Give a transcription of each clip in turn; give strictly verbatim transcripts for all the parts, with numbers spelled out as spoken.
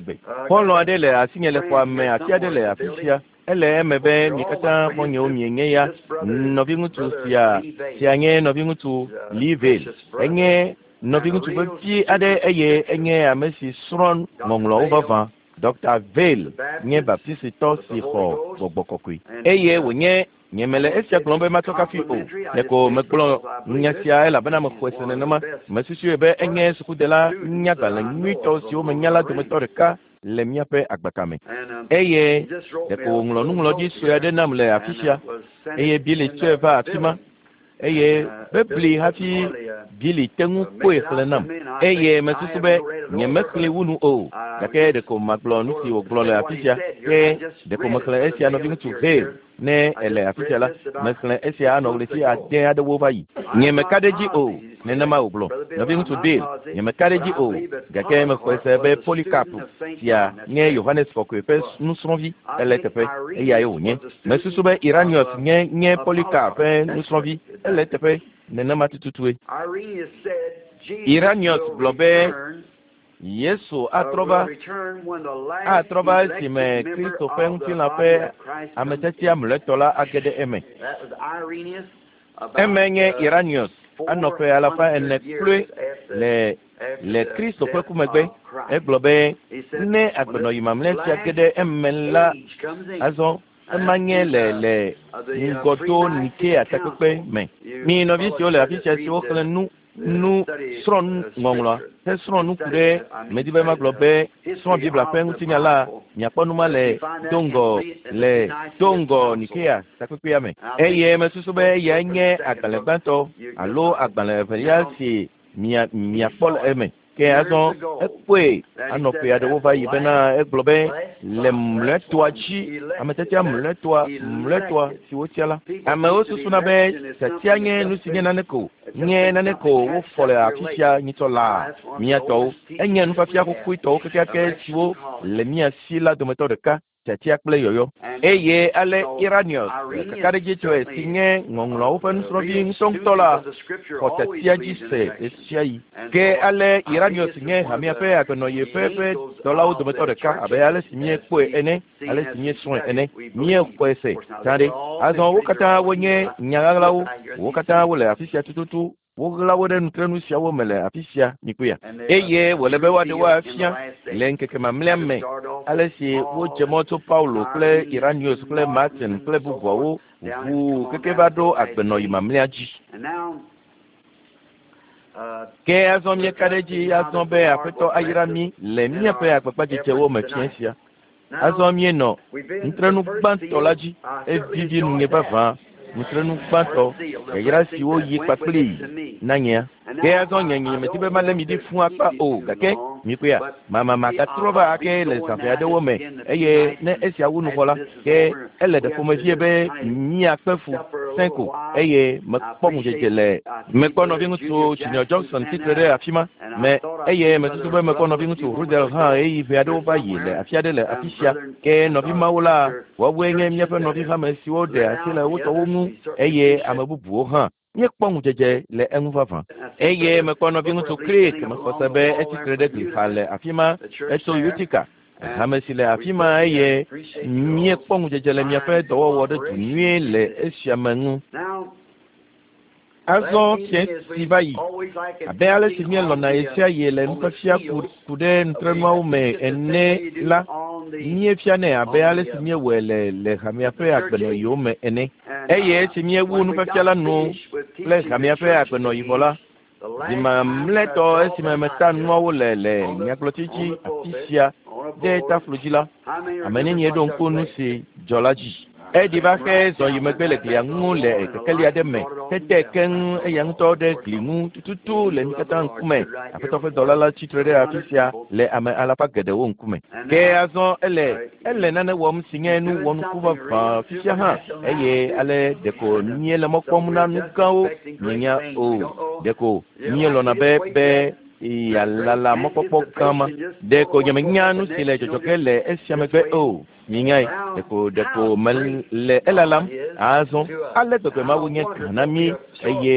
gbegbe. Xɔlɔ̃ aɖe le asinye le xɔa me, ati aɖe le afi sia. Ele eme be mi katã xɔ̃nyewo mienye ya. Nɔviŋutsu sia sia nye nɔviŋutsu Lee Vayle. Enye Nɔviŋutsu vevi aɖe eye enye ame si srɔ̃ ŋɔŋlɔwo vavã. Doctor Vayle nye baptistitɔ si xɔ gbɔgbɔ kɔkɔe eye wònye nye mele esia gblɔm be matsɔ kafi o. Ɖeko megblɔ nya sia elabena mexɔe se nenema. Mesusui be enye sukudela nyagbalẽ nyuitɔ siwo menya la dometɔ ɖeka le míaƒe agbaka me. Eye ɖeko wòŋlɔ nuŋlɔɖi sue aɖe nam le afi sia eye Billy tsɔe va afi ma. Eye bebli hafi Billy te ŋu kpɔe xlẽ nam. Eye mesusu be nye mexlẽ wu nu o. Gake ɖeko magblɔ nu si wògblɔ le afi sia. Ke ɖeko mexlẽ esia nɔviŋutsu Vayle ne ele afi sia la. Mexlẽ esia anɔ ɣleti ade aɖewo va yi. Nye meka ɖe dzi o. Nenema wògblɔ. Nɔviŋutsu Bill, nye meka ɖe dzi o. Gake mexɔe se be Polycarp sia nye Yohanes Kɔkɔe ƒe nusrɔ̃vi ele teƒe. Eyae wònye. Mesusu be Irenaeus nye nye Polycarp ƒe nusrɔ̃vi ele teƒe. Nenema tututue. Irenaeus gblɔ be Yesu atrɔ va atrɔ va esime Kristo ƒe ŋutilã ƒe ametiatia mlɔetɔ la age ɖe eme. Eme nye Irenaeus anɔ ƒe alafa ene kloe le le Kristo ƒe ku megbe. Egblɔ be ne agbenɔyi mamlɛ sia ge ɖe eme la azɔ ema nye le le ŋgɔdo Nikea takpekpe me. Mi nɔvi siwo le afi sia siwo xlẽ nu nu srɔ̃ ŋɔŋlɔa hesrɔ̃ nu ku ɖe medi be magblɔ be srɔ̃ Biblia ƒe ŋutinya la miakpɔ nu ma le do ŋgɔ le do ŋgɔ Nikea takpekpea me. Eye mesusu be eyae nye agbalẽ gbãtɔ alo agbalẽ evelia si mia miakpɔ le eme. Ke azɔ ekpɔe anɔ ƒe aɖewo va yi bena egblɔ be le mlɔetɔa dzi ametiatia mlɔetɔa mlɔetɔa si wotia la. Amewo susuna be tiatia nye nu si nye nane ko nye nane ko wofɔ le afi sia nyitsɔ laa mía tɔwo. Enye nufiafia xoxoetɔwo kekeake siwo le mía si la dometɔ ɖeka. Tiatia kple yɔyɔ. Eye ale Irenaeus kakaɖedzitɔe si nye ŋɔŋlɔawo ƒe nusrɔ̃vi ŋutɔŋutɔ la xɔ tiatia dzi se ɣesiaɣi. Ke ale Irenaeus nye hamea ƒe agbenɔyi ƒe ƒe dɔlawo dometɔ ɖeka abe ale si míekpɔe ene, ale si míesrɔ̃e ene. Míexɔe se tsã ɖe. Azɔ wo katã wonye nya ɣaɣlawo. Wo katã wole afi sia tututu. Woɣla wo ɖe nutrenu siawo me le afi sia mikpɔea. Eye wòle be woaɖe wo afia le ŋkeke mamlɛa me ale si wodze mɔ tso Paulo kple Irenaeus kple Martin kple bubuawo ʋuu keke va ɖo agbenɔyi mamlɛa dzi. Ke azɔ míeka ɖe edzi azɔ be Aƒetɔ ayra mí le míaƒe agbagbadzedzewo me fiẽ sia. Azɔ míenɔ nutrenu gbãtɔ la dzi. Evivi nunye vavã. Nutrenu gbãtɔ yayra siwo yi kpakplii na nyea. Ke azɔ nye nye medi be malé mi ɖi fũ akpa o gake mikpɔea mama magatrɔ va ake le zã ʋɛ aɖewo me eye ne esia wu nu vɔ la ke ele ɖe ƒomevie be míakpe fu sẽ ko eye mekpɔ ŋudzedze le mekpɔ nɔviŋutsu Junior Johnson tsitre ɖe afi ma me eye mesusu be mekpɔ nɔviŋutsu Rudel hã ɣeyiɣi ʋɛ aɖewo va yi le afi aɖe le afi sia. Ke nɔvi mawo la woawoe nye míaƒe nɔvi hame siwo ɖe asi le wo tɔwo ŋu eye ame bubuwo hã. Míekpɔ ŋudzedze le eŋu vavã. Eye mekpɔ nɔviŋutsu Creek mexɔ se be etsitre ɖe gli xa le afi ma etso Utica hame si le afi ma eye míekpɔ ŋudzedze le miaƒe dɔwɔwɔ ɖe du nyuie le esia me ŋu. Azɔ fiẽ si va yi abe ale si míelɔ̃na ɣesiaɣi le nufiafia ku ɖe nutrenuawo me ene la míefianɛ abe ale si míewɔe le le hamea ƒe agbenɔyiwo me ene. Eye esi míewu nufiafia la nu kple hamea ƒe agbenɔyi vɔ la, zi mamlɛtɔ esime meta nuawo le le nyagblɔtsi dzi afi sia ɖe taflo dzi la, ame nenie ɖo ŋku nu si dzɔ la dzi. Eɖi va xe zɔ yi megbe le glia ŋu le kekeli aɖe me hete keŋ eya ŋutɔ ɖe gli ŋu tututu le mí katã ŋkume. Aƒetɔ ƒe dɔla la tsitre ɖe afi sia le ame alafa geɖewo ŋkume. Ke azɔ ele ele nane wɔm si nye nu wɔnuku vavã fifia hã eye ale ɖeko míele mɔ kpɔm na nu gãwo mienya o. Ɖeko míelɔ̃na be be yalala mɔkpɔkpɔ gã ma. Ɖeko nyemenya nu si le dzɔdzɔ ge le esia megbe o. Minyae ɖeko ɖeko mele elalam azɔ ale gbegbe Mawu nye gã na mí eye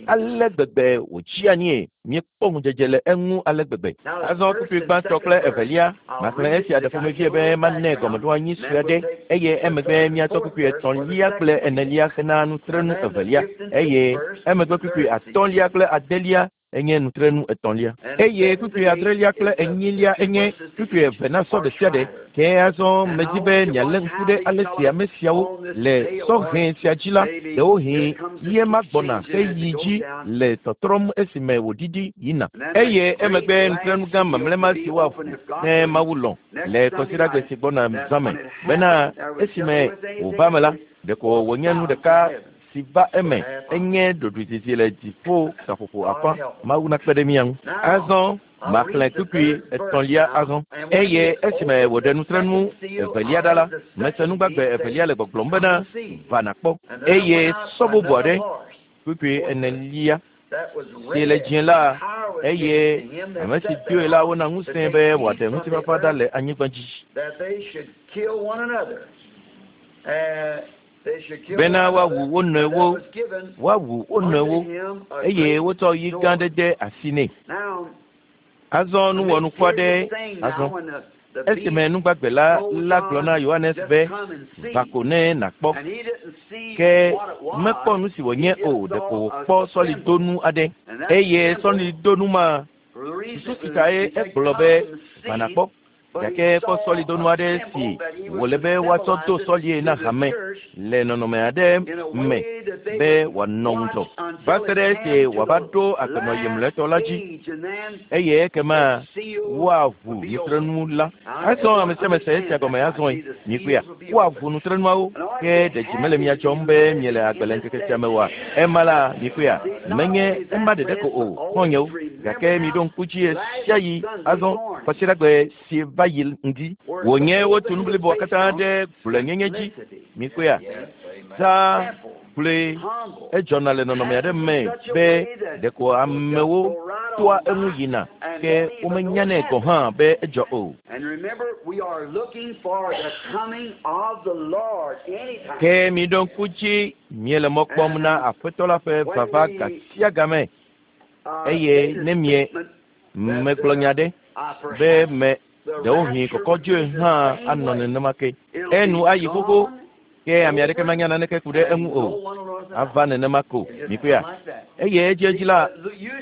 ale gbegbe wòtsi anyie míekpɔ ŋudzedze le eŋu ale gbegbe. Azɔ kpukpui gbãtɔ kple evelia maxlẽ esia ɖe ƒomevie be manɛ gɔmeɖoanyi sue aɖe eye emegbe míatsɔ kpukpui etɔ̃lia kple enelia hena nutrenu evelia eye emegbe kpukpui atɔ̃lia kple adelia Enye nutrenu etɔ̃lia. Eye kpukpui adrelia kple enyilia enye kpukpui eve na sɔ ɖe sia ɖe. Ke azɔ medzi be mialé ŋku ɖe ale si ame siawo le sɔhɛ sia dzi la, ɖewohĩ ye ma gbɔna heyi dzi le tɔtrɔm esime wòɖiɖi yina. Eye emegbe nutrenu gã mamlɛ si woaʋu ne Mawu lɔ̃ le kɔsiɖagbe si gbɔna zã me bena esime wòva me la, ɖeko wònye nu ɖeka si va eme enye ɖoɖoezizi le dziƒo gaƒoƒo afã. Mawu nakpe ɖe mía ŋu. Azɔ maxlẽ kpukpui etɔ̃lia azɔ. Eye esime wòɖe nutrenu evelia ɖa la, mese nugbagbe evelia le gbɔgblɔm bena va nàkpɔ. Eye sɔ bubu aɖe, kpukpui enelia, si le dzĩ la, eye ame si doe la wona ŋusẽ be wòaɖe ŋutifafa ɖa le anyigba dzi. Bena woawu wo nɔewo, woawu wo nɔewo, eye wotsɔ yi gã aɖe de asi nɛ. Azɔ nuwɔnuku aɖe azɔ. Esime nugbagbe la la gblɔ na Yohanes be va ko ne nàkpɔ. Ke mekpɔ nu si wònye o, ɖeko wòkpɔ sɔlidonu aɖe. Eye sɔlidonu ma, susu si tae egblɔ be va nàkpɔ. Gake kpɔ sɔlidonu aɖe si wòle be woatsɔ do sɔlie na hame le nɔnɔme aɖe me be wòanɔ ŋudzɔ va se ɖe esi wòava ɖo agbenɔyi mlɔetɔ la dzi eye ekema woaʋu nutrenu la. Azɔ ame sia ame se esia gɔme azɔe mikpɔea, woaʋu nutrenuawo ke ɖe dzi mele mia dzɔm be miele agbe le ŋkeke sia me oa? Ema la mikpɔea, menye ema ɖeɖe ko o, xɔ̃nyewo, gake miɖo ŋku dzi ɣe sia ɣi azɔ kɔsiɖagbe si va yi ŋdi wònye wotu nu bliboa katã ɖe gblɔenyenye dzi. Mikpɔea, zã kple edzɔna le nɔnɔme aɖe me be ɖeko amewo toa eŋu yina ke womenyanɛ gɔ̃ hã be edzɔ o. Ke miɖo ŋku dzi miele mɔ kpɔm na Aƒetɔ la ƒe vava gasia game eye ne mie megblɔ nya ɖe be me ɖewohĩ kɔkɔdzoe hã anɔ nenema ke. Enu ayi xoxo ke ame aɖeke manya naneke ku ɖe eŋu o. Ava nenema ko mikpɔea. Eye edziedzi la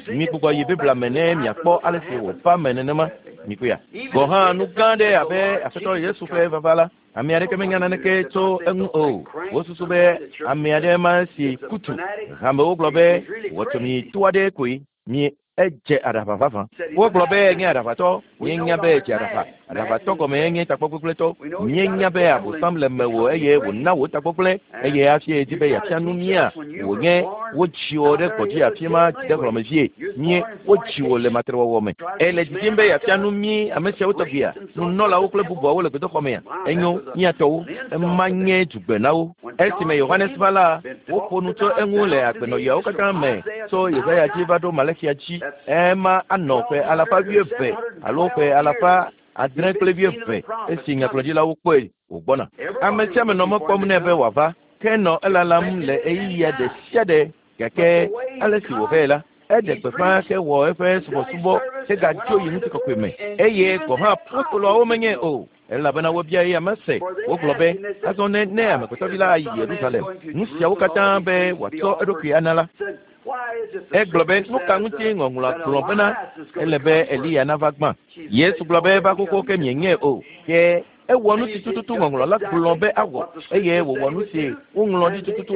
migbugbɔ yi Biblia me ne miakpɔ ale si wòva me nenema mikpɔea. Gɔ̃ hã nu gã ɖe abe Aƒetɔ Yesu ƒe vava la, ame aɖeke menya naneke tso eŋu o. Wosusu be ame aɖe ma si kutu. Hamewo gblɔ be wɔtɔmi to aɖe koe mi edze aɖaʋa vavã. Wogblɔ be enye aɖaʋatɔ, míenya be edze aɖaʋa. Aɖaʋatɔ gɔme enye tagbɔgbegblẽtɔ. Míenya be Abosam le mewò eye wòna wò tagbɔgblẽ eye hafi edi be yeafia nu mía. Wònye wodzi wò ɖe gbɔdzi afi ma dzidehlɔ̃me vie. Mie wodzi wò le matrewɔwɔ me. Ele didim be yeafia nu mí ame siawo tɔgbia, nunɔlawo kple bubuawo le gbedoxɔ mea. Enyo míatɔwo, ema nye dzugbe na wo. Esime Yohanes va la, woƒo nu tso eŋu le agbenɔɣiawo katã me tso Yesaya dzi va ɖo Malaxia dzi. Ema anɔ ƒe alafa wuieve alo ƒe alafa adre kple wuieve esi nyagblɔɖilawo kpɔe wògbɔna. Ame sia ame nɔ mɔ kpɔm nɛ be wòava, ke nɔ elalam le ɣeyiɣia ɖe sia ɖe gake ale si wòvɛ la, eɖe gbeƒã ke wɔ eƒe subɔsubɔ hegadzo yi ŋutikɔkɔe me eye gɔ̃ hã apostoloawo menye o. Elabena wobia eya mese. Wogblɔ be azɔ ne ne amegbetɔvi la ayi Yerusalem, nu siawo katã be wòatsɔ eɖokui ana la. Egblɔ be nu ka ŋuti ŋɔŋlɔa gblɔ bena ele be Eliya nava gbã. Yesu gblɔ be eva xoxo ke mienyae o. Ke ewɔ nu si tututu ŋɔŋlɔ la gblɔ be awɔ eye wòwɔ nu si woŋlɔ ɖi tututu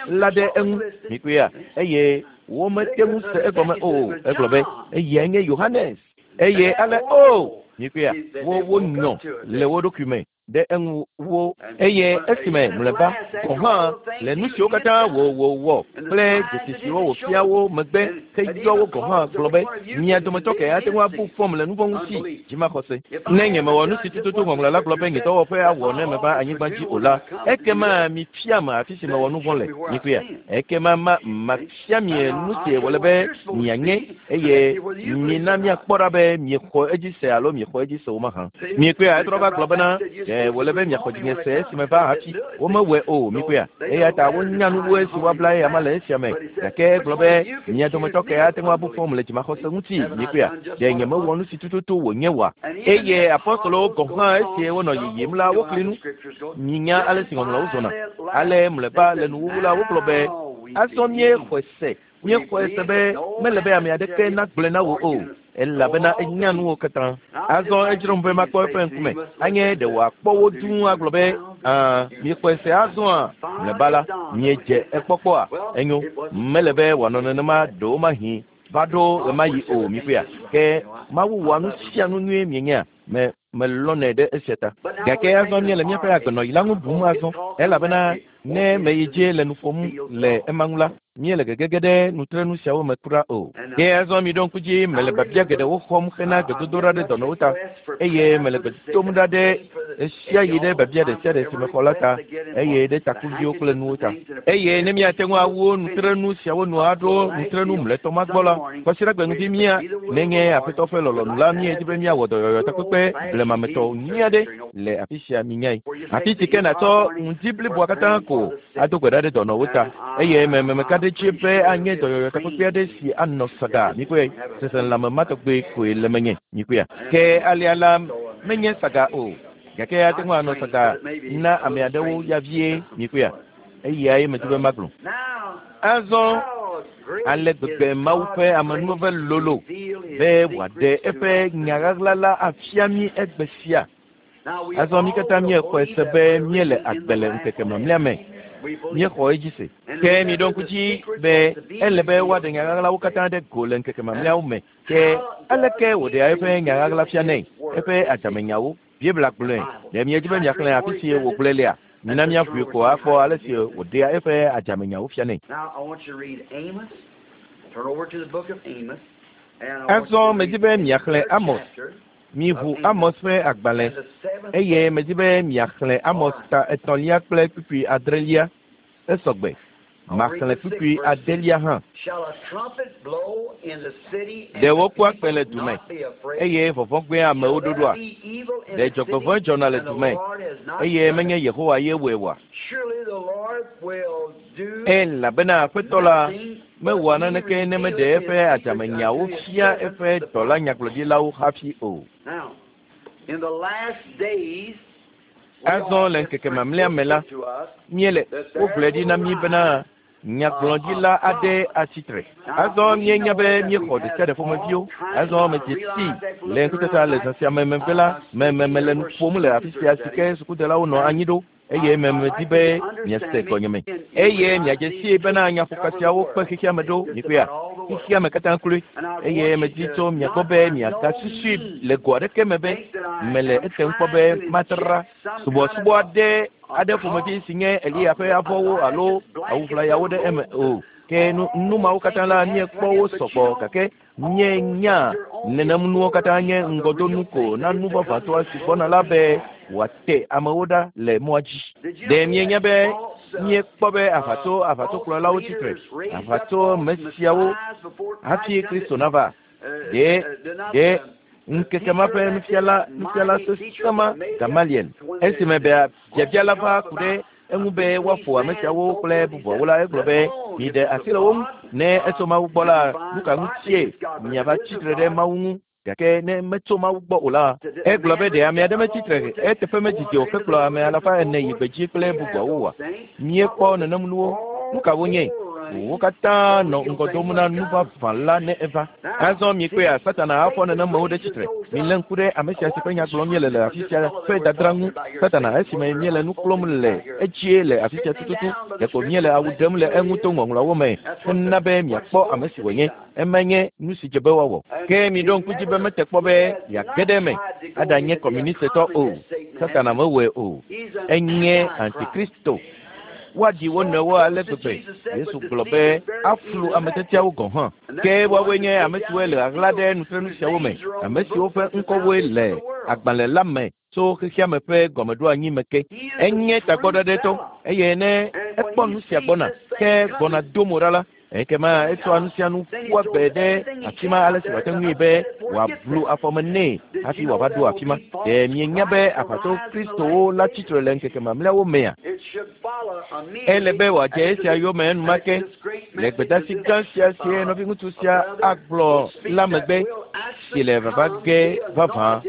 la ɖe eŋu. Mikpɔea, eye womete ŋu se egɔme o. Egblɔ be eyae nye Yohanes. Eye ale o mikpɔea, wo wonyɔ le wo ɖokui me ɖe eŋu wo eye esime mlɔeba gɔ̃ hã le nu siwo katã wò wòwɔ kple dzesi siwo wòfia wo megbe heyɔ wo gɔ̃ hã gblɔ be mia dometɔ ke ate ŋu abu fɔm le nu vɔ̃ ŋuti dzimaxɔse. Ne nyemewɔ nu si tututu ŋɔŋlɔ la gblɔ be nye dɔwɔƒe awɔ ne meva anyigba dzi o la, ekema mifia me afi si mewɔ nu vɔ̃ le. Mikpɔea, ekema ma mafia mi nu si wòle be mianye eye mina miakpɔ ɖa be miexɔ edzi se alo miexɔ edzi se o mahã. Mikpɔea, etrɔ va gblɔ bena wòle be miaxɔ dzinye se esime va hafi womewɔe o. Mikpɔea, eya ta wonya nu wu esi woabla eya ma le esia me. Gake egblɔ be mia dometɔ ke ate ŋu abu fɔm le dzimaxɔse ŋuti. Mikpɔea, ɖe nyemewɔ nu si tututu wònye oa? Eye apostolowo gɔ̃ hã esi wonɔ yiyim la, wokli nu. Minya ale si ŋɔŋlɔawo zɔna. Ale mlɔeba le nuwuwu la, wogblɔ be Azɔ míexɔe se míexɔe se be mele be ame aɖeke nagblɔe na wò o elabena enya nuwo katã. Azɔ edzrom be makpɔ eƒe ŋkume anye ɖe wòakpɔ wo dũu agblɔ be aa miexɔe se azɔa mlɔeba la miedze ekpɔkpɔa enyo mele be wòanɔ nenema ɖewomahi va ɖo ɣemaɣi o mikpɔea ke Mawu wɔa nu sia nu nyuie mienyea me melɔnɛ ɖe esia ta. Gake azɔ míele míaƒe agbenɔɣi la ŋu bum azɔ elabena ne meyi dzi le nu ƒom le ema ŋu la míele gegege ɖe nutrenu siawo me kura o. Ke azɔ miɖo ŋku dzi mele biabia geɖewo xɔm hena gbedodoɖa ɖe dɔnɔwo ta eye mele gbe dom ɖa ɖe ɣe sia ɣi ɖe biabia ɖe sia ɖe si mexɔ la ta eye ɖe takuviwo kple nuwo ta. Eye ne míate ŋu awu nutrenu siawo nu aɖo nutrenu mlɔetɔ ma gbɔ la, kɔsiɖagbe ŋdi mía nenye Aƒetɔ ƒe lɔlɔ̃nu la míedi be míawɔ dɔyɔyɔ takpekpe blemametɔ nyui aɖe le afi sia minyae. Afi si ke nàtsɔ ŋdi bliboa katã ko ado gbe ɖa ɖe dɔnɔwo ta eye mememeka ɖe dzi be anye dɔyɔyɔ takpekpe aɖe si anɔ saga mikpɔe seselãme ma tɔgbe koe le menye mikpɔea. Ke alea la menye saga o gake ate ŋu anɔ saga na ame aɖewo ya vie mikpɔea eyae medi be magblɔ. Azɔ ale gbegbe Mawu ƒe amenuveve lolo be wòaɖe eƒe nya ɣaɣla la afia mí egbe sia. Azɔ mí katã míexɔe se be míele agbe le ŋkeke mamlɛa me. Míexɔ edzi se. Ke miɖo ŋku dzi be ele be woaɖe nya ɣaɣlawo katã ɖe go le ŋkeke mamlɛawo me. Ke aleke wòɖea eƒe nya ɣaɣla fianɛ? Eƒe adzamenyawo. Biblia gblɔe. Ɖe miedi be miaxlẽ afi si wògblɔe lea? Mina míaƒoe ko akpɔ ale si wòɖea eƒe adzamenyawo fianɛ. Azɔ medi be miaxlẽ Amos. Miʋu Amos ƒe agbalẽ eye medi be miaxlẽ Amos ta etɔ̃lia kple kpukpui adrelia. Esɔgbe. Maxlẽ kpukpui adelia hã. Ɖe wokua kpẽ le du me eye vɔvɔ̃ gbea amewo ɖoɖoa? Ɖe dzɔgbevɔ̃e dzɔna le du me eye menye Yehowa ye wɔe oa? Elabena Aƒetɔ la mewɔa naneke ne meɖe eƒe adzamenyawo fia eƒe dɔla nyagblɔɖilawo hafi o. Azɔ le ŋkeke mamlɛa me la, míele wogblɔe ɖi na mí bena nyagblɔɖila aɖe atsi tre. Azɔ míenya be míexɔ ɖe sia ɖe ƒomeviwo. Azɔ medze sii le ŋkutata le zã sia me megbe la, mememe le nu ƒom le afi sia si ke sukudelawo nɔ anyi ɖo eye memedi be miase gɔnyeme eye miadze sii bena nyaƒoka siawo kpe xexea me ɖo mikpɔea xexea me katã kloe eye medi tso mia gbɔ be miagasusui le go aɖeke me be mele etem kpɔ be matra subɔsubɔ aɖe aɖe ƒomevi si nye Eliya ƒe avɔwo alo awuʋlayawo ɖe eme o. Ke nu nu mawo katã la míekpɔ wo sɔgbɔ gake míenya nenem nuwo katã nye ŋgɔdonu ko na nu vavãtɔ si gbɔna la be wòate amewo ɖa le mɔa dzi. Ɖe míenya be míekpɔ be aʋatso aʋatsokplɔlawo tsi tre aʋatso me siawo hafi Kristo nava. Ɖe ɖe ŋkeke ma ƒe nufiala nufiala sesẽ ma Gamaliel esime be biabia la va ku ɖe eŋu be woaƒo ame siawo kple bubuawo la egblɔ be miɖe asi le wo ŋu ne etso Mawu gbɔ la nu ka ŋutie miava tsi tre ɖe Mawu ŋu gake ne metso Mawu gbɔ o la egblɔ be ɖe ame aɖe metsi tre eteƒe medzidzi o hekplɔ ame alafa ene yi gbedzi kple bubuawo oa? Míekpɔ nenem nuwo. Nu ka wonye? Wo katã nɔ ŋgɔ dom na nu vavã la ne eva. Azɔ mikpɔea Satana afɔ nenemewo ɖe tsitre. Milé ŋku ɖe ame sia si ƒe nya gblɔm míele le afi sia ƒe dadra ŋu. Satana esime míele nu klɔm le edzie le afi sia tututu ɖeko míele awu ɖem le eŋu to ŋɔŋlɔawo me hena be miakpɔ ame si wònye. Ema nye nu si dze be woawɔ. Ke miɖo ŋku dzi be mete kpɔ be yeage ɖe eme aɖanye kɔmunistetɔ o. Satana mewɔe o. Enye antikristo. Woaɖi wo nɔewo ale gbegbe. Yesu gblɔ be aflu ame tiatiawo gɔ̃ hã. Ke woawoe nye ame siwoe le ɣaɣla ɖe nutrenu siawo me, ame siwo ƒe ŋkɔwoe le agbalẽ la me tso xexea me ƒe gɔmeɖoanyi me ke. Enye tagbɔɖeɖetɔ eye ne ekpɔ nu sia gbɔna ke gbɔna do mo ɖa la, ekema etsɔa nu sia nu ƒua gbe ɖe afi ma ale si wòate ŋui be wòablu afɔme nɛ hafi wòava ɖo afi ma. Ɖe mienya be aʋatso Kristowo la tsi tre le ŋkeke mamlɛawo mea? Ele be wòadze esia yome enumake le gbedeasi gã sia si nɔviŋutsu sia agblɔ la megbe si le vava ge vavã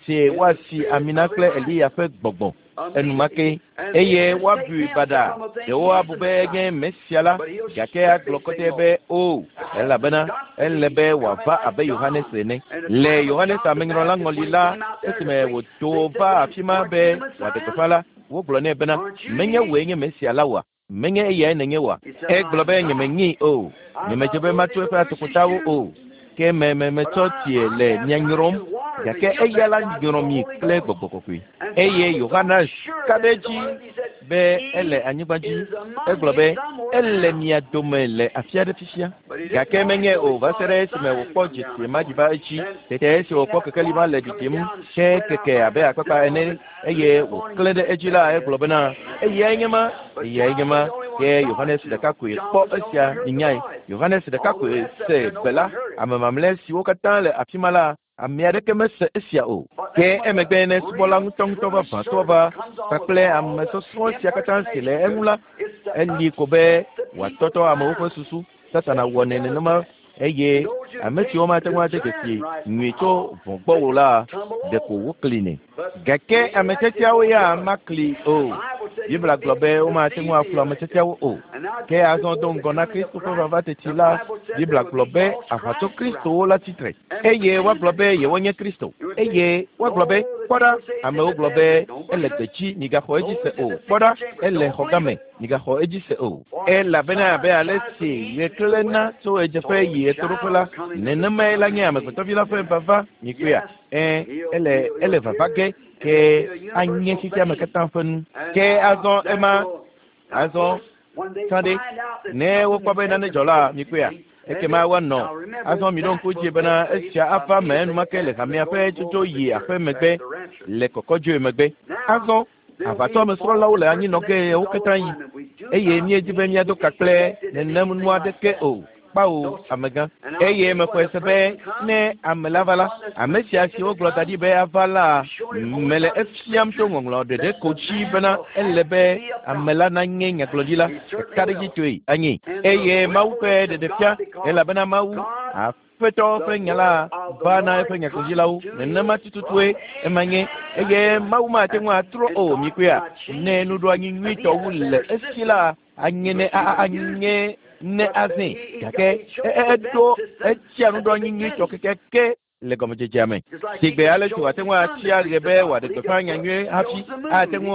si woasi ami na kple Eliya ƒe gbɔgbɔ. enumake eye woabui baɖa ɖewo abu be enye Mesia la gake agblɔ kɔtɛ be o elabena ele be wòava abe Yohanes ene. Le Yohanes amenyrɔla ŋɔli la esime wòto va afi ma be wòaɖe gbeƒã la wogblɔ nɛ bena menye wòe nye Mesia la oa menye eyae nènye oa egblɔ be nyemenyii o nyemedze be matso eƒe atokpotawo o ke me me metsɔ tsie le mia nyrɔm gake eya la nyrɔ mi kple gbɔgbɔ kɔkɔe eye Yohanes ka ɖe edzi be ele anyigba dzi egblɔ be ele mia dome le afi aɖe fifia gake menye o va se ɖe esime wòkpɔ dzesi ma dzi va edzi tete esi wòkpɔ kekeli ma le ɖiɖim ke keke abe akpakpa ene eye wòklẽ ɖe edzi la egblɔ bena eyae nye ma eyae nye ma ke Yohanes ɖeka koe kpɔ esia nyae Yohanes ɖeka koe se gbe la ame mamlɛ siwo katã le afi ma la ame aɖeke mese esia o ke emegbe ne subɔla ŋutɔŋutɔ vavãtɔ va kpakple ame sɔsrɔ̃ sia katã si le eŋu la eli ko be wòatɔtɔ amewo ƒe susu Satana wɔnɛ nenema eye ame siwo mate ŋu ade dzesi nyui tso vɔ̃ gbɔ o la ɖeko woklinɛ gake ame tiatiawo ya makli o Biblia gblɔ be womate ŋu aflu ame tiatiawo o ke azɔ do ŋgɔ na Kristo ƒe vava teti la Biblia gblɔ be aʋatso Kristowo la tsitre eye woagblɔ be yewonye Kristo eye woagblɔ be kpɔ ɖa amewo gblɔ be ele gbedzi migaxɔ edzi se o kpɔ ɖa ele xɔgãme migaxɔ edzi se o elabena abe ale si ɣe klẽna tso ɣedzeƒe yi ɣetoɖoƒe la nenemae la nye amegbetɔvi la ƒe vava mikpɔea ẽ ele ele vava ge ke anye xexeame katã ƒe nu ke azɔ ema azɔ tsã ɖe ne wokpɔ be nane dzɔ la mikpɔea ekema woanɔ azɔ miɖo ŋku dzi bena esia ava me enumake le hamea ƒe tsotso yi aƒe megbe le kɔkɔdzoe megbe azɔ aʋatɔ amesrɔ̃lawo le anyinɔ ge wo katã yi eye míedi be míado ka kple nenem nu aɖeke o kpawo amegã eye mexɔe se be ne ame la va la ame sia si wogblɔ da ɖi be ava la mele efiam tso ŋɔŋlɔ ɖeɖe ko dzi bena ele be ame la nanye nyagblɔɖila ɖekaɖedzitɔe anyi eye Mawu ƒe ɖeɖefia elabena Mawu Aƒetɔ ƒe nya la va na eƒe nyagblɔɖilawo nenema tututue ema nye eye Mawu mate ŋu atrɔ o mikpɔea ne nuɖoanyi nyuitɔ wu le esi la anye ne anye ne azẽ gake eɖo etsia nuɖoanyi nyuitɔ kekeake le gɔmedzedzea me sigbe ale si wòate ŋu atia ɣe be wòaɖe gbeƒã nyanyuie hafi ate ŋu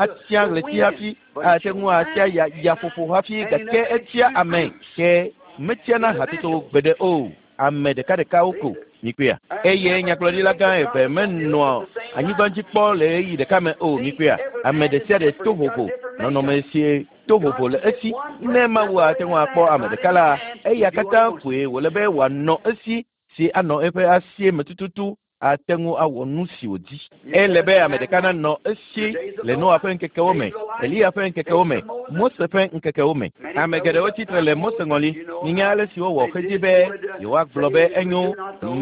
atia ɣleti hafi ate ŋu atia ya yaƒoƒo hafi gake etia ame ke metiana hatsotso gbeɖe o ame ɖekaɖekawo ko mikpɔea eye nyagblɔɖila gã eve menɔa anyigba dzi kpɔ le ɣeyiɣi ɖeka me o mikpɔea ame ɖe sia ɖe to vovo nɔnɔme si to vovo le esi ne Mawu ate ŋu akpɔ ame ɖeka la eya katã koe wòle be wòanɔ esi si anɔ eƒe asie me tututu ate ŋu awɔ nu si wòdi ele be ame ɖeka nanɔ esi le Noa ƒe ŋkekewo me Eliya ƒe ŋkekewo me Mose ƒe ŋkekewo me ame geɖewo tsitre le Mose ŋɔli minya ale si wowɔ xedzi be yewoagblɔ be enyo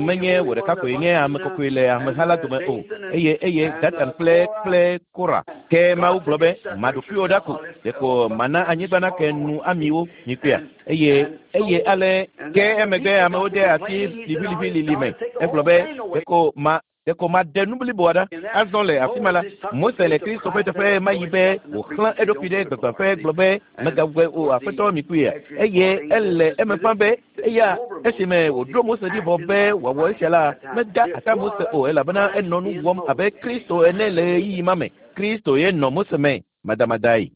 menye wò ɖeka koe nye ame kɔkɔe le ameha la dome o eye eye Datan kple kple Kora ke Mawu gblɔ be maɖokuiwo ɖa ko ɖeko mana anyigba nake nu amiwo mikpɔea eye eye ale ke emegbe amewo de asi liʋiliʋilili me egblɔ be ɖeko ma ɖeko maɖe nu bliboa ɖa azɔ le afi ma la Mose le Kristo ƒe teƒe ma yi be wòxlẽ eɖokui ɖe gbegbaƒe gblɔ be megawɔe o aƒetɔ mikpɔea eye ele eme ƒã be eya esime wòɖo Mose ɖi vɔ be wòawɔ esia la meda ata Mose o elabena enɔ nu wɔm abe Kristo ene le ɣeyiɣi ma me Kristo ye nɔ Mose me madamadae.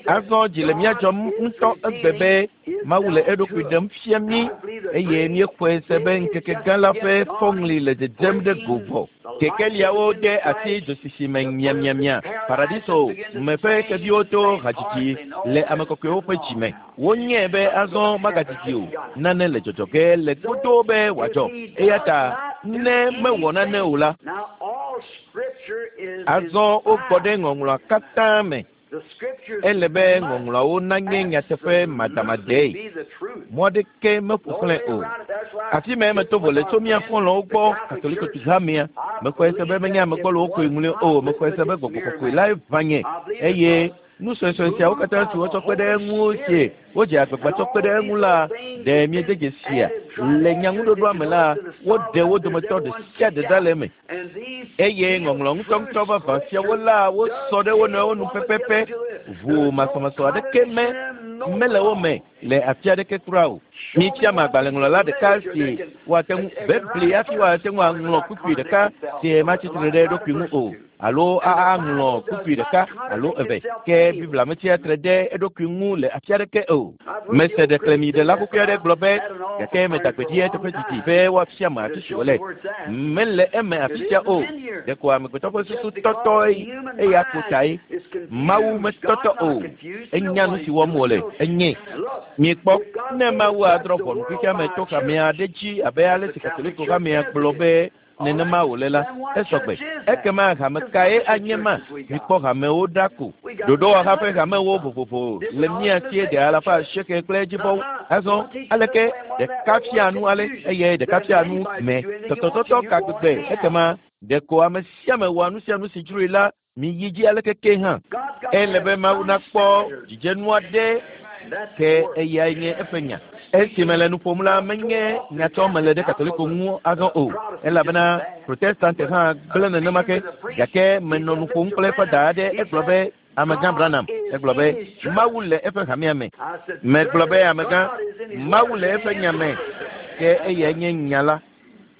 Azɔ dzi le mía dzɔm ŋutɔ egbe be Mawu le eɖokui ɖem fia mí eye míexɔe se be ŋkeke gã la ƒe fɔŋli le dzedzem ɖe go vɔ. Kekeliawo de asi dzosisi me miamiamia paradiso me ƒe xeviwo to hadzidzi le ame kɔkɔewo ƒe dzi me. Wonyae be azɔ magadidi o nane le dzɔdzɔ ge le godoo be wòadzɔ eya ta ne mewɔ nane o la azɔ wogbɔ ɖe ŋɔŋlɔa katã me ele be ŋɔŋlɔawo nanye nyateƒe madamadee mɔ aɖeke meƒo xlẽ o afi ma meto vo le tso mía xɔlɔ̃wo gbɔ katoliko hamea mexɔe se be menye ame gbɔlowo koe ŋlɔe o mexɔe se be gbɔgbɔ kɔkɔe lae ʋã nye eye Nu suesue siawo katã si wotsɔ kpe ɖe eŋu sie wodze agbagba tsɔ kpe ɖe eŋu la ɖe miede dzesia le nyaŋuɖoɖoa me la woɖe wo dometɔ ɖe sia ɖe ɖa le eme eye ŋɔŋlɔ ŋutɔŋutɔ vavã siawo la wosɔ ɖe wo nɔewo nu pɛpɛpɛ ʋu masɔmasɔ aɖeke me mele wo me le afi aɖeke kura o. Mifia me agbalẽŋlɔla ɖeka si woate ŋu bebli hafi woate ŋu aŋlɔ kpukpui ɖeka si matsitre ɖe eɖokui ŋu o alo aŋlɔ kpukpui ɖeka alo eve ke Biblia metsia tre ɖe eɖokui ŋu le afi aɖeke o. Mese ɖeklemiɖela xoxoe aɖe gblɔ be gake medagbe dzi eteƒe didi be woafia me afi si wòle. Mele eme afi sia o. Ɖeko amegbetɔ ƒe susu tɔtɔ eya ko tae. Mawu metɔtɔ o. Enya nu si wɔm wòle. Enye. Miekpɔ ne Mawu adrɔ̃ ʋɔnu xexea me to hamea aɖe dzi abe ale si Katoliko hamea gblɔ be nenema wòle la, esɔgbe. Ekema hame kae anye ma? Mikpɔ hamewo ɖa ko. Ɖoɖowɔha ƒe hamewo vovovo le mía sie ɖe alafa asieke kple edzivɔwo. Azɔ aleke ɖeka fia nu ale eye ɖeka fia nu me tɔtɔtɔtɔ ka gbegbe ekema ɖeko ame sia ame wɔa nu sia nu si dzroe la miyi dzi aleke ke hã. Ele be Mawu nakpɔ dzidzenu aɖe ke eyae nye eƒe nya. Esi mele nu ƒom la menye nyatsɔ mele ɖe Katoliko ŋu azɔ o elabena Protestante hã gblẽ nenema ke gake menɔ nu ƒom kple eƒe da aɖe egblɔ be amegã Branham egblɔ be Mawu le eƒe hamea me. Megblɔ be amegã Mawu le eƒe nya me ke eyae nye nya la.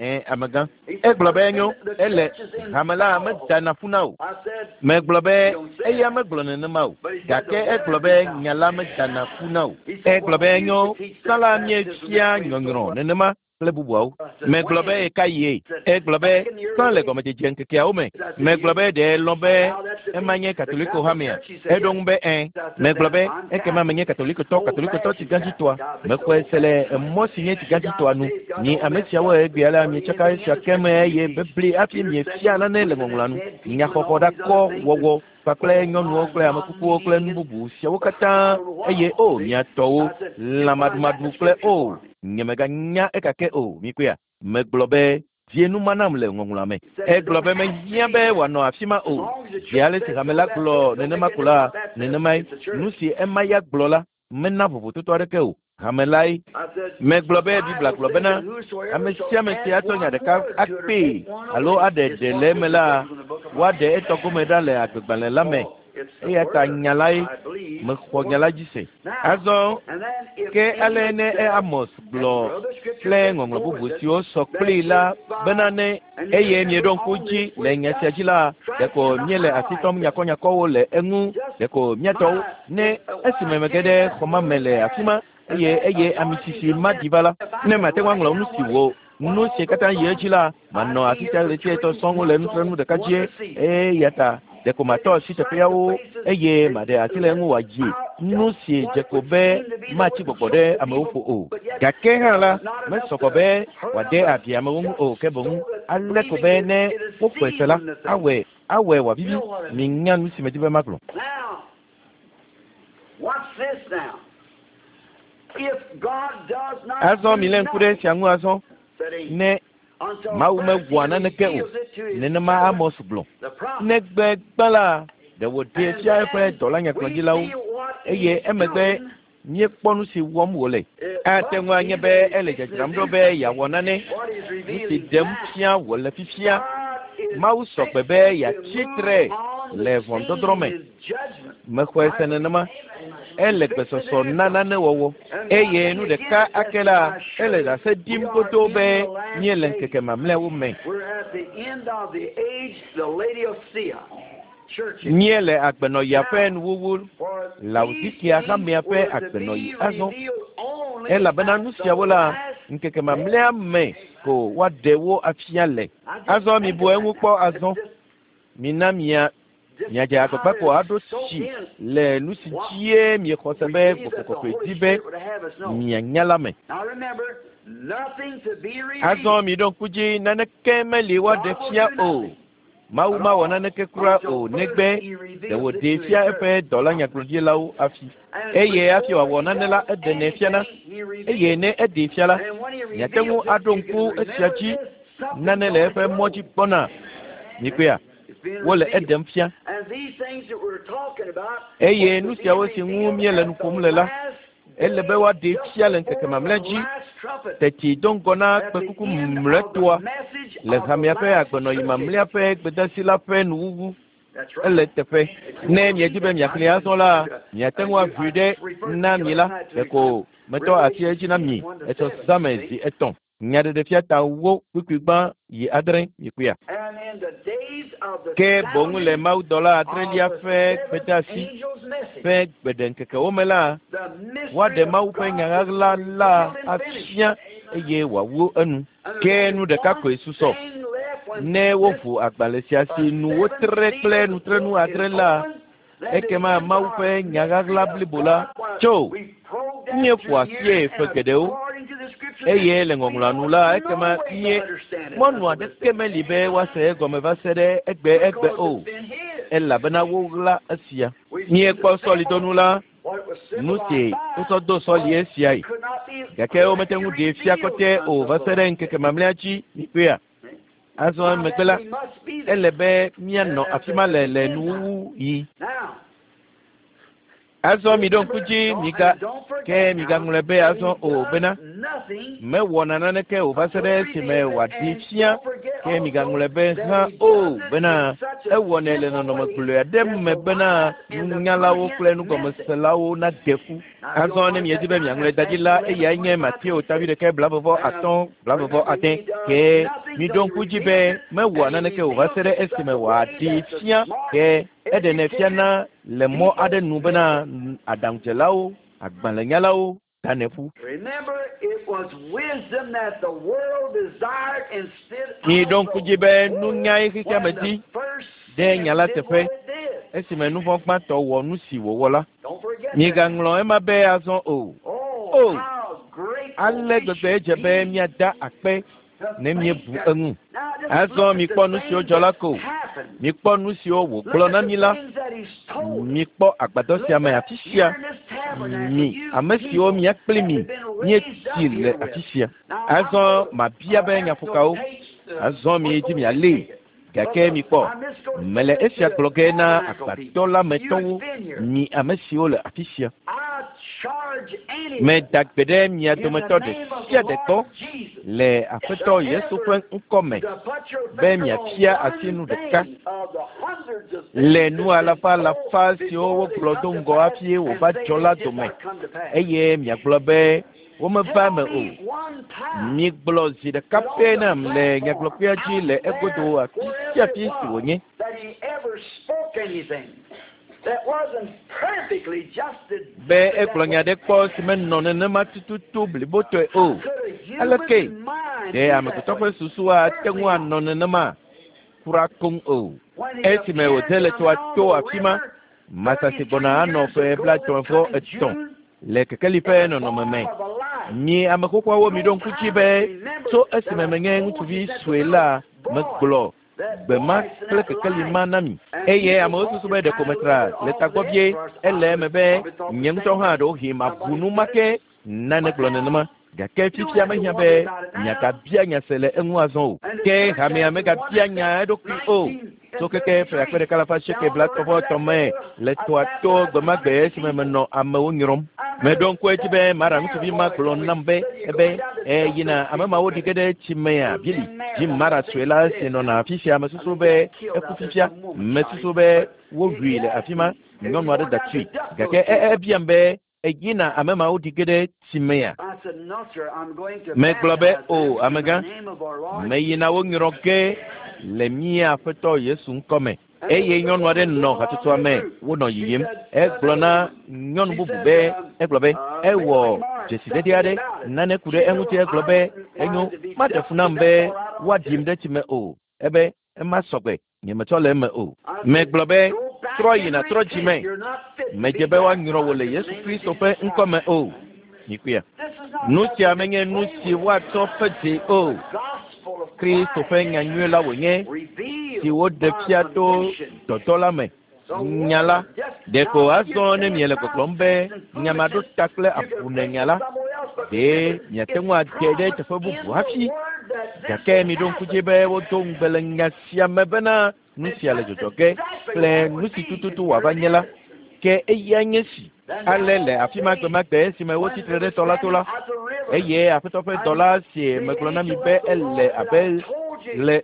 Ɛ amegã egblɔ be enyo ele hame la medana ƒu na o. Megblɔ be eya megblɔ nenema o gake egblɔ be nya la medana ƒu na o. Egblɔ be enyo sala miefia nyɔnyrɔ nenema kple bubuawo. Megblɔ be ɣeka yie. Egblɔ be sã le gɔmedzedze ŋkekeawo me. Megblɔ be ɖe lɔ̃ be ema nye Katoliko hamea. Eɖo ŋu be ẽ. Megblɔ be ekema menye Katolikotɔ Katolikotɔ tsigãdzitɔa. Mexɔe se le mɔ si nye tsigãdzitɔa nu. Mi ame siawo egbea la mietsaka esia ke me eye bebli hafi miefia nane le ŋɔŋlɔa nu. Nyaxɔxɔ ɖakɔ wɔwɔ kpakple nyɔnuwo kple amekukuwo kple nu bubu siawo katã eye o miatɔwo lãmaɖumaɖu kple o nyemeganya ekake o mikpɔea. Megblɔ be die nu ma nam le ŋɔŋlɔa me. Egblɔ be mehiã be wòanɔ afi ma o. Zi ale si hame la gblɔ nenema ko la nenemae nu si ema ya gblɔ la mena vovototo aɖeke o. Hame lae. Megblɔ be Biblia gblɔ bena ame sia ame si atsɔ nya ɖeka akpee alo aɖe ɖe le eme la woaɖe etɔ gome ɖa le agbegbalẽ la me. Eya ta nya lae mexɔ nya la dzi se. Azɔ ke ale ne Amos gblɔ kple ŋɔŋlɔ bubu siwo sɔ kplii la bena ne eye mieɖo ŋku dzi le nya sia dzi la ɖeko míele asi tɔm nyakɔnyakɔwo le eŋu ɖeko míatɔwo ne esime mege ɖe xɔ ma me le afi ma eye eye ami sisi ma ɖi va la ne mate ŋu aŋlɔ nu si wo nu si katã yi edzi la manɔ afi sia ɣleti etɔ̃ sɔŋ le nusrɔ̃nu ɖeka dzie eya ta ɖeko matɔ asi teƒeawo eye maɖe asi le eŋu wòadzi nu si dze ko be matsi gbɔgbɔ ɖe amewo ƒo o. Gake hã la mesɔgbɔ be wòade abi amewo ŋu o ke boŋ ale ko be ne woxɔe se la awɔe awɔe wòavivi. Minya nu si medi be magblɔ. Azɔ milé ŋku ɖe esia ŋu azɔ ne Mawu mewɔa naneke o nenema Amos gblɔ. Negbe gbã la ɖe wòɖee fia eƒe dɔlanyagblɔɖilawo eye emegbe míekpɔ nu si wɔm wòle. Ate ŋu anye be ele dzadzram ɖo be yeawɔ nane. Nu si ɖem fia wòle fifia. Mawu sɔgbe be yeatsi tre le ʋɔnudɔdrɔ̃ me. Mexɔe se nenema. Ele gbesɔsɔ na nane wɔwɔ eye nu ɖeka ake la ele ɖase ɖim godoo be míele ŋkeke mamlɛawo me. Míele agbenɔɣia ƒe nuwuwu Laodikea hamea ƒe agbenɔɣi azɔ elabena nu siawo la ŋkeke mamlɛa me ko woaɖe wo afia le. Azɔ mibu eŋu kpɔ azɔ mina mia miadze agbagba ko aɖo tsi le nu si dzie miexɔ se be Gbɔgbɔ Kɔkɔe di be mianya la me. Azɔ miɖo ŋku dzi naneke meli woaɖe fia o. Mawu mawɔ naneke kura o negbe ɖe wòɖee fia eƒe dɔlanyagblɔɖilawo hafi. Eye hafi wòawɔ nane la eɖenɛ fiana eye ne eɖee fia la miate ŋu aɖo ŋku esia dzi nane le eƒe mɔ dzi gbɔna. Mikpɔea? Wole eɖem fia. Eye nu siawo si ŋu míele nu ƒom le la, ele be woaɖee fia le ŋkeke mamlɛ dzi teti do ŋgɔ na kpekuku mlɔetɔa le hamea ƒe agbenɔyi mamlɛa ƒe gbedasi la ƒe nuwuwu. Ele teƒe. Ne miedi be miaxlẽe azɔ la, miate ŋu aʋui ɖe na mi la, ɖeko metɔ asi edzi na mi etsɔ zãme zi etɔ̃. Nyaɖeɖefia ta wo kpukpui gbã yi adre mikpɔea. Ke boŋ le mawudɔla adrelia ƒe gbedeasi ƒe gbeɖeŋkekewo me la, woaɖe Mawu ƒe nya ɣaɣla la afia eye wòawu enu. Ke nu ɖeka koe susɔ. Ne woʋu agbalẽ sia si nu wotre kple nutrenu adre la, ekema Mawu ƒe nya ɣaɣla blibo la tso. Míeƒo asie ƒe geɖewo eye le ŋɔŋlɔa nu la, ekema mie mɔnu aɖeke meli be woase egɔme va se ɖe egbe egbe o, elabena woɣla esia. Míekpɔ sɔlidonu la, nu si wotsɔ do sɔli esiae, gake womete ŋu ɖee fia kɔtɛ o va se ɖe ŋkeke mamlɛa dzi. Mikpɔea? Azɔ emegbe la, ele be míanɔ afi ma le le nuwuwu yi. Azɔ miɖo ŋku dzi miga ke migaŋlɔe be azɔ o bena mewɔna naneke o va se ɖe esime wòaɖee fia. Ke migaŋlɔe be hã o bena ewɔnɛ le nɔnɔme gblɔe aɖe me bena nunyalawo kple nugɔmeselawo nade ƒu. Azɔ ne miedi be miaŋlɔe da ɖi la, eyae nye Mateo tavi ɖeka blavevɔ atɔ̃ blavevɔ ade. Ke miɖo ŋku dzi be mewɔa naneke o va se ɖe esime wòaɖee fia. Ke eɖenɛ fiana le mɔ aɖe nu bena aɖaŋudzelawo, agbalẽnyalawo danɛ ƒu. Miɖo ŋku dzi be nunyae xexea me di ɖe nya la teƒe esime nu vɔ̃ gbãtɔ wɔ nu si wòwɔ la. Migaŋlɔ ema be azɔ o. O, ale gbegbe edze be míada akpe ne míebu eŋu. Azɔ mikpɔ nu siwo dzɔ la ko. Mikpɔ nu siwo wògblɔ na mi la. Mikpɔ agbadɔ sia me afi sia. Mi ame siwo mía kpli mi míetsi le afi sia. Azɔ mabia be nyaƒokawo. Azɔ miedzi mialée. Gake mikpɔ, mele esia gblɔ ge na agbadɔ la me tɔwo, mi ame siwo le afi sia. Meda gbe ɖe mia dometɔ ɖe sia ɖe gbɔ le Aƒetɔ Yesu ƒe ŋkɔ me be miafia asi nu ɖeka le nu alafa alafa siwo wogblɔ do ŋgɔ hafi wòva dzɔ la dome eye miagblɔ be womeva eme o. Migblɔ zi ɖeka pɛ nam le nyagblɔkpea dzi le egodo afi sia afi si wònye. Be egblɔ nya ɖe kpɔ si menɔ nenema tututu blibotɔe o. Aleke ɖe amegbetɔ ƒe susu ate ŋu anɔ nenema? Kura koŋ o. Esime wòde le tɔa to afi ma, Masasi gbɔna anɔ ƒe blaetɔ̃ vɔ etɔ̃ le kekeli ƒe nɔnɔme me. Mi ame xoxoawo miɖo ŋku dzi be tso esime menye ŋutsuvi sue la, megblɔ gbe ma kple kekeli ma na mi. Eye amewo susu be ɖeko metra le tagbɔ vie. Ele eme be nye ŋutɔ hã ɖewohĩ mabu nu ma ke nane gblɔ nenema. Gake fifia mehiã be miagabia nya se le eŋu azɔ o. Ke hamea megabia nya eɖokui o. Tso keke ƒe akpe ɖeka alafa asieke blaetɔ̃ vɔ etɔ̃ me le tɔa to gbe ma gbe esime menɔ amewo nyrɔm. Meɖo ŋku edzi be Mara ŋutsuvi ma gblɔ nam be ebe eyina ame mawo ɖi ge ɖe tsi mea Bili. Jim Mara sue la si nɔna afi sia mesusu be eku fifia. Mesusu be woɖui le afi ma. Nyɔnu aɖe da tui. Gake ebiam be eyina ame mawo ɖi ge ɖe tsi mea. Megblɔ be o amegã, meyina wo nyrɔ ge le mía Aƒetɔ Yesu ŋkɔ me. Eye nyɔnu aɖe nɔ hatsotsoa me wonɔ yiyim. Egblɔ na nyɔnu bubu be egblɔ be ewɔ dzesidede aɖe nane ku ɖe eŋuti. Egblɔ be enyo maɖe fu nam be woaɖim ɖe tsi me o. Ebe ema sɔgbe nyemetsɔ le eme o. Megblɔ be trɔ yina trɔ dzi me. Medze be woanyrɔ wò le Yesu Kristo ƒe ŋkɔ me o. Mikpɔea? Nu sia menye nu si woatsɔ ƒe dze o. Kristo ƒe nyanyui la wònye si woɖe fia to dɔdɔ la me. Nya la ɖeko azɔ ne miele gbɔgblɔm be nya ma ɖo ta kple abune nya la, ɖe miate ŋu ade ɖe teƒe bubu hafi. Gake miɖo ŋku dzi be wodo ŋugbe le nya sia me bena nu sia le dzɔdzɔ ge kple nu si tututu wòava nye la ke eya nye si ale le afi ma gbemagbe esime wotsi tre ɖe tɔ la to la eye aƒetɔ ƒe dɔla si megblɔ na mi be ele abe le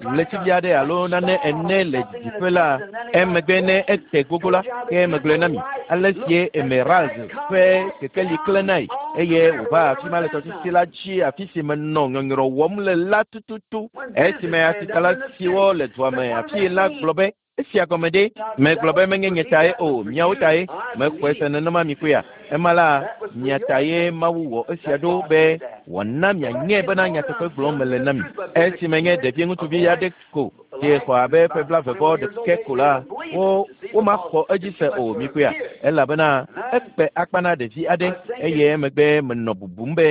ɣletivi aɖe alo nane ene le didiƒe la emegbe ne ete gogo la ke megblɔe na mi ale sie emerald ƒe kekeli klẽnae eye wòva afi ma le tɔsisi la dzi afi si menɔ nyɔnyrɔ wɔm le la tututu esime asitala siwo le dua me afi la gblɔ be esia gɔme ɖe megblɔ be menye nye tae o miawo tae mexɔe se nenema mi koea ema la mia tae Mawu wɔ esia ɖo be wòana mianye bena nyateƒe gblɔm mele na mi esime nye ɖevi ŋutsuvi aɖe ko si xɔ abe ƒe blaeve vɔ ɖeke ko la wo womaxɔ edzi se o mi koea elabena ekpe akpa na ɖevi aɖe eye emegbe menɔ bubum be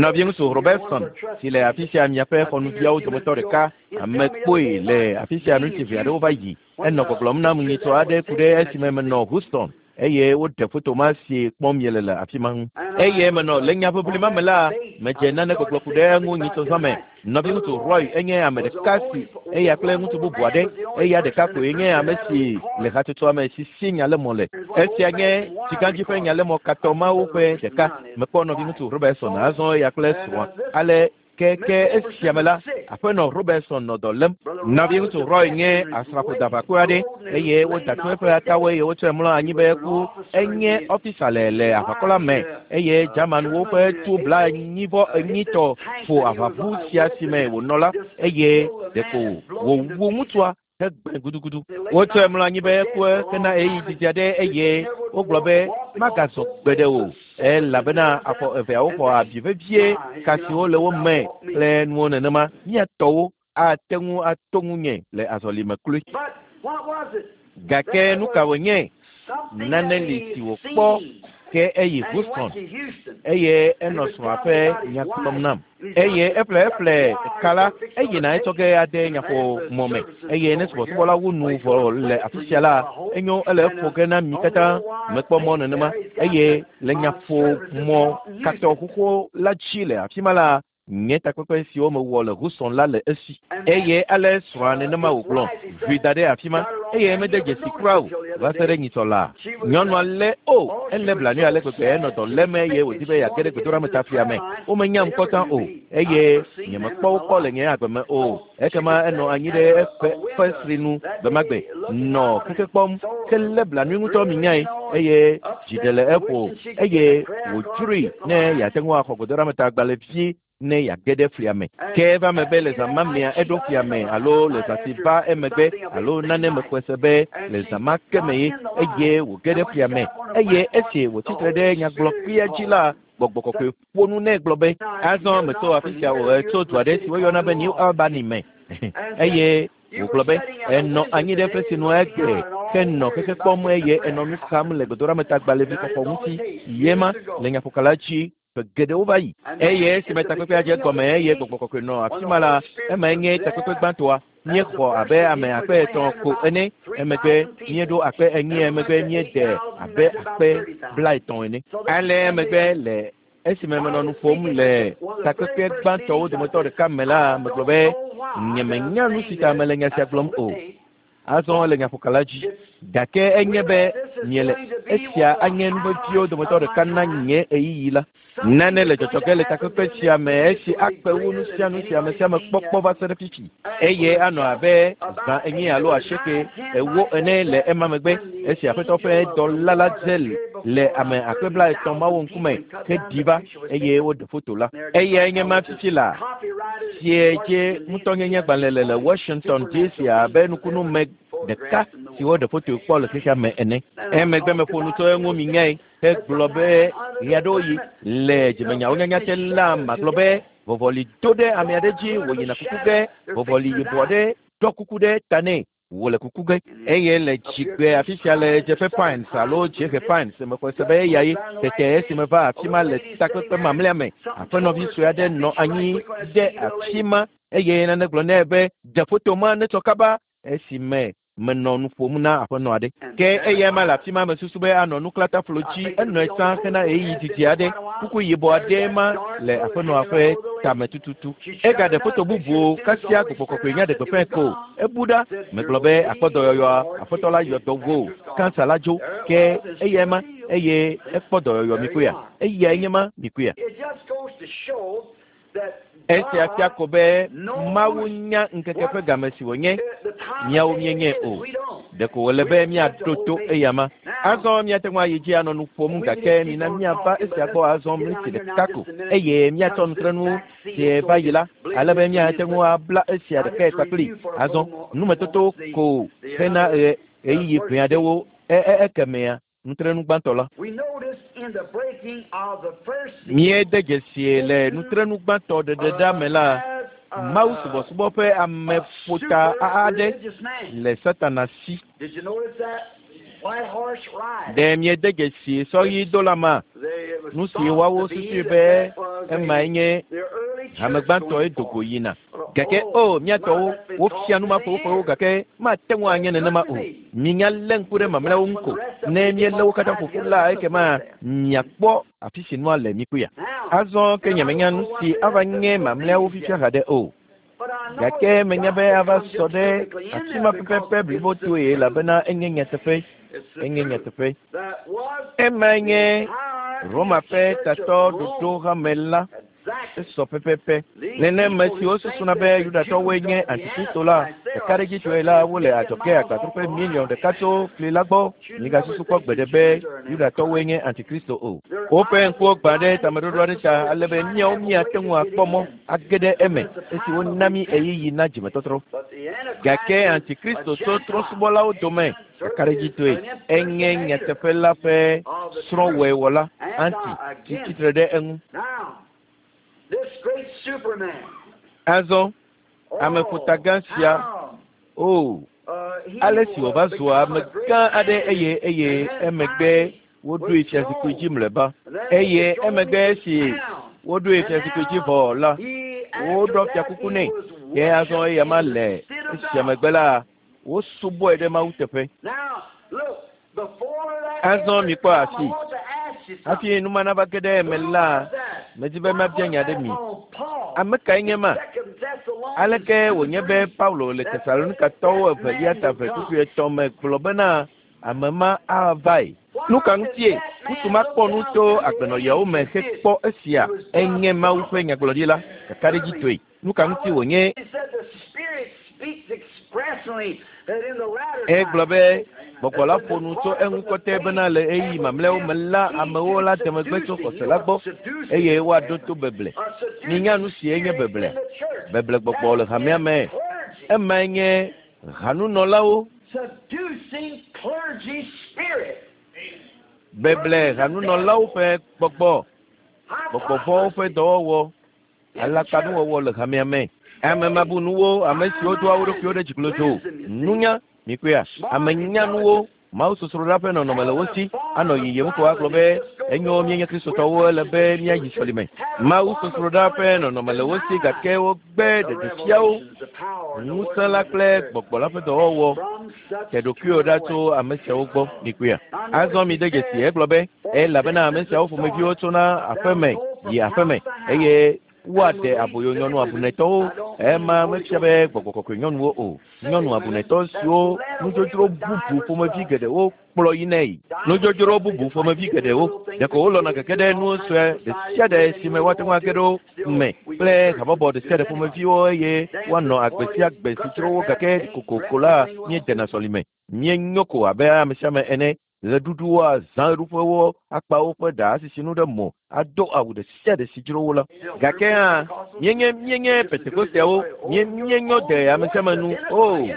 nɔvi ŋutsu Robertson si le afi sia miaƒe xɔnuviawo dometɔ ɖeka ame kpoe le afi sia ŋutsuvi aɖewo va yi enɔ gbɔgblɔm nam nyitsɔ aɖe ku ɖe esime menɔ Houston eye woɖe foto ma si kpɔm miele le afi ma ŋu eye menɔ le nyaʋiʋli ma me la medze nane gbɔgblɔ ku ɖe eŋu nyitsɔ zã me nɔvi ŋutsu Roy enye ame ɖeka si eya kple ŋutsu bubu aɖe eya ɖeka koe nye ame si le hatsotsoa me si si nyalemɔ le esia nye tsigãdzi ƒe nyalemɔ katɔ mawo ƒe ɖeka mekpɔ nɔvi ŋutsu Robertson azɔ eya kple srɔ̃a ale ke ke esia me la aƒenɔ Robertson nɔ dɔ lém nɔvi ŋutsu Roy nye asrafodaʋakɔe aɖe eye woda tu eƒe atawo eye wotsɔe mlɔ anyi be eku enye ɔfisa le le aʋakɔ la me eye Germanwo ƒe tu blaenyi vɔ enyitɔ ƒo aʋaʋu sia si me wònɔ la eye ɖeko wòwu ŋutsua hegbe gudugudu wotsɔe mlɔ anyi be eku hena ɣeyiɣi didi aɖe eye wogblɔ be magazɔ gbeɖe o elabena afɔ eveawo xɔ abi vevie ka siwo le wo me kple nuwo nenema miatɔwo ate ŋu ato ŋunye le azɔlime kloe gake nu ka wònye nane li si wòkpɔ ke eyi Houston eye enɔ srɔ̃a ƒe nya gblɔm nam eye eƒle eƒle ka la eyina etsɔ ge ade nyaƒomɔ me eye ne subɔsubɔla wu nu vɔ le afi sia la enyo ele eƒo ge na mi katã mekpɔ mɔ nenema eye le nyaƒomɔ katɔ xoxo la dzi le afi ma la nye takpekpe siwo mewɔ le Houston la le esi eye ale srɔ̃a nenema wògblɔ ʋui da ɖe afi ma eye mede dzesi kura o va se ɖe nyitsɔ la nyɔnua lé o elé blanui ale gbegbe enɔ dɔ lém eye wòdi be yeage ɖe gbedoɖametaflia me womenya ŋkɔ o eye nyemekpɔ wo kpɔ le nye agbe me o ekema enɔ anyi ɖe eƒe fesri nu gbemagbe nɔ xexe kpɔm ke lé blanui ŋutɔ mi nyae eye dzi ɖe le eƒo eye wòdzroe ne yeate ŋu axɔ gbedoɖametagbalẽvi ne yeage ɖe flia me ke eva me be le zã ma mea eɖo flia me alo le zã si va emegbe alo nane mexɔe se be le zã ma ke me ye eye wòge ɖe flia me eye esi wòtsitre ɖe nyagblɔkpia dzi la gbɔgbɔ kɔkɔe ƒo nu nɛ gblɔ be azɔ metso afi sia o etso du aɖe si woyɔna be New Albany me eye wògblɔ be enɔ anyi ɖe fesinu nu egbe ke nɔ xexe kpɔm eye enɔ nu xam le gbedoɖametagbalẽvi xɔxɔ ŋuti yema le nyaƒokala dzi ƒe geɖewo va yi eye esime takpekpea dze gɔme eye gbɔgbɔ kɔkɔe nɔ afi ma la emae nye takpekpe gbãtɔa míexɔ abe ame akpe etɔ̃ ko ene emegbe míeɖo akpe enyi emegbe míede abe akpe blaetɔ̃ ene ale emegbe le esime menɔ nu ƒom le takpekpe gbãtɔwo dometɔ ɖeka me la megblɔ be nyemenya nu si ta mele nya sia gblɔm o azɔ le nyaƒokala dzi gake enye be miele esia anye nu veviwo dometɔ ɖeka na nye ɣeyiɣi la nane le dzɔdzɔ ge le takpekpe sia me esi akpe wu nu sia nu si ame sia ame kpɔkpɔ va se ɖe fifi eye anɔ abe zã enyi alo asieke ewo ene le ema megbe esi aƒetɔ ƒe dɔla la dze le ame akpe blaetɔ̃ mawo ŋkume heɖi va eye woɖe foto la eyae nye ma fifi la sie dze ŋutɔnyenye gbalẽ le le Washington D C abe nukunu me ɖeka si woɖe foto kpɔ le xexea me ene emegbe meƒo nu tso eŋu mi nyae hegblɔ be ɣeaɖewoɣi le dzimenyawo nyanya te la magblɔ be vɔvɔli do ɖe ame aɖe dzi wòyina kuku ge vɔvɔli yibɔ aɖe ɖɔ kuku ɖe ta nɛ wòle kuku ge eye le dzigbe afi sia le Dzeƒe Pines alo Dziehe Pines mexɔe se be eya ye tete esime va afi ma le takpekpe mamlɛa me aƒenɔvi sue aɖe nɔ anyi ɖe afi ma eye nane gblɔ nɛ be ɖe foto ma netsɔ kaba esime Menɔ nu ƒom na aƒenɔ aɖe. Ke eya ma le afi ma mesusu be anɔ nuklata dzi enɔe sã hena ɣeyiɣi didi aɖe. Kuku yibɔ aɖe ma le aƒenɔa ƒe tame tututu. Egaɖe foto bubuwo kasia gbɔgbɔ kɔkɔe nya ɖe gbeƒãe ko. Ebu ɖa. Megblɔ be akpɔ dɔyɔyɔa, aƒetɔ la yɔ dɔ wo. Kansa la dzo. Ke eya ma eye ekpɔ dɔyɔyɔ mikuya. Eyae nye ma mikuya. Esia fia ko be Mawu nya ŋkeke ƒe game si wònye, míawo míenye o. Ɖeko wòle be míaɖo to eya ma. Azɔ míate ŋu ayi dzi anɔ nu ƒom gake mina míava esia gbɔ azɔ miniti ɖeka ko eye míatsɔ nutrenu sie va yi la ale be míate ŋu abla esia ɖekae kpakpli. Azɔ numetoto ko hena ɣeyiɣi ʋɛ aɖewo ekemea nutrenu gbãtɔ la. Míede dzesie le nutrenu gbãtɔ ɖeɖeɖa me la, Mawu subɔsubɔ ƒe ameƒota aɖe le Satana si. Ɖe míede dzesi sɔɣidola ma, nu si woawo susui be emae nye hame gbãtɔe do go yina. Gake o míatɔwo wofia nu ma ƒoƒoƒowo gake mate ŋu anye nenema o. Minya lé ŋku ɖe mamlɛawo ŋu ko. Ne míelé wo katã ƒoƒu la ekema miakpɔ afi si nua le mikuya. Azɔ ke nyemenya nu si ava nye mamlɛawo fifia haɖe o. Gake menya be ava sɔ ɖe afi ma pɛpɛpɛ blibotoe elabena enye nyateƒe. Enye nyateƒe. Emae nye Roma ƒe tatɔ ɖoɖo hame la. Esɔ pɛpɛpɛ. Nenema siwo susuna be Yudatɔwoe nye Antikristo la, ɖeka ɖe dzi tsoe la wole adzɔge agbadroƒe miliɔn ɖeka tso fli la gbɔ. Migasusu kpɔ gbeɖe be Yudatɔwoe nye Antikristo o. Woƒe ŋkuwo gbã ɖe tameɖoɖo aɖe ta ale be míawo míate ŋu akpɔ mɔ age ɖe eme esi wona mí ɣeyiɣi na dzimetɔtrɔ. Gake Antikristo tso trɔ̃subɔlawo dome kakaɖedzitɔe. Enye nyateƒe la ƒe srɔ̃wɔewɔla anti si tsitre ɖe eŋu. Azɔ ameƒotagã sia, o, ale si wòva zua amegã aɖe eye eye emegbe woɖoe fiazikpui dzi mlɔeba. Eye emegbe esi woɖoe fiazikpui dzi vɔ la, woɖɔ fiakuku nɛ. Ke azɔ eya ma le esia megbe la, wosubɔe ɖe Mawu teƒe. Azɔ mikpɔ asi. Hafi numa nava ge ɖe eme la, medi be mabia nya ɖe mi. Ame kae nye ma? Aleke wònye be Paulo le Tesalonikatɔwo evelia ta eve kpukpui etɔ̃ me gblɔ bena ame ma avae? Nu ka ŋutie ŋutsu ma kpɔ nu tso agbenɔyawo me hekpɔ esia enye Mawu ƒe nyagblɔɖila kakaɖedzitɔe? Nu ka ŋuti wònye? Egblɔ be gbɔgbɔ la ƒo nu tso eŋu kɔtɛ bena le ɣeyiɣi mamlɛawo me la amewo la de megbe tso xɔse la gbɔ eye woaɖo to beble. Minya nu si enye beble. Beble gbɔgbɔ le hamea me. Emae nye hanunɔlawo. Beble hanunɔlawo ƒe gbɔgbɔ, gbɔgbɔvɔ̃wo ƒe dɔwɔwɔ, alakpanuwɔwɔ le hamea me. Ame mabunuwo, ame siwo doa wo ɖokuiwo ɖe dziklodzo, nunya, mikuya, ame nyanuwo, Mawu sosroɖa ƒe nɔnɔme le wo si, anɔ yiyim ko agblɔ be enyo míenye Kristotɔwo ele be míayi sɔlime. Mawu sosroɖa ƒe nɔnɔme le wo si gake wogbe ɖeɖefiawo, ŋusẽ la kple gbɔgbɔ la ƒe dɔwɔwɔ. Te ɖokuiwò ɖa tso ame siawo gbɔ, mikuya. Azɔ mi de dzesi egblɔ be elabena ame siawo ƒomeviwo tsona aƒeme yi aƒeme eye woaɖe aboyo nyɔnu abunetɔwo. Ema mefia be gbɔgbɔ kɔkɔe nyɔnuwo o. Nyɔnu abunetɔ siwo nudzodzro bubu ƒomevi geɖewo kplɔ yinae. Nudzodzro bubu ƒomevi geɖewo. Ɖeko wolɔ̃na gege ɖe nu sue ɖe sia ɖe si me woate ŋu age ɖo me kple habɔbɔ ɖe sia ɖe ƒomeviwo eye woanɔ agbe sia agbe si dzro wo gake kokoko la míedena sɔlime. Míenyo ko abe ame sia ame ene. Ɣeɖuɖuwo, azã ɣeɖuƒewo, akpa woƒe ɖa asisi nu ɖe mo, ado awu ɖe sia ɖe si dzro wo la. Gake hã míenye míenye Pentekosteawo, míe míenyo de ame sia ame nu o.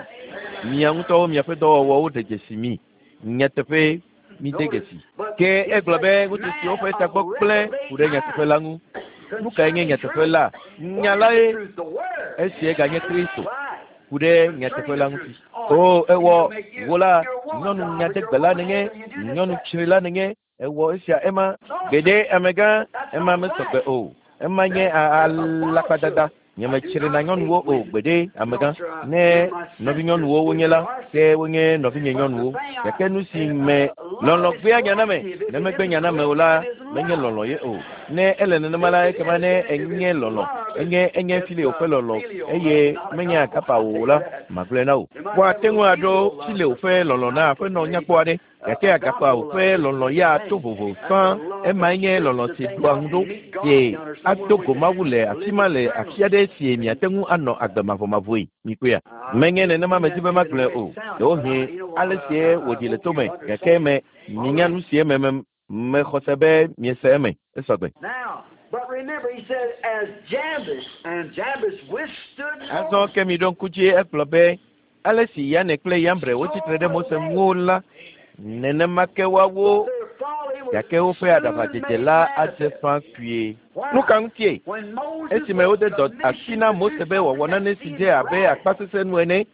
Mia ŋutɔwo miaƒe dɔwɔwɔwo ɖe dzesi mi. Nyateƒe mide dzesi. Ke egblɔ be ŋutsu siwo ƒe tagbɔ gblẽ ku ɖe nyateƒe la ŋu. Nu kae nye nyateƒe la? Nya lae esie ganye Kristo ku ɖe nyateƒe la ŋuti. O ewɔ wo la nyɔnu nyadegbela nenye, nyɔnu tsrila nenye, ewɔ esia ema. Gbeɖe amegã ema mesɔgbe o. Ema nye alakpadada. Nyemetsri na nyɔnuwo o gbeɖe amegã ne nɔvinyɔnuwo wonye la ke wonye nɔvinye nyɔnuwo gake nu si me lɔlɔ̃ gbea nya na me ne megbe nya na me o la menye lɔlɔ̃ ye o ne ele nenema la ekema ne enye lɔlɔ̃ enye enye fileo ƒe lɔlɔ̃ eye menye agapa o la magblɔe na wò woate ŋu aɖo fileo ƒe lɔlɔ̃ na aƒenɔ nyakpɔ aɖe gake agapa o ƒe lɔlɔ̃ ya to vovo fã emae nye lɔlɔ̃ si ɖoa ŋu ɖo si ado go Mawu le afi ma le afi aɖe si miate ŋu anɔ agbe mavɔmavɔe mikpɔea menye nenema medi be magblɔe o ɖewohĩ ale sie wòɖi le tome gake me minya nu sie me me mexɔse be miese eme esɔgbe. Azɔ ke mi ɖo ŋku dzi egblɔ be ale si Yane kple Yambre wotsitre ɖe Mose ŋu la nenema ke woawo gake woƒe aɖaʋadzedze la adze ƒã kpuie. Nu ka ŋutie? Esime wode dɔ asi na Mose be wòawɔ nane si dze abe akpasesẽ nu ene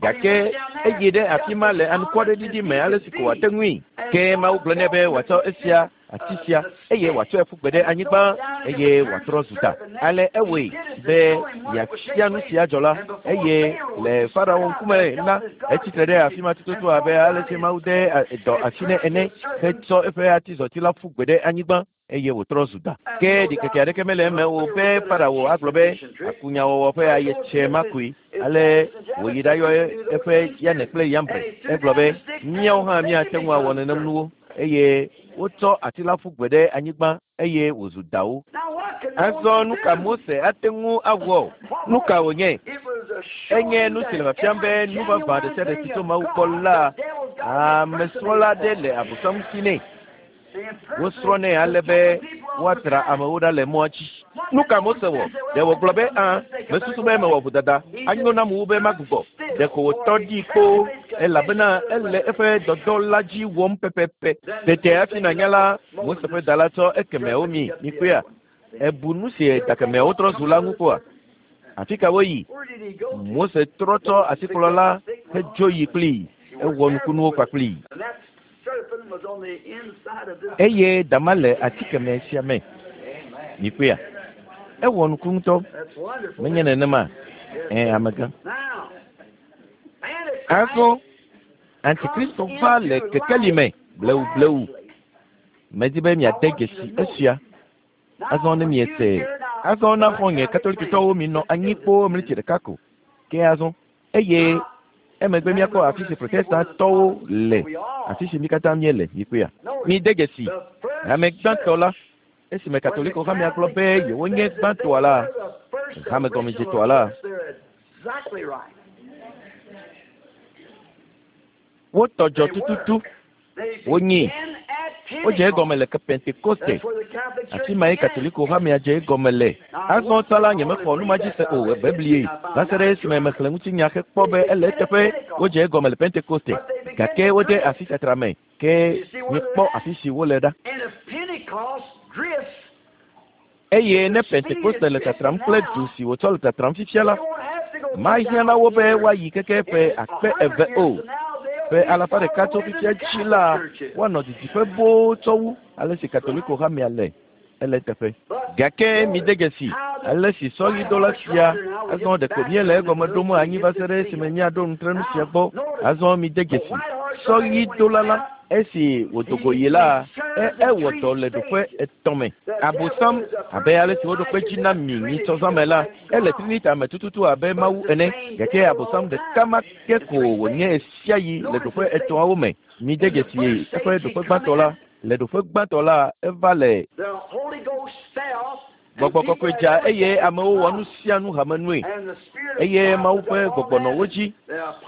gake eyi ɖe afi ma le anukwɔɖeɖiɖi me ale si ko wòate ŋui. Ke Mawu gblɔ nɛ be wòatsɔ esia ati sia eye wòatsɔe ƒu gbe ɖe anyigba eye wòatrɔ zu ta. Ale ewɔe be yeafia nu sia dzɔ la eye le Farao ŋkume la etsitre ɖe afi ma tututu abe ale si Mawu de dɔ asi nɛ ene hetsɔ eƒe atizɔti la ƒu gbe ɖe anyigba eye wòtrɔ zu da. Ke ɖikeke aɖeke mele eme o be Farao agblɔ be akunyawɔwɔ ƒe ayetsɛ ma koe. Ale wòyi ɖayɔ eƒe Yane kple Yambre. Egblɔ be míawo hã míate ŋu awɔ nenem nuwo eye wotsɔ ati la ƒu gbe ɖe anyigba eye wòzu dawo. Azɔ nu ka Mose ate ŋu awɔ? Nu ka wònye? Enye nu si le fiafiam be nu vavã ɖe sia ɖe si tso Mawu gbɔ la amesrɔ̃la aɖe le Abosam si nɛ. Wosrɔ̃nɛ ale be woatra amewo ɖa le mɔa dzi. Nu ka Mose wɔ? Ɖe wògblɔ be ã mesusu be mewɔ vodada anyo nam wu be magbugbɔ. Ɖeko wòtɔ ɖi kpoo elabena ele eƒe dɔdɔ la dzi wɔm pɛpɛpɛ. Tete hafi nànya la Mose ƒe da la tsɔ ekemeawo mi mikpɔea? Ebu nu si dakemeawo trɔ zu la ŋu kpɔa? Afi ka woyi? Mose trɔ tsɔ atikplɔ la hedzo yi kplii. Ewɔ nukunuwo kpakplii. Eye dama le atikeme sia me. Mikpɔea? Ewɔ nuku ŋutɔ. Menye nenema? Ɛ amegã. Azɔ Antikristo va le kekeli me blewu blewu. Medi be miade dzesi esia. Azɔ ne miese. Azɔ na xɔ̃nye Katolikitɔwo minɔ anyi kpoo mlitsi ɖeka ko. Ke azɔ eye emegbe míakpɔ afi si Protestantɔwo le afi si mí katã míele mikpɔea. Mide dzesi hame gbãtɔ la esime Katoliko hamea gblɔ be yewonye gbãtɔa la hame gɔmedzetɔa la wotɔ dzɔ tututu wonyi wodze egɔme le Pentekoste afi mae Katoliko hamea dze egɔme le. Azɔ tsã la nyemexɔ nu ma dzi se o ebeblie va se ɖe esime mexlẽ ŋutinya hekpɔ be ele eteƒe wodze egɔme le Pentekoste gake wode asi tatra me ke míekpɔ afi si wole ɖa. Eye ne Pentekoste le tatram kple du si wòtsɔ le tatram fifia la mahiã na wo be woayi keke ƒe akpe eve o. Ƒe alafa ɖeka tso fifia dzi la woanɔ didiƒe boo tsɔ wu ale si Katoliko hamea le ele teƒe. Gake mide dzesi ale si sɔɣidola sia azɔ ɖeko míele egɔme ɖom anyi va se ɖe esime míaɖo nutrenu sia gbɔ. Azɔ mide dzesi sɔɣidola la esi wòdo go yi la ewɔ dɔ le ɖoƒe etɔ̃ me. Abosam abe ale si woɖo kpe dzi na mi nyitsɔzãme la ele Trinita me tututu abe Mawu ene gake Abosam ɖeka ma ke ko wònye sia yi le ɖoƒe etɔ̃awo me. Mide dzesi eƒe ɖoƒe gbãtɔ la le ɖoƒe gbãtɔ la eva le Gbɔgbɔ kɔkɔe dza eye amewo wɔ nu sia nu hamenue eye Mawu ƒe gbɔgbɔ nɔ wo dzi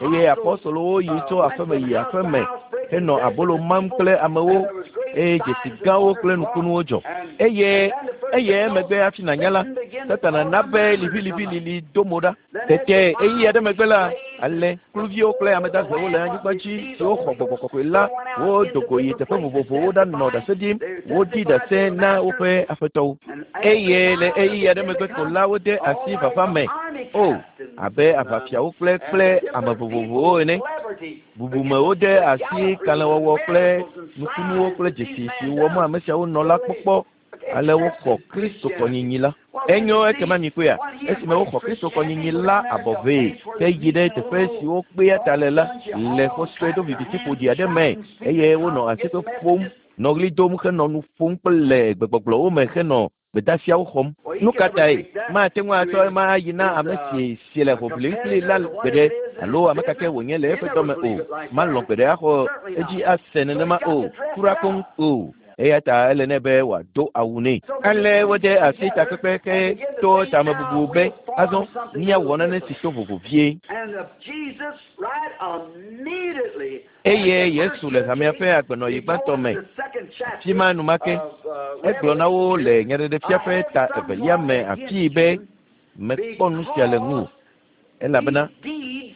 eye apɔstolowo yi tso aƒeme yi aƒeme henɔ abolo mam kple amewo eye dzesi gãwo kple nukunuwo dzɔ eye eye emegbe hafi nànya la Satana na be liʋiliʋilili do mo ɖa. Tete ɣeyiɣi aɖe megbe la ale kluviwo kple ame dahewo le anyigba dzi siwo xɔ gbɔgbɔ kɔkɔe la wodo go yi teƒe vovovowo ɖanɔ ɖase ɖim wodi ɖase na woƒe aƒetɔwo eye le ɣeyiɣi aɖe megbe ko la wode asi vava me o abe aʋafiawo kple kple ame vovovowo ene. Bubumewo de asi kalẽwɔwɔ kple nukunuwo kple dzesi si wɔm ame siawo nɔ la kpɔkpɔ ale woxɔ Kristo kɔnyinyi la. Enyo ekema mikpɔea esime woxɔ Kristo kɔnyinyi la abɔ vee ke yi ɖe teƒe siwo kpea ta le la le xɔ sue do viviti ƒoɖi aɖe me eye wonɔ asikpe ƒom nɔ ɣli dom henɔ nu ƒom kple le gbegbɔgblɔwo me henɔ gbedasiawo xɔm. Nu ka tae mate ŋu atsɔ ema ayi na ame si si le hoʋlim kpli la gbeɖe alo ame kake wònye le eƒe dɔme o. Malɔ̃ gbeɖe axɔ edzi ase nenema o, kura koŋ o. Eya ta ele nɛ be wòado awu nɛ. Ale wode asi takpekpe ke to tamebubu be azɔ míawɔ nane si to vovo vie. Eye Yesu le hamea ƒe agbenɔɣi gbãtɔ me. Afi ma enumake egblɔ na wo le nyaɖeɖefia ƒe ta evelia me afii be mekpɔ nu sia le ŋuwò elabena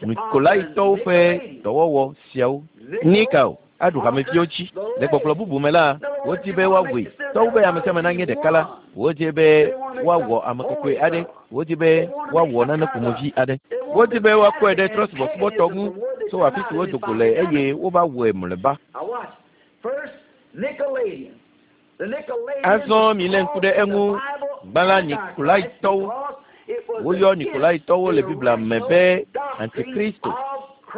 Nikolaitɔwo ƒe dɔwɔwɔ siawo Nikao aɖu hameviwo dzi. Le gbɔgblɔ bubu me la, wodi be woawɔe. Tɔwu be ame sia ame nanye ɖeka la, wodi be woawɔ ame kɔkɔe aɖe, wodi be woawɔ nane ƒomevi aɖe. Wodi be woakɔe ɖe trɔ̃subɔsubɔtɔ ŋu tso afi si wodo go le eye wova wɔe mlɔeba. Azɔ milé ŋku ɖe eŋu. Gbã la, Nikolaitɔwo. Woyɔ Nikolaitɔwo le Biblia me be Antikristo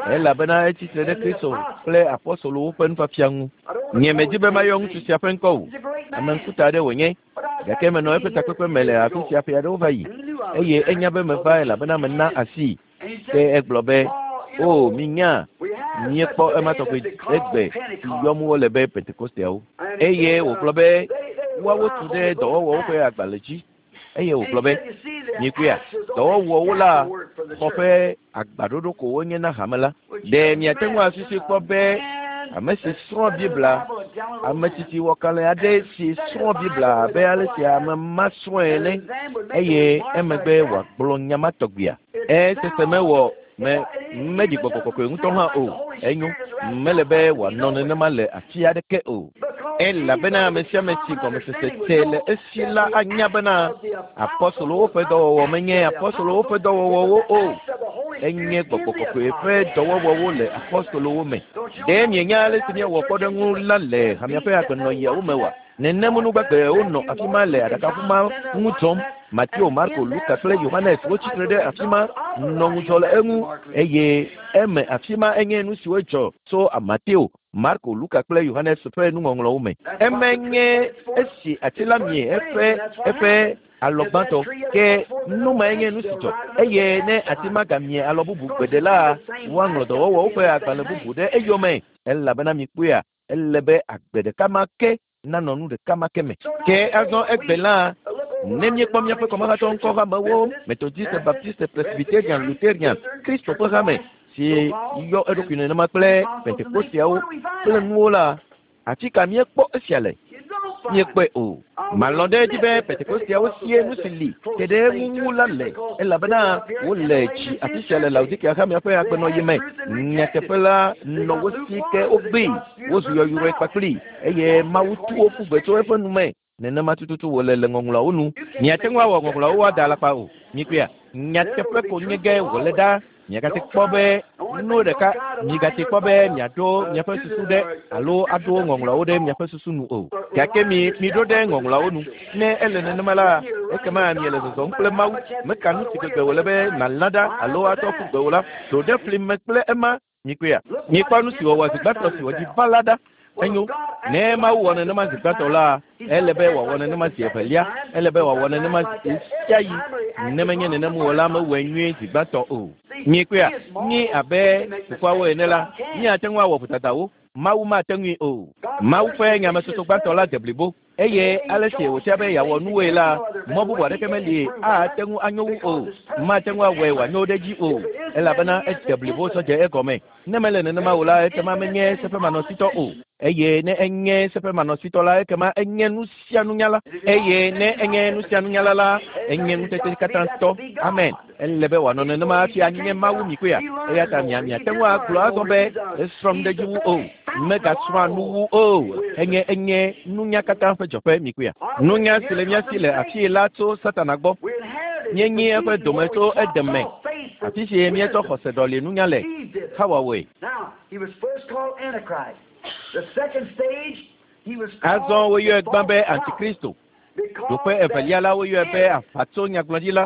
elabena etsi tre ɖe Kristo kple apɔstolowo ƒe nufiafia ŋu. Nye medi be mayɔ ŋutsu sia ƒe ŋkɔ o. Ame ŋkuta aɖe wònye gake menɔ eƒe takpekpe me le afi sia ƒe aɖewo va yi eye enya be meva elabena mena asii. Ke egblɔ be o minya míekpɔ ema tɔgbe egbe si yɔm wole be Pentekosteawo. Eye wògblɔ be woawo tu ɖe dɔwɔwɔwo ƒe agbalẽ dzi. Eye wògblɔ be mikpɔea dɔwɔwɔwo la xɔ ƒe agbaɖoɖo ko wonye na hame la. Ɖe miate ŋu asusui kpɔ be ame si srɔ̃ Biblia, ame tsitsi wɔkalẽ aɖe si srɔ̃ Biblia abe ale si ame ma srɔ̃e ene eye emegbe wòagblɔ nya ma tɔgbea. Esese mewɔ me meɖi gbɔgbɔ kɔkɔe ŋutɔ hã o. Enyo mele be wòanɔ nenema le afi aɖeke o. Elabena ame sia ame si gɔmesese te le esi la anya bena apɔstolowo ƒe dɔwɔwɔ menye apɔstolowo ƒe dɔwɔwɔwo o. Enye gbɔgbɔ kɔkɔe ƒe dɔwɔwɔwo le apɔstolowo me. Ɖe mienya ale si míewɔ kpɔɖeŋu la le hamea ƒe agbenɔɣiawo me oa? Nenem nugbagbewo nɔ afi ma le aɖakaʋu ma ŋu dzɔm. Mateo, Marko, Luka kple Yohanes wotsi tre ɖe afi ma nɔ ŋudzɔ le eŋu eye eme afi ma enye nu siwo dzɔ tso Mateo, Marko, Luka kple Yohanes ƒe nuŋɔŋlɔwo me. Eme nye esi ati la mie eƒe eƒe alɔ gbãtɔ ke nu mae nye nu si dzɔ eye ne ati ma gamie alɔ bubu gbeɖe la woaŋlɔ dɔwɔwɔwo ƒe agbalẽ bubu ɖe eyome elabena mikpɔea ele be agbe ɖeka ma ke nanɔ nu ɖeka ma ke me. Ke azɔ egbe la ne míekpɔ míaƒe kɔmahatɔ ŋkɔ hamewo Methodiste, Baptiste, Presbyterian, Lutherian, Kristo ƒe hame si yɔ eɖokui nenema kple Pentekosteawo kple nuwo la, afi ka míekpɔ esia le? Míekpɔe o. Malɔ̃ ɖe edzi be Pentekosteawo sie nu si li te ɖe eŋu la le elabena wole dzi afi sia le Laodikea hamea ƒe agbenɔɣi me. Nyateƒe la nɔ wo si ke wogbee, wozu yɔyrɔe kpakpli eye Mawu tu wo ƒu gbe tso eƒe nu me. Nenema tututu wòle le ŋɔŋlɔawo nu. Miate ŋu awɔ ŋɔŋlɔawo ada alakpa o. Mikpɔea, nyateƒe ko nye ge wòle ɖa. Miagate kpɔ be nu ɖeka migate kpɔ be miaɖo miaƒe susu ɖe alo aɖo ŋɔŋlɔawo ɖe miaƒe susu nu o. Gake mi miɖo ɖe ŋɔŋlɔawo nu. Ne ele nenema la, ekema miele zɔzɔm kple Mawu. Meka nu si gbegbe wòle be nàlã ɖa alo atsɔ ƒu gbe o la, ɖo ɖe fli me kple ema. Mikpɔea, mikpɔ nu si wòwɔ zi gbãtɔ si wòdzi va la ɖa. Enyo, ne Mawu wɔ nenema zi gbãtɔ la, ele be wòawɔ nenema zi evelia, ele be wòawɔ nenema zi sia ɣi. Ne menye nenem o la, mewɔe nyuie zi gbãtɔ o. Mikpɔea, mí abe fofoawo ene la, míate ŋu awɔ vodadawo. Mawu mate ŋui o. Mawu ƒe nyametsotso gbãtɔ la de blibo eye ale si wòtia be yeawɔ nuwoe la, mɔ bubu aɖeke meli ate ŋu anyo wu o. Mate ŋu awɔe wòanyo ɖe edzi o elabena ede blibo tsɔ dze egɔme. Ne mele nenema o la, ekema menye seƒemanɔsitɔ o. Eye ne enye seƒemanɔsitɔ la, ekema enye nu sia nunyala. Eye ne enye nu sia nunyala la, enye ŋutete katã tɔ. Amen. Ele be wòanɔ nenema hafi anye Mawu mikpɔea. Eya ta mia miate ŋu agblɔ azɔ be esrɔ̃m ɖe edzi wu o. Megasrɔ̃a nu wu o. Enye enye nunya katã ƒe dzɔƒe mikpɔea. Nunya si le mía si le afii la tso Satana gbɔ. Míenyi eƒe dome tso edeme. Afi si míetsɔ xɔse ɖɔli nunya le. Xawa wɔe. Azɔ woyɔe gbã be Antikristo. Ɖoƒe evelia la woyɔe be aʋatso nyagblɔɖila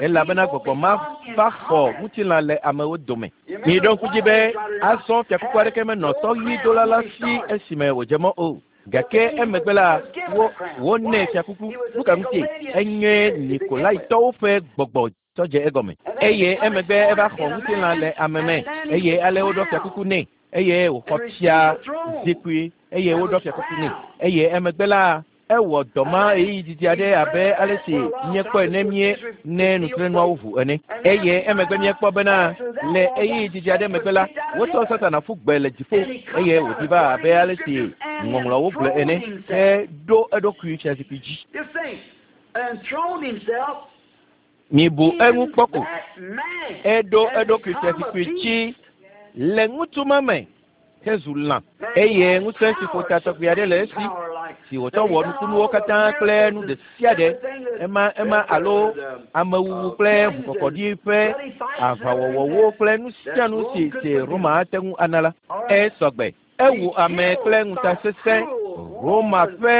elabena gbɔgbɔ ma va xɔ ŋutilã le amewo dome. Miɖo ŋku dzi be azɔ fiakuku aɖeke menɔ sɔʋidola la si esime wòdze mɔ o. Gake emegbe la wo wonɛ fiakuku. Nu ka ŋutie? Enye Nikolaitɔwo ƒe gbɔgbɔ tsɔ dze egɔme. Eye emegbe eva xɔ ŋutilã le ame me eye ale woɖɔ fiakuku nɛ eye wòxɔ fia zikpui eye woɖɔ fiakuku nɛ. Eye emegbe la ewɔ dɔ ma ɣeyiɣi didi aɖe abe ale si míekpɔe ne mie ne nutrenuawo ʋu ene. Eye emegbe míekpɔ bena le ɣeyiɣi didi aɖe megbe la wotsɔ Satana ƒu gbe le dziƒo eye wòdi va abe ale si ŋɔŋlɔawo gblɔ ene heɖo eɖokui fiazikpui dzi. Mibu eŋu kpɔ ko. Eɖo eɖokui fiazikpui dzi le ŋutsu ma me hezu lã eye ŋusẽ si ƒo ta tɔgbi aɖe le esi si wòtsɔ wɔ nukunuwo katã kple nu ɖe sia ɖe ema ema alo amewuwu kple ʋukɔkɔɖi ƒe aʋawɔwɔwo kple nu sia nu si si Roma ate ŋu ana la. Esɔgbe. Ewu ame kple ŋutasesẽ Roma ƒe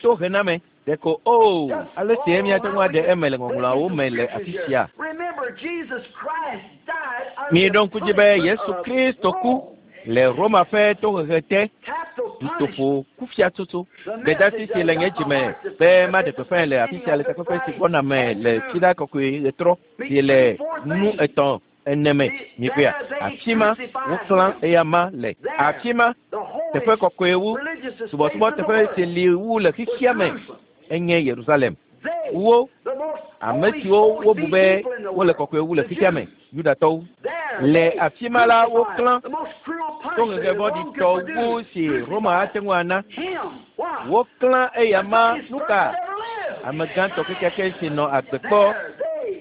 tohename. Ɖeko o ale si míate ŋu aɖe eme le ŋɔŋlɔawo me le afi sia. Miɖo ŋku dzi be Yesu Kristo ku le Roma ƒe tohehe te dutoƒo kufiatsotso. Gbedasi si le nye dzime be maɖe gbeƒãe le afi sia le takpekpe si gbɔna me le Fiɖa Kɔkɔe ɣetrɔ si le nu etɔ̃ ene me mikpɔea. Afi ma woklã eya ma le. Afi ma teƒe kɔkɔe wu subɔsubɔ teƒe si li wu le xexea me enye Yerusalem. Wo ame siwo wobu be wole kɔkɔe wu le xexea me Yudatɔwo. Le afi ma la woklã tohehe vɔ̃ɖitɔ wu si Roma ate ŋu ana. Woklã eya ma nu ka? Ame gãtɔ kekeake si nɔ agbe kpɔ.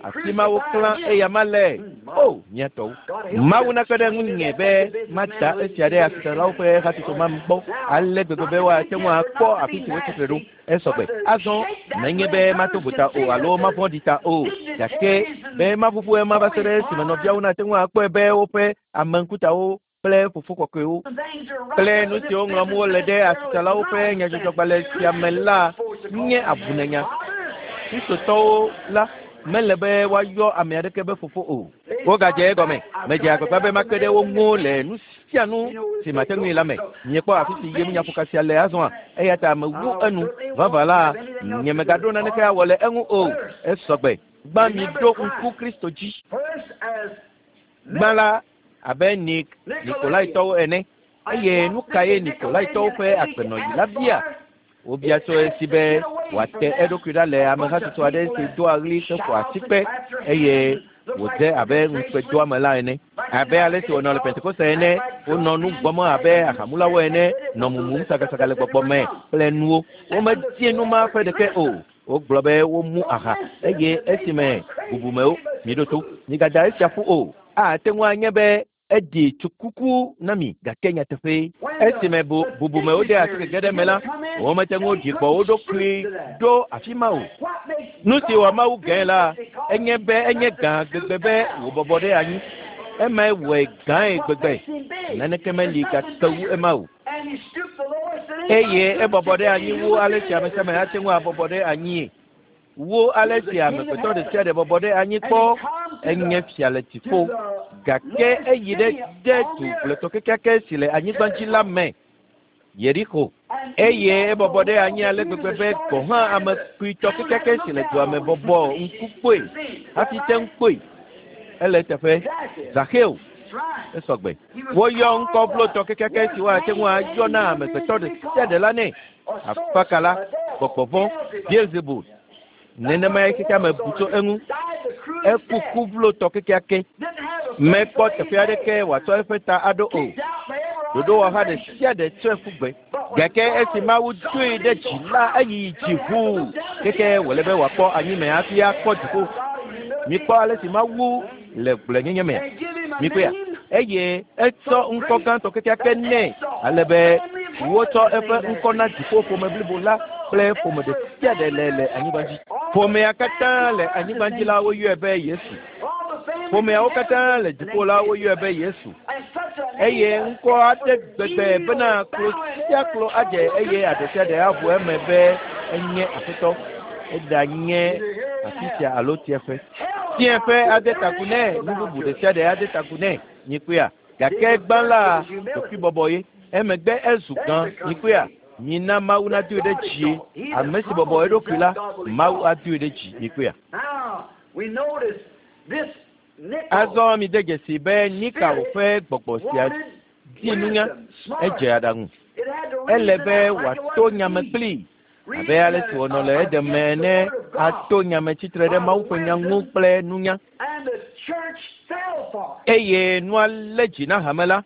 Afi ma woklã eya ma le. O mía tɔwo. Mawu nakpe ɖe ŋunye be mada esia ɖe asitsalawo ƒe hatsotso ma gbɔ ale gbegbe be woate ŋu akpɔ afi si wotsi tre ɖo. Esɔgbe. Azɔ menye be mato vo ta o alo mavɔ̃ɖi ta o gake be maʋuʋu ema va se ɖe esime nɔviawo nate ŋu akpɔe be woƒe ameŋkutawo kple fofo kɔkɔewo kple nu siwo ŋlɔm wole ɖe asitsalawo ƒe nyadzɔdzɔgbalẽ sia me la nye abunenya. Kristotɔwo la mele be woayɔ ame aɖeke be fofo o. Wogadze egɔme. Medze agbagba be makpe ɖe wo ŋu le nu sia nu si mate ŋui la me. Miekpɔ afi si yem nyaƒoka sia le azɔa eya ta mewu enu. Vavã la nye megaɖo naneke awɔ le eŋu o. Esɔgbe. Gbã miɖo ŋku Kristo dzi. Gbã la abe Nik Nikolaitɔwo ene. Eye nu kae Nikolaitɔwo ƒe agbenɔɣi la bia? Wobia tso esi be wòate eɖokui ɖa le amehatsotso aɖe si doa ɣli heƒoa asikpe eye wòdze abe ŋukpedoame la ene. Abe ale si wònɔ le Pentekoste ene, wonɔ nu gbɔm abe ahamulawo ene, nɔ mumum sagasaga le gbɔgbɔ me kple nuwo. Womedie nu ma ƒe ɖeke o. Wogblɔ be womu aha eye esime bubumewo miɖo to migada esia ƒu o. Ate ŋu anye be eɖi tsukuku na mi gake nyateƒe. Esime bu bubumewo de asi gege ɖe me la, womete ŋu ɖi gbɔ wo ɖokui ɖo afi ma o. Nu si wɔ Mawu gãe la, enye be enye gã gbegbe be wòbɔbɔ ɖe anyi. Emae wɔe gãe gbegbe. Naneke meli gake wu ema o. Eye ebɔbɔ ɖe anyi wu ale si ame sia ame ate ŋu abɔbɔ ɖe anyie. Wu ale si amegbetɔ ɖe sia ɖe bɔbɔ ɖe anyi kpɔ enye fia le dziƒo. Gake eyi ɖe de du gblɔetɔ kekeake si le anyigba dzi la me, Yeriko. Eye ebɔbɔ ɖe anyi ale gbegbe be gɔ̃ hã ame kpuitɔ kekeake si le dua me bɔbɔ ŋku kpɔe hafi te ŋu kpɔe. Ele teƒe Zaxeo. Esɔgbe. Woyɔ ŋkɔ vlotɔ kekeake si woate ŋu ayɔ na amegbetɔ ɖe sia ɖe la nɛ. Afakala, gbɔgbɔ vɔ̃, Beelzebul. Nenemae xexea me bu tso eŋu. Eku ku vlotɔ kekeake. Mekpɔ teƒe aɖeke wòatsɔ eƒe ta aɖo o. Ɖoɖowɔha ɖe sia ɖe tsɔe ƒu gbe. Gake esi Mawu doe ɖe dzi la, eyi dzi ʋuu keke wòle be wòakpɔ anyime hafi akpɔ dziƒo. Mikpɔ ale si Mawu le gblɔenyenye mea. Mikpɔea? Eye etsɔ ŋkɔ gãtɔ kekeake nɛ ale be wotsɔ eƒe ŋkɔ na dziƒo ƒome blibo la kple ƒome ɖe sia ɖe le le anyigba dzi. Ƒomea katã le anyigba dzi la woyɔe be Yesu. Ƒomeawo katã le dziƒo la woyɔe be Yesu. Eye ŋkɔ aɖe gbegbe bena klo sia klo adze eye aɖe sia ɖe aʋu eme be enye aƒetɔ eɖanye afi sia alo tieƒe. Tieƒe ade taku nɛ, nu bubu ɖe sia ɖe ade taku nɛ, nyikpea. Gake gbã la, ɖokuibɔbɔ ye. Emegbe ezu gã, nyikpea. Mina Mawu nadoe ɖe dzi. Ame si bɔbɔ eɖokui la, Mawu adoe ɖe dzi, nyikpea. Azɔ mi de dzesi be Nikao ƒe gbɔgbɔ sia di nunya, edze aɖaŋu. Ele be wòato nyame kplii abe ale si wònɔ le Eden me ene, ato nyame tsitre ɖe Mawu ƒe nya ŋu kple nunya. Eye nua lé dzi na hame la.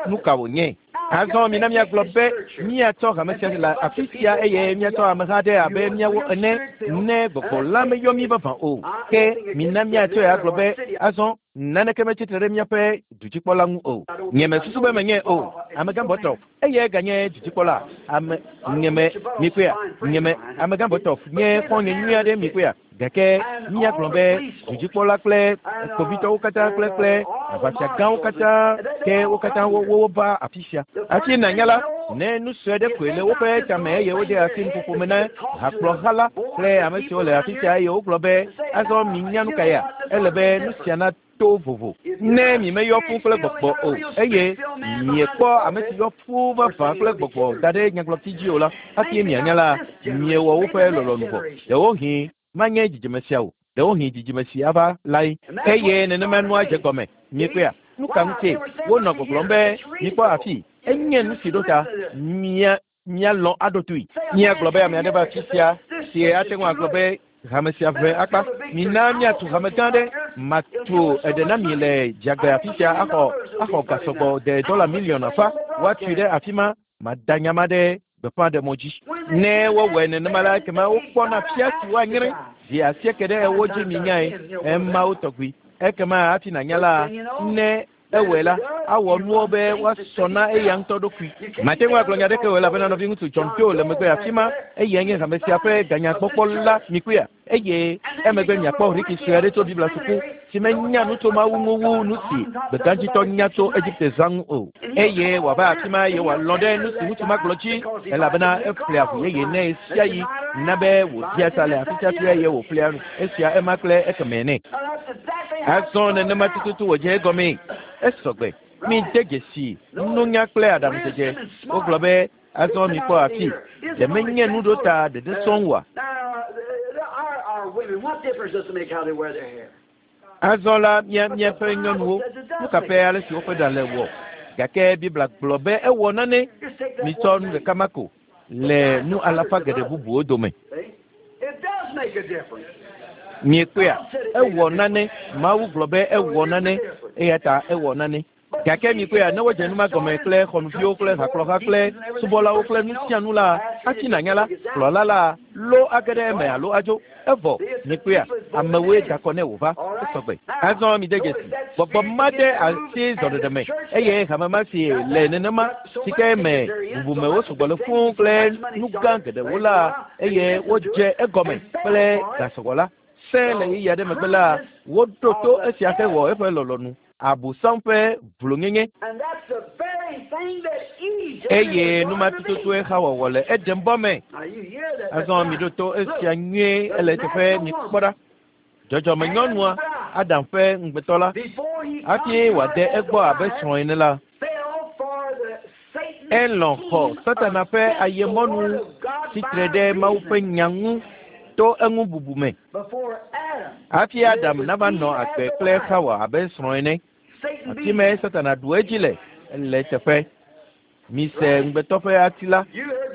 Nu ka wònye? Azɔ mina míagblɔ be míatsɔ hame sia le afi sia eye míatsɔ ameha aɖe abe míawo ene ne gbɔgbɔ la meyɔ mí vavã o. Ke mina míatsɔe agblɔ be azɔ naneke metsitre ɖe míaƒe dudzikpɔla ŋu o. Nye mesusu be menye o. Amegã Bɔtɔf eye ganye dudzikpɔla. Ame nyeme mikpea nyeme amegã Bɔtɔf nye xɔ̃nye nyui aɖe mikpea. Gake míagblɔ be dudzikpɔla kple kpovitɔwo katã kple kple aʋafiagãwo katã ke wo katã wo wova afi sia. Hafi nànya la, ne nu sue aɖe koe le woƒe tame eye wode asi nuƒoƒo me na hakplɔha la kple ame siwo le afi sia eye wogblɔ be azɔ minya nu ka ya, ele be nu sia nato vovo. Ne mi meyɔ fũ kple gbɔgbɔ o eye miekpɔ ame si yɔ fũ vavã kple gbɔgbɔ da ɖe nyagblɔti dzi o la, hafi mianya la, miewɔ woƒe lɔlɔ̃nu vɔ. Ɖewohĩ manye dzidzime sia o, ɖewohĩ dzidzime si ava lae. Eye nenema nua dze gɔme. Miekpɔea? Nu ka ŋutie wonɔ gbɔgblɔm be mikpɔ afi enye nu si ɖo ta mia míalɔ̃ aɖo toe. Míagblɔ be ame aɖe va afi sia si ate ŋu agblɔ be hame sia ʋe akpa. Mina míatu hame gã aɖe. Matu eɖe na mi le dzagbe afi sia axɔ axɔ gasɔgbɔ de dɔla miliɔn afa. Woatui ɖe afi ma. Mada nyama ɖe gbeƒãɖemɔ dzi. Ne wowɔe nenema la, ekema wokpɔna fia si woanyre zi asieke ɖe ewo dzi minyae emawo tɔgbi. Ekema hafi nànya la, ne ewɔe la, awɔ nuwo be woasɔ na eya ŋutɔ ɖokui. Mate ŋu agblɔ nya ɖeke o elabena nɔviŋutsu John Doe le megbe afi ma eye nye hame sia ƒe ganyagbɔkpɔla mikpɔea. Eye emegbe miakpɔ Ricky sue aɖe tso Biblia suku si menya nu tso Mawu ŋu wu nu si gbegãdzitɔ nya tso Egipte zã ŋu o. Eye wòava afi ma eye wòalɔ̃ ɖe nu si ŋutsu ma gblɔ dzi elabena eƒlea ʋu yeye nɛ sia yi na be wòdia ta le afi sia afi eye wòƒlea nu esia ema kple ekemɛ nɛ. Azɔ nenema tututu wòdze egɔmee. Esɔgbe. Mi de dzesi nunya kple aɖaŋudzedze. Wogblɔ be azɔ mikpɔ afi ɖe menye nuɖota ɖeɖe sɔŋ oa? Azɔ la mía míaƒe nyɔnuwo nu ka ƒe ale si woƒe ɖa le wɔ? Gake Biblia gblɔ be ewɔ nane. Mitsɔ nu ɖeka ma ko le nu alafa geɖe bubuwo dome. Miekpɔea? Ewɔ nane. Mawu gblɔ be ewɔ nane eya ta ewɔ nane. Gake mikpɔea, ne wodze nu ma gɔme kple xɔnuviwo kple hakplɔha kple subɔlawo kple nu sia nu la, hafi nànya la, kplɔla la lo age ɖe eme alo adzo. Evɔ mikpɔea, amewoe da kɔ ne wòva. Esɔgbe. Azɔ mi de dzesi. Gbɔgbɔ ma de asi zɔɖeɖe me eye hame ma si le nenema si ke me bubumewo sugbɔ le fũu kple nu gã geɖewo la eye wodze egɔme kple gasɔgbɔ la. Se le ɣeyiɣi aɖe megbe la, woɖo to esia hewɔ eƒe lɔlɔ̃nu. Abosam ƒe vlonyenye. Eye nu ma tututue xawɔwɔ le Edenbɔ me. Azɔ miɖo to esia nyuie ele eteƒe mikpɔ ɖa. Dzɔdzɔmenyɔnua, Adam ƒe ŋugbetɔ la, hafi wòade egbɔ abe srɔ̃ ene la, elɔ̃ xɔ Satana ƒe ayemɔnu tsitre ɖe Mawu ƒe nya ŋu to eŋu bubu me. Hafi Adam nava nɔ agbe kple Xawa abe srɔ̃ ene, afi me Satana ɖu edzi le ele eteƒe. Mise ŋugbetɔ ƒe ati la,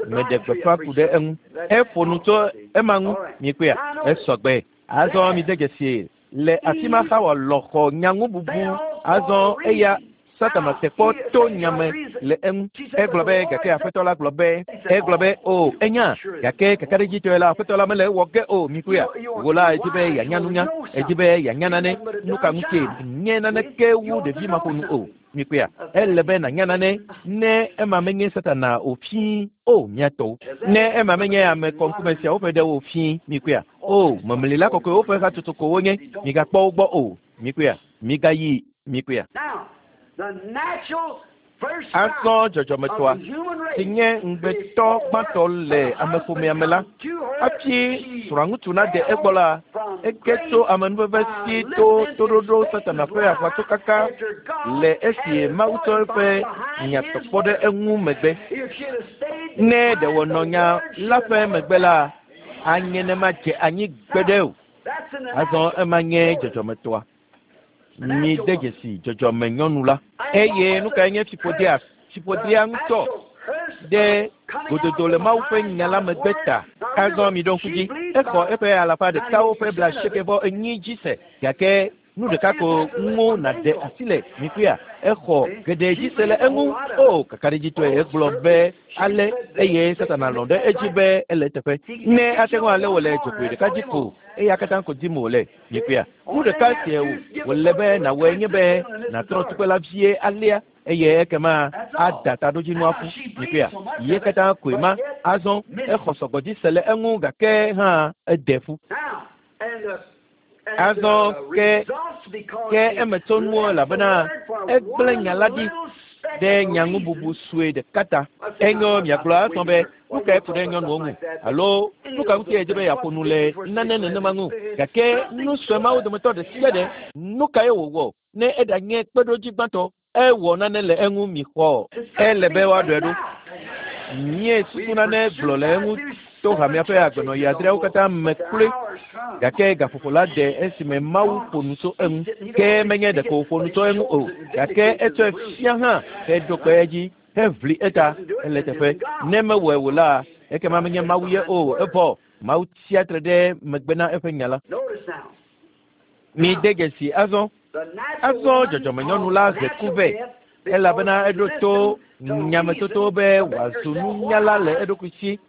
meɖe gbeƒã ku ɖe eŋu. Eƒo nu tso ema ŋu, mikpɔea, esɔgbe. Azɔ mi de dzesi le afi ma Xawa lɔ̃ xɔ nyaŋububu. Azɔ eya Satana te kpɔ to nyame le eŋu. Egblɔ be gake aƒetɔ la gblɔ be egblɔ be o enya gake kakaɖedzitɔe la aƒetɔ la mele ewɔ ge o mikpɔea. Wò la edzi be yeanya nunya, edzi be yeanya nane. Nu ka ŋutie nye naneke wu ɖevi maƒonu o mikpɔea. Ele be nànya nane ne ema menye Satana o fii o miatɔwo. Ne ema menye ame kɔŋkume siawo ƒe ɖewo o fii mikpɔea. O memlila kɔkɔewo ƒe hatsotso ko wonye. Migakpɔ wo gbɔ o mikpɔea. Migayi mikpɔea. Azɔ dzɔdzɔmetɔa si nye ŋugbetɔ gbãtɔ le ameƒomea me la, hafi srɔ̃ŋutsu nade egbɔ la, ege tso amenuveve si to toɖoɖo Satana ƒe aʋatsokaka le esi Mawu tsɔ eƒe nya tɔkpɔ ɖe eŋu megbe. Ne ɖe wònɔ nya la ƒe megbe la, anye ne madze anyi gbeɖe o. Azɔ ema nye dzɔdzɔmetɔa. Mi de dzesi dzɔdzɔme nyɔnu la. Eye nu kae nye fiƒodea? Fiƒodea ŋutɔ ɖe gododo le Mawu ƒe nya la megbe ta. Azɔ mi ɖo ŋku dzi. Exɔ eƒe alafa ɖekawo ƒe blaasieke vɔ enyi dzi se gake nu ɖeka ko ŋu nàɖe asi le mikuia. Exɔ geɖe dzi se le eŋu. O kakaɖedzitɔe egblɔ be ale eye Satana lɔ̃ ɖe edzi be ele eteƒe. Ne ate ŋu ale wòle dzogoe ɖeka dzi ko eya katã ko dim wòle mikuia. Nu ɖeka sie wòle be nàwɔe nye be nàtrɔ tukpe la vie alea eye ekema ada taɖodzinua ƒu mikuia. Ye katã koe ma. Azɔ exɔ sɔgbɔ dzi se le eŋu gake hã ede ƒu. Azɔ ke ke emetsonuwo elabena egblẽ nya la ɖi ɖe nyaŋububu sue ɖeka ta. Enyo miagblɔ azɔ be nu kae ku ɖe nyɔnuwo ŋu alo nu ka ŋuti edze be yeaƒo nu le nane nenema ŋu gake nu sue mawo dometɔ ɖe sia ɖe nu kae wòwɔ ne eɖanye kpeɖodzi gbãtɔ ewɔ nane le eŋu mixɔ ele be woaɖɔe ɖo. Mie susu nane gblɔ le eŋu to hamea ƒe agbenɔɣi adreawo katã me kloe gake gaƒoƒo la de esime Mawu ƒo nu tso eŋu. Ke menye ɖeko wòƒo nu tso eŋu o gake etsɔe fia hã heɖo kpe edzi heʋli eta ele teƒe. Ne mewɔe o la, ekema menye Mawu ye o. Evɔ Mawu tsia tre ɖe megbe na eƒe nya la. Mi de dzesi azɔ. Azɔ dzɔdzɔmenyɔnu la he ku vɛ elabena eɖo to nyametoto be wòazu nunyala le eɖokui si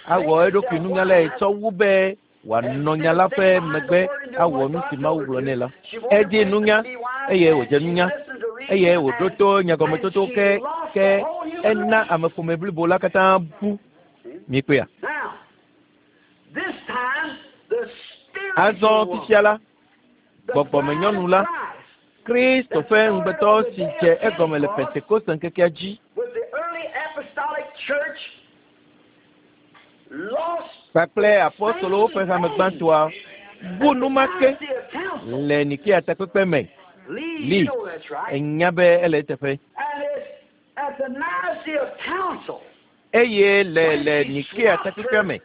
awɔ eɖokui nunyalae tsɔ wu be wòanɔ nya la ƒe megbe awɔ nu si Mawu gblɔ nɛ la. Edi nunya eye wòdze nunya eye wòɖo to nyagɔmetoto ke ke ena ameƒome blibo la katã bu. Mikpɔea? Azɔ fifia la, gbɔgbɔmenyɔnu la, Kristo ƒe ŋugbetɔ si dze egɔme le Pentekoste ŋkekea dzi kpakple apostolowo ƒe hame gbãtɔa bu numake le Nikea takpekpe me. Li enya be ele eteƒe. Eye le le Nikea takpekpea me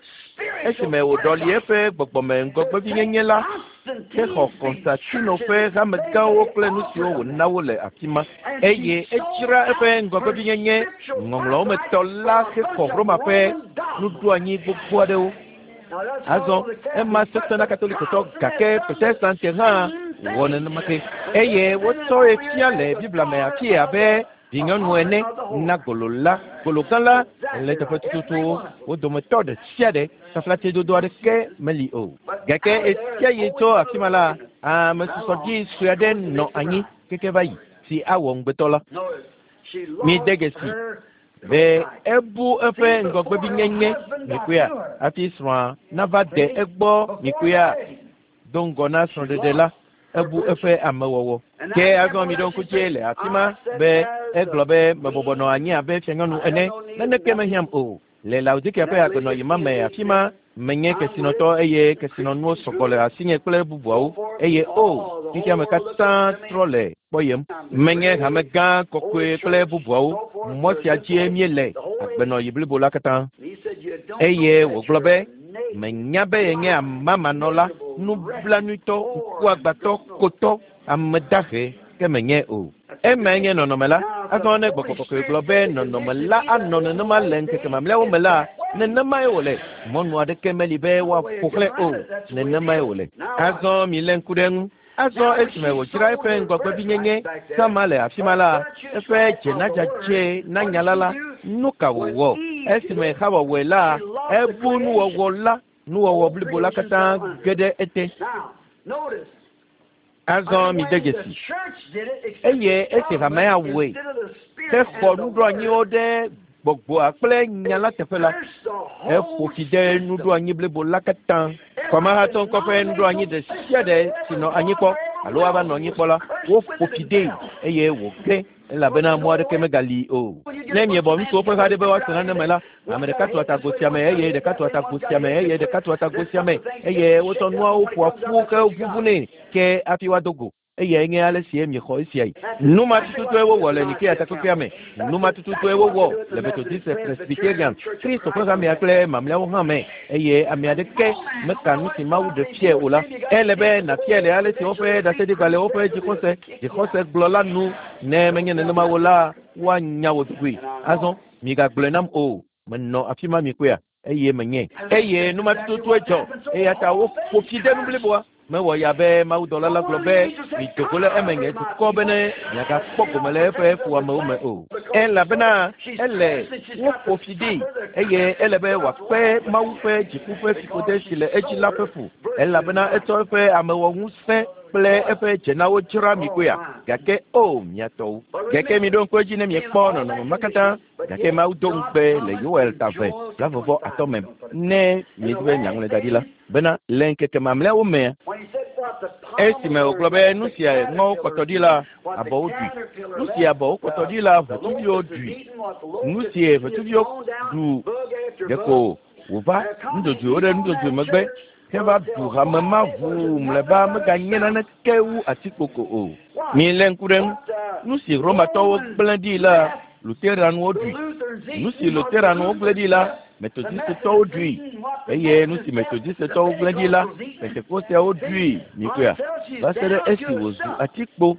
esime wòɖɔli eƒe gbɔgbɔme ŋgɔgbevinyenye la hexɔ Konstantino ƒe hamegãwo kple nu siwo wòna wo le afi ma eye edzra eƒe ŋgɔgbevinyenye ŋɔŋlɔwo me tɔ la hexɔ Roma ƒe nuɖoanyi gbogbo aɖewo. Azɔ ema sesẽ na Katolikotɔ gake Protestante hã wɔ nenema ke eye wotsɔe fia le Biblia me afi abe vinyɔnu ene na golo la gologã la le teƒe tututu wo dometɔ ɖe sia ɖe taflatsedodo aɖeke meli o. Gake esia yi tso afi ma la, ame susɔdzi sue aɖe nɔ anyi keke va yi si awɔ ŋugbetɔ la. Mi de dzesi be ebu eƒe ŋgɔgbevinyenye mikpɔea hafi srɔ̃a nava de egbɔ mikpɔea do ŋgɔ na srɔ̃ɖeɖe la ebu eƒe amewɔwɔ. Ke azɔ mi ɖo ŋku dzi le afi ma be egblɔ be mebɔbɔ nɔ anyi abe fianyɔnu ene naneke mehiãm o. Le Laodikea ƒe agbenɔɣi ma me afi ma menye kesinɔtɔ eye kesinɔnuwo sɔgbɔ le asinye kple bubuawo eye o xexeame katã trɔ le kpɔyem. Menye hame gã kɔkɔe kple bubuawo. Mɔ sia dzie míele agbenɔɣi blibo la katã. Eye wògblɔ be menya be yenye amamanɔla, nublanuitɔ, ŋkuagbãtɔ, kotɔ, ame dahe ke menye o. Emae nye nɔnɔme la. Azɔ ne gbɔgbɔ kɔkɔe gblɔ be nɔnɔme la anɔ nenema le ŋkeke mamlɛawo me la, nenemae wòle. Mɔnu aɖeke meli be woaƒo xlẽ o. Nenemae wòle. Azɔ milé ŋku ɖe eŋu. Azɔ esime wòdzra eƒe ŋgɔgbevinyenye sama le afi ma la, eƒe dzenadzadze na nya la la, nu ka wòwɔ? Esime Xawa wɔe la, ebu nuwɔwɔ la, nuwɔwɔ blibo la katã ge ɖe ete. Azɔ mi de dzesi. Eye esi hamea wɔe hexɔ nuɖoanyiwo ɖe gbɔgbɔa kple nya la teƒe la, eƒo fi de nuɖoanyi blibo la katã. Kɔmahatɔ ŋkɔ ƒe nuɖoanyi ɖe sia ɖe si nɔ anyi kpɔ alo ava nɔ anyi kpɔ la, woƒo fi dee eye wòge. Elabena mɔ aɖeke megali o. Ne miebɔ ŋutsuwo ƒe ha ɖe be woase nane me la, ame ɖeka tu atago sia me eye ɖeka tu atago sia me eye ɖeka tu atago sia me eye wotsɔ nuawo ƒoa ƒu ke ʋuʋunɛ ke hafi woado go. Eyae nye ale si miexɔ esiae. Nu ma tututue wowɔ le Nikea takpekpea me. Nu ma tututue wowɔ le Methodist, Presbyterian, Kristo ƒe hamea kple mamlɛawo hã me. Eye ame aɖeke meka nu si Mawu ɖe fiae o la. Ele be nàfiae le ale si woƒe ɖaseɖigbalẽwo ƒe dzixɔse dzixɔse gblɔ la nu. Ne menye nenema o la, woanya wò dogoe. Azɔ migagblɔe nam o. Menɔ afi ma mikpɔea eye menye. Eye nu ma tututue dzɔ. Eya ta woƒo fi de nu bliboa. Mewɔ ya be mawudɔla la gblɔ be mido go le eme nye dukɔ bene miagakpɔ gome le eƒe fuamewo me o. Elabena ele woƒo fi ɖi eye ele be wòakpe Mawu ƒe dziku ƒe fiƒode si le edzi la ƒe fu. Elabena etsɔ eƒe amewɔŋusẽ kple eƒe dzenawo dzra mi koea. Gake o mia tɔwo. Gake miɖo ŋku edzi ne miekpɔ nɔnɔme ma katã. Gake Mawu do ŋugbe le Yoel ta eve blaeve atɔ̃ me ne miedi be miaŋlɔe da ɖi la bena le ŋkeke mamlɛawo mea, esime wògblɔ be nu sia ŋɔwo kpɔtɔ ɖi la abɔwo ɖui, nu si abɔwo kpɔtɔ ɖi la ʋetsuviwo ɖui, nu si ʋetsuviwo ɖu ɖeko wòva nudzodzoewo ɖe nudzodzoe megbe heva ɖu hame ma ʋuu mlɔeba meganye naneke wu atikpoko o. Milé ŋku ɖe ŋu. Nu si Romatɔwo gblẽ ɖi la, Lutheranwo ɖui. Nu si Lutheranwo gblẽ ɖi la, Methodistetɔwo ɖui. Eye nu si Methodistetɔwo gblẽ ɖi la, Pentekosteawo ɖui. Mikpɔea? Va se ɖe esi wòzu atikpo.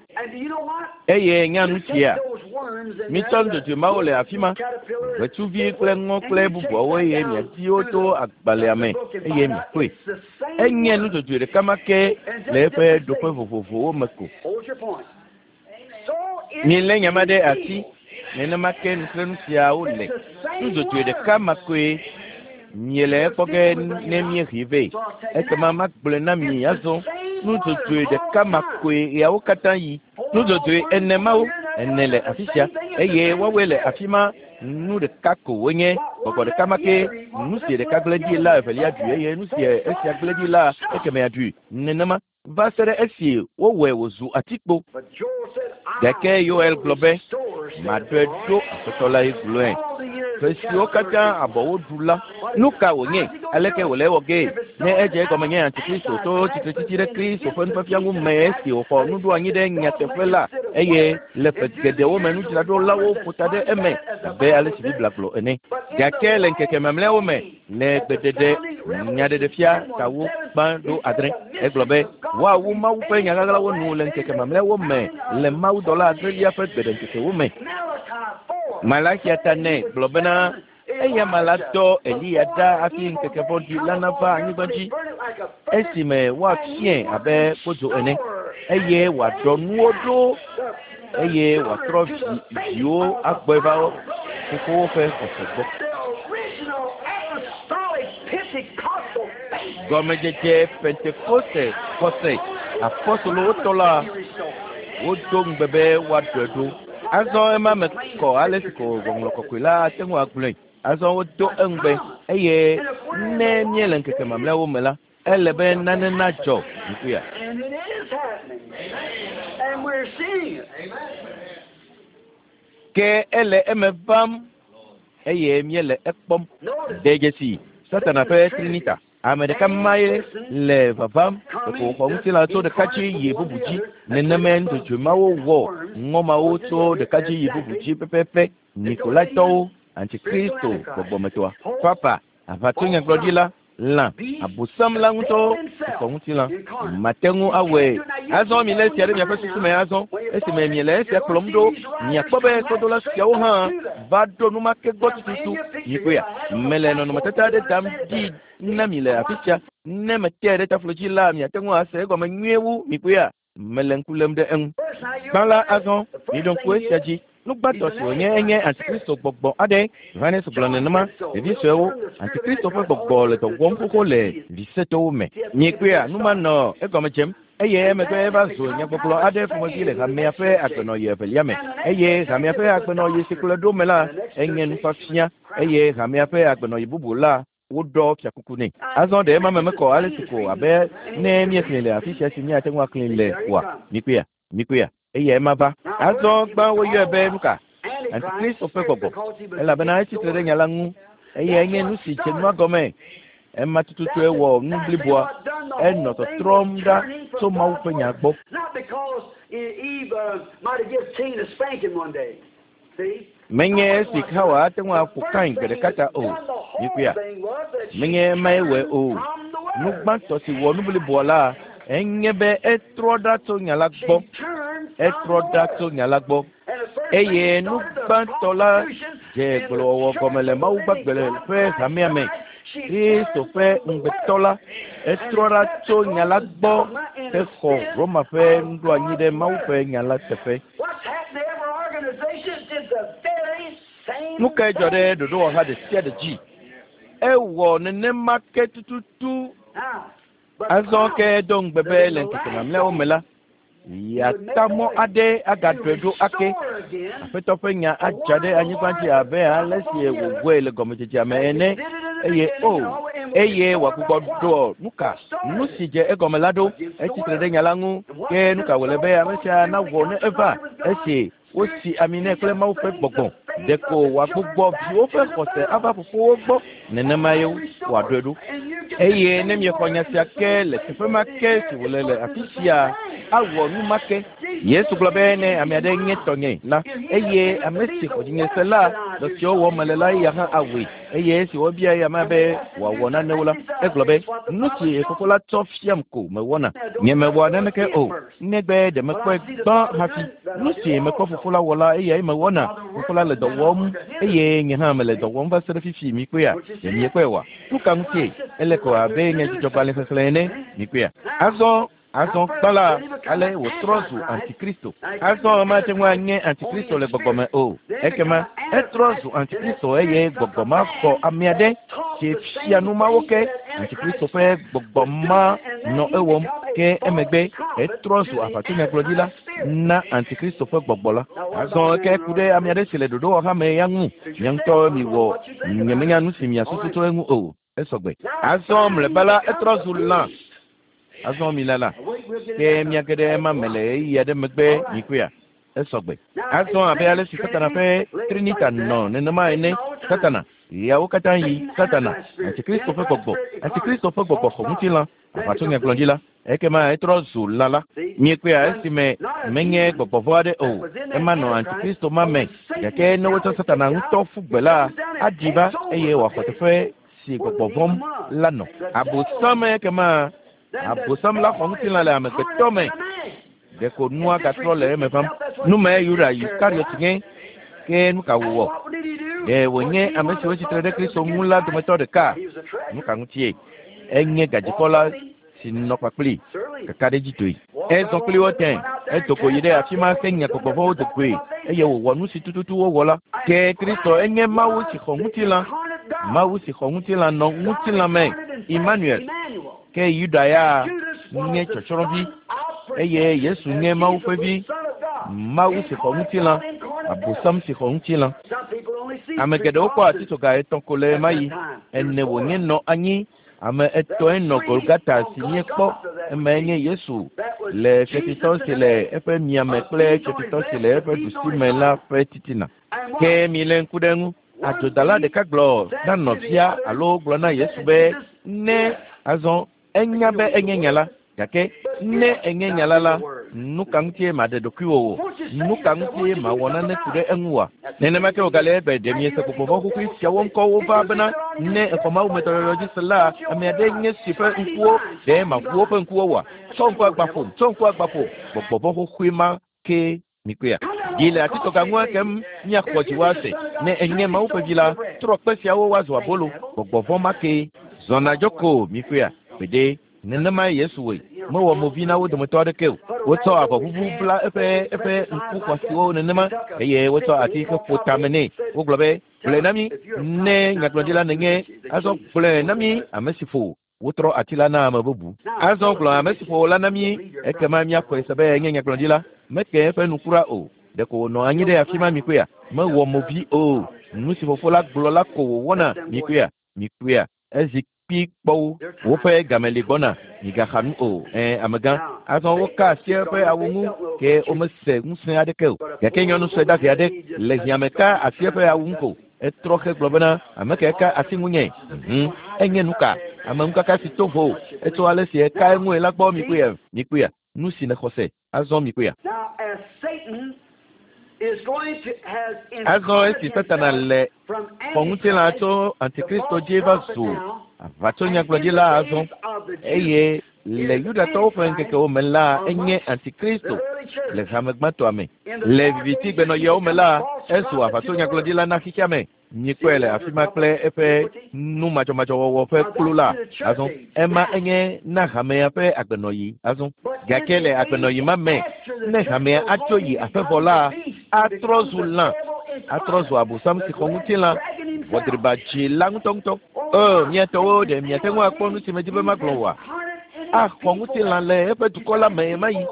Eye nya nu sia. Mitsɔ nudzodzoe mawo le afi ma, ʋetsuvi kple ŋɔ kple bubuawo eye miadi wo to agbalẽa me eye miakpɔe. Enye nudzodzoe ɖeka ma ke le eƒe ɖoƒe vovovowo me ko. Milé nya ma ɖe asi. Nenema ke nuxlẽnu siawo le. Nudzodzoe ɖeka ma koe miele ekpɔ ge ne míehe vɛ. Ekema magblɔe na mi azɔ. Nudzodzoe ɖeka ma koe ɣeawo katã yi. Nudzodzoe ene mawo ene le afi sia eye woawoe le afi ma. Nu ɖeka ko wonye. Gbɔgbɔ ɖeka ma ke. Nu si ɖeka gblẽ ɖi la evelia ɖui eye nu si esia gblẽ ɖi la ekemea ɖui. Nenema va se ɖe esi wowɔe wòzu atikpo. Gake Yoel gblɔ be maɖɔe ɖo Aƒetɔ lae gblɔe. Ƒe siwo katã abɔwo ɖu la, nu ka wònye? Aleke wòle ewɔ gee? Ne edze egɔme nye Antikristo to tsitretsitsi ɖe Kristo ƒe nufiafia ŋu me esi wòxɔ nuɖoanyi ɖe nyateƒe la eye le ƒe geɖewo me nudzraɖolawo ƒo ta ɖe eme abe ale si Biblia gblɔ ene. Gake le ŋkeke mamlɛawo me le gbeɖeɖe nyaɖeɖefia tawo gbã ɖo adre egblɔ be woawu Mawu ƒe nyaɣaɣlawo nu le ŋkeke mamlɛawo me le mawudɔla adrelia ƒe gbeɖeŋkekewo me. Malakia ta nɛ gblɔ bena eya ma la dɔ Eliya ɖa hafi ŋkeke vɔ̃ɖi la nava anyigba dzi esime woafiãe abe kpodzo ene eye wòaɖɔ nuwo ɖo eye wòatrɔ vi viwo agbɔe va fofowo ƒe xɔse gbɔ. Gɔmedzedze Pentekoste xɔse apɔstolowo tɔ la wodo ŋugbe be woaɖɔe ɖo. Azɔ ema me kɔ ale si ko Ŋɔŋlɔ Kɔkɔe la ate ŋu agblɔe. Azɔ wodo eŋugbe eye ne míele ŋkeke mamlɛawo me la, ele be nane nadzɔ ŋkuya. And it is happening. And we're seeing it. Ke ele eme vam eye míele ekpɔm. De dzesi Satana ƒe Trinita. Ame ɖeka mae le vavam ɖeko wòxɔ ŋutilã tso ɖeka dzi yi bubu dzi. Nenemae nudzodzoe mawo wɔ ŋɔ mawo tso ɖeka dzi yi bubu dzi pɛpɛpɛ. Nikolaitɔwo, Antikristo gbɔgbɔmetɔa, Papa, aʋatsonyagblɔɖila, lã, abosam la ŋutɔ xɔ ŋutilã. Mate ŋu awɔe. Azɔ milé esia ɖe miaƒe susu me azɔ. Esime miele esia kplɔm ɖo, miakpɔ be sɔdola siawo hã va ɖo nu ma ke gbɔ tututu. Mikpɔea? Mele nɔnɔmetata aɖe dam ɖi na mi le afi sia. Ne metee ɖe taflo dzi la, miate ŋu ase egɔme nyuie wu. Mikpɔea? Mele ŋku lém ɖe eŋu. Gbã la azɔ, miɖo ŋku esia dzi. Nu gbãtɔ si wònye enye Antikristo gbɔgbɔ aɖe. Yohanes gblɔ nenema. Ɖevi suewo, Antikristo ƒe gbɔgbɔ le dɔ wɔm xoxo le visetɔwo me. Miekpɔea? Nu ma nɔ egɔme dzem. Eye emegbe eva zu nyagbɔgblɔ aɖe ƒomevi le hamea ƒe agbenɔɣi evelia me. Eye hamea ƒe agbenɔɣi si kplɔe ɖo me la, enye nufiafia. Eye hamea ƒe agbenɔɣi bubu la, woɖɔ fiakuku nɛ. Azɔ ɖe ema me mekɔ ale si ko abe ne míexlẽe le afi sia si míate ŋu axlẽe le oa? Mikpɔea? Mikpɔea? Eyae ma va. Azɔ gbã woyɔe be nu ka? Antikristo ƒe gbɔgbɔ. Elabena etsitre ɖe nya la ŋu. Eyae nye nu si dze nua gɔme. Ema tututue wɔ nu bliboa. Enɔ tɔtrɔm ɖa tso Mawu ƒe nya gbɔ. Menye esi Xawa ate ŋu aƒo Kain gbe ɖeka ta o. Mikuya. Menye emae wɔe o. Nu gbãtɔ si wɔ nu bliboa la enye be etrɔ ɖa tso nya la gbɔ. Etrɔ ɖa tso nya la gbɔ. Eye nu gbãtɔ la dze gblɔwɔwɔ gɔme le Mawu gbagbe ƒe hamea me. Kristo ƒe ŋugbetɔ la etrɔ ɖa tso nya la gbɔ hexɔ Roma ƒe nuɖoanyi ɖe Mawu ƒe nya la teƒe. Nu kae dzɔ ɖe ɖoɖowɔha ɖe sia ɖe dzi? Ewɔ nenema ke tututu. Azɔ ke do ŋugbe be le ŋkeke mamlɛawo me la, yeata mɔ aɖe agaɖɔe ɖo ake. Aƒetɔ ƒe nya adza ɖe anyigba dzi abe ale si wòwɔe le gɔmedzedzea me ene. Eye o, eye wòagbugbɔ ɖɔ nu ka? Nu si dze egɔme la ɖo. Etsitre ɖe nya la ŋu. Ke nu ka wòle be ame sia nawɔ ne eva? Esi wosi ami nɛ kple Mawu ƒe gbɔgbɔ. Ɖeko wòagbugbɔ viwo ƒe xɔse ava fofowo gbɔ. Nenema ye wòaɖoe ɖo. Eye ne miexɔ nya sia ke le teƒe ma ke si wòle le afi sia, awɔ nu ma ke. Yesu gblɔ be ne ame aɖe nye tɔnye la, eye ame si xɔ dzinye se la, dɔ siwo wɔm mele la eya hã awɔe. Eye esi wobia eya ma be wòawɔ nanewo la, egblɔ be nu si fofo la tsɔ fiam ko mewɔna. Nye mewɔa naneke o, negbe ɖe mekpɔe gbã hafi. Nu si mekpɔ fofo la wɔ la, eyae mewɔna. Fofo la le dɔ wɔm eye nye hã mele dɔ wɔm va se ɖe fifi mikpɔea. Ɖe miekpɔe oa? Nu ka ŋutie? Ele ko abe nyadzɔdzɔgbalẽ xexlẽ ene. Mikpɔea? Azɔ Azɔ gbã la, ale wòtrɔ zu antikristo. Azɔ mate ŋu anye antikristo le gbɔgbɔ me o. Ekema etrɔ zu antikristo eye gbɔgbɔ ma xɔ ame aɖe si fia nu mawo ke. Antikristo ƒe gbɔgbɔ ma nɔ ewɔm ke emegbe etrɔ zu aʋatsonyagblɔɖila na antikristo ƒe gbɔgbɔ la. Azɔ ke ku ɖe ame aɖe si le ɖoɖowɔha me ya ŋu. Mia ŋutɔ miwɔ nyemenya nu si miasusu tso eŋu o. Esɔgbe. Azɔ mlɔeba la etrɔ zu lã. Azɔ mi lala ke miage ɖe ema me le ɣeyiɣi aɖe megbe mikpɔea. Esɔgbe. Azɔ abe ale si Satana ƒe Trinita nɔ nenema ene. Satana ɣeawo katã yi Satana, Antikristo ƒe gbɔgbɔ. Antikristo ƒe gbɔgbɔ xɔ ŋutilã, aʋatsonyagblɔɖila. Ekema etrɔ zu lã la. Miekpɔea esime menye gbɔgbɔ vɔ̃ aɖe o. Ema nɔ Antikristo ma me. Gake ne wotsɔ Satana ŋutɔ ƒu gbe la, aɖi va eye wòaxɔ teƒe si gbɔgbɔ vɔ̃m la nɔ. Abosam ekema Abosam la xɔ ŋutilã le amegbetɔ me. Ɖeko nua gatrɔ le eme vam. Nu mae Yuda Iskariot nye. Ke nu ka wòwɔ? Ɖe wònye ame siwo tsitre ɖe Kristo ŋu la dometɔ ɖeka? Nu ka ŋutie? Enye gadzikpɔla si nɔ kpakpli kakaɖedzitɔe. Ezɔ kpli wo tẽ. Edo go yi ɖe afi ma henya gbɔgbɔ vɔ̃wo do goe eye wòwɔ nu si tututu wowɔ la. Ke Kristo enye Mawu si xɔ ŋutilã. Mawu si xɔ ŋutilã nɔ ŋutilã me. Emmanuel. Ke Yuda ya nye tsɔtsrɔ̃vi eye Yesu nye Mawu ƒe vi. Mawu si xɔ ŋutilã, Abosam si xɔ ŋutilã. Ame geɖewo kpɔ atitsoga etɔ̃ ko le ɣemaɣi. Ene wònye nɔ anyi. Ame etɔ̃e nɔ Golgata si míekpɔ. Emae nye Yesu le fiafitɔ si le eƒe miame kple fiafitɔ si le eƒe ɖusime la ƒe titina. Ke milé ŋku ɖe eŋu. Adzodala ɖeka gblɔ na nɔvia alo gblɔ na Yesu be ne azɔ enya be enye nya la. Gake ne enye nya la la, nu ka ŋutie maɖe ɖokuiwò o? Nu ka ŋutie mawɔ nane ku ɖe eŋu oa? Nenema ke wògale egbe ɖe miese gbɔgbɔ vɔ̃ xoxoe siawo ŋkɔwo va bena ne exɔ Mawu me dɔyɔyɔ dzi se la, ame aɖe nye si ƒe ŋkuwo ɖe maʋu woƒe ŋkuwo oa? Tsɔ ŋku agba ƒom, tsɔ ŋku agba ƒom. Gbɔgbɔ vɔ̃ xoxoe ma ke mikpɔea. Yi le atitsoga ŋua kem miaxɔ dziwò ase. Ne enye Mawu ƒe vi la, trɔ kpe siawo woazu abolo. Gbɔgbɔ vɔ̃ ma ke zɔna dzo ko mikpɔea. Gbeɖe nenemae Yesu wɔe. Mewɔ movi na wo dometɔ aɖeke o. Wotsɔ avɔʋuʋu bla eƒe eƒe ŋku xɔasiwo nenema eye wotsɔ ati heƒo tame nɛ. Wogblɔ be gblɔe na mí ne nyagblɔɖila nènye. Azɔ gblɔe na mí ame si ƒo. Wotrɔ ati la na ame bubu. Azɔ gblɔ ame si ƒo la na mí. Ekema míaxɔe se be enye nyagblɔɖila. Meke eƒe nu kura o. Ɖeko wònɔ anyi ɖe afi ma mikpɔea. Mewɔ movi o. Nu si fofo la gblɔ la ko wòwɔna mikpɔea. Mikpɔea. Ezi kpi kpɔ wo woƒe game li gbɔna migaxa nu o ɛ amegã azɔ woka asi eƒe awu ŋu ke womese ŋusẽ aɖeke o gake nyɔnu sue dahe aɖe le hiãme ka asi eƒe awu ŋu ko etrɔ xe gblɔ bena ame ke ka asi ŋunye mhm enye nu ka ame ŋukaka si to vo etso ale si eka eŋue la gbɔ mikpɔe mikpɔe nu si nexɔ se azɔ mikpɔe. Azɔ esi Satana le xɔ ŋutilã tso Antikristo dzi va zu aʋatsonyagblɔɖila azɔ eye le Yudatɔwo ƒe ŋkekewo me la enye Antikristo le hame gbãtɔa me. Le vivitigbenɔɣiawo me la ezu aʋatsonyagblɔɖila na xexea me. Mikpɔe le afi ma kple eƒe nu madzɔmadzɔwɔwɔ ƒe kplu la azɔ ema enye na hamea ƒe agbenɔɣi azɔ gake le agbenɔɣi ma me ne hamea atso yi aƒe vɔ la atrɔ zu lã atrɔ zu abosam si xɔ ŋutilã ʋɔdriba dzi la ŋutɔŋutɔ. O miatɔwo ɖe miate ŋu akpɔ nu si medzi be magblɔ oa? Axɔ ŋutilã le eƒe dukɔ la me ɣemaɣi.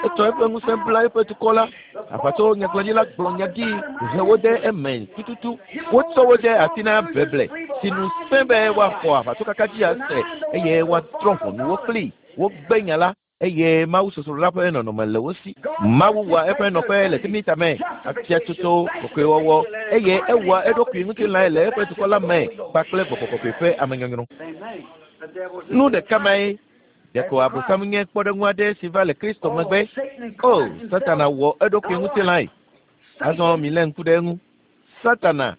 Etsɔ eƒe ŋusẽ bla eƒe dukɔ la. Aʋatso nyagblɔɖila gblɔ nya ɖi he wo ɖe eme tututu. Wotsɔ wo ɖe asi na beble si nu sẽ be woaxɔ aʋatsokaka dzi ase eye woatrɔ ʋɔnu wo kpli. Wogbe nya la eye Mawu sosrola ƒe nɔnɔme le wo si. Mawu wɔa eƒe nɔƒe le Trinita me, afiatsotso, kɔkɔewɔwɔ eye ewɔa eɖokui ŋutilãe le eƒe dukɔ la me kpakple gbɔgbɔ kɔkɔe ƒe amenyɔnyrɔ. Nu ɖeka mae ɖeko abosam nye kpɔɖeŋu aɖe si va le Kristo megbe. O, Satana wɔ eɖokui ŋutilãe. Azɔ milé ŋku ɖe eŋu. Satana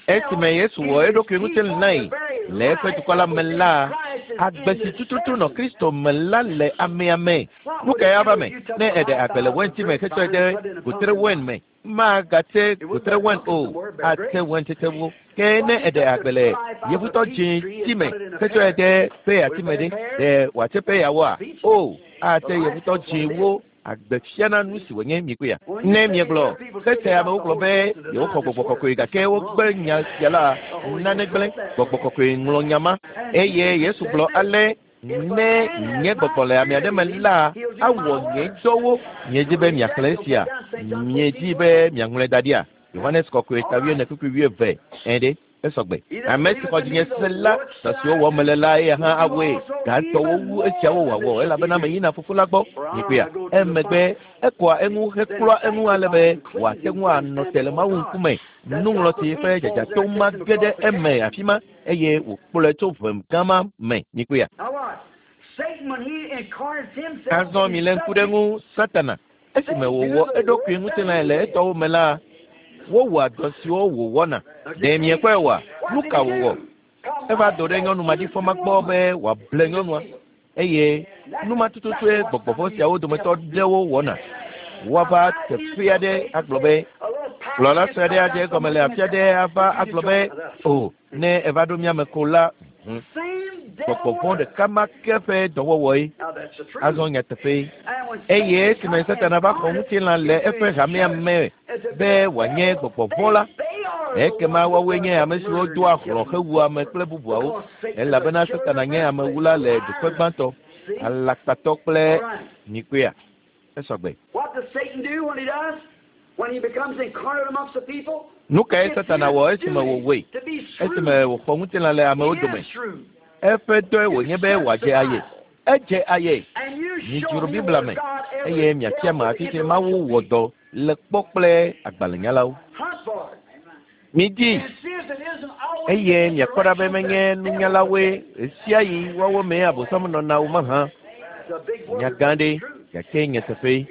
esime Yesu wɔ eɖokui ŋutilãe le eƒe dukɔ la me la, agbe si tututu nɔ Kristo me la le amea me. Nu kae ava me ne eɖe agbe le wɛnti me hetsɔe ɖe gotre wɛn me? Magate gotre wɛn o, ate wɛntsetsewo. Ke ne eɖe agbe le yevutɔ dzĩ ti me hetsɔe ɖe peya ti me ɖe, ɖe wòatse peyawoa? O, ate yevutɔ dzĩwo. Agbe fiana nu si wònye mikpɔea. Ne miegblɔ xese amewo gblɔ be yewoxɔ gbɔgbɔ kɔkɔe gake wogbe nya sia la, nane gblẽ. Gbɔgbɔ kɔkɔe ŋlɔ nya ma eye Yesu gblɔ ale ne nye gbɔgbɔ le ame aɖe me la awɔ nye dɔwo. Miedzi be miaxlẽ esia? Miedzi be miaŋlɔe da ɖia? Yohanes kɔkɔe ta wuiene kpukpui wuieve ẽ ɖe esɔgbe. Ame si xɔ dzinye se la, dɔ siwo wɔm mele la eya hã awɔe. Gatɔwo wu esiawo wòawɔ elabena meyina fofo la gbɔ. Mikpɔea? Emegbe ekɔa eŋu heklɔa eŋu ale be wòate ŋu anɔ te le Mawu ŋkume. Nuŋlɔti ƒe dzadzatɔ ma ge ɖe eme afi ma eye wòkplɔe tso ʋe gã ma me. Mikpɔea? Azɔ milé ŋku ɖe eŋu. Satana esime wòwɔ eɖokui ŋutilãe le etɔwo me la, wowɔa dɔ siwo wòwɔna. Ɖe miekpɔe oa? Nu ka wòwɔ? Eva do ɖe nyɔnu maɖifɔ ma gbɔ be wòable nyɔnua eye nu ma tututue gbɔgbɔvɔ siawo dometɔ ɖewo wɔna. Woava teƒe aɖe agblɔ be kplɔla sue aɖe adze egɔme le afi aɖe ava agblɔ be o ne eva ɖo miame ko la gbɔgbɔvɔ ɖeka ma ke ƒe dɔwɔwɔe. Azɔ nyateƒe eye esime Satana va xɔ ŋutilã le eƒe hamea me be wòanye gbɔgbɔvɔ la, ekema woawoe nye ame siwo doa hlɔ̃ hewua ame kple bubuawo elabena Satana nye amewula le ɖoƒe gbãtɔ, alakpatɔ kple mikpɔea. Esɔgbe. Nu kae Satana wɔ esime wòwɔe? Esime wòxɔ ŋutilã le amewo dome. Eƒe dɔe wònye be wòadze aye. Edze aye. Midzro Biblia me eye miatia me afi si Mawu wɔ dɔ le kpɔ kple agbalẽnyalawo. Midi eye miakpɔ ɖa be menye nunyalawoe ɣesiaɣi woawo mee abosam nɔna o mahã. Nya gã ɖe gake nyateƒe.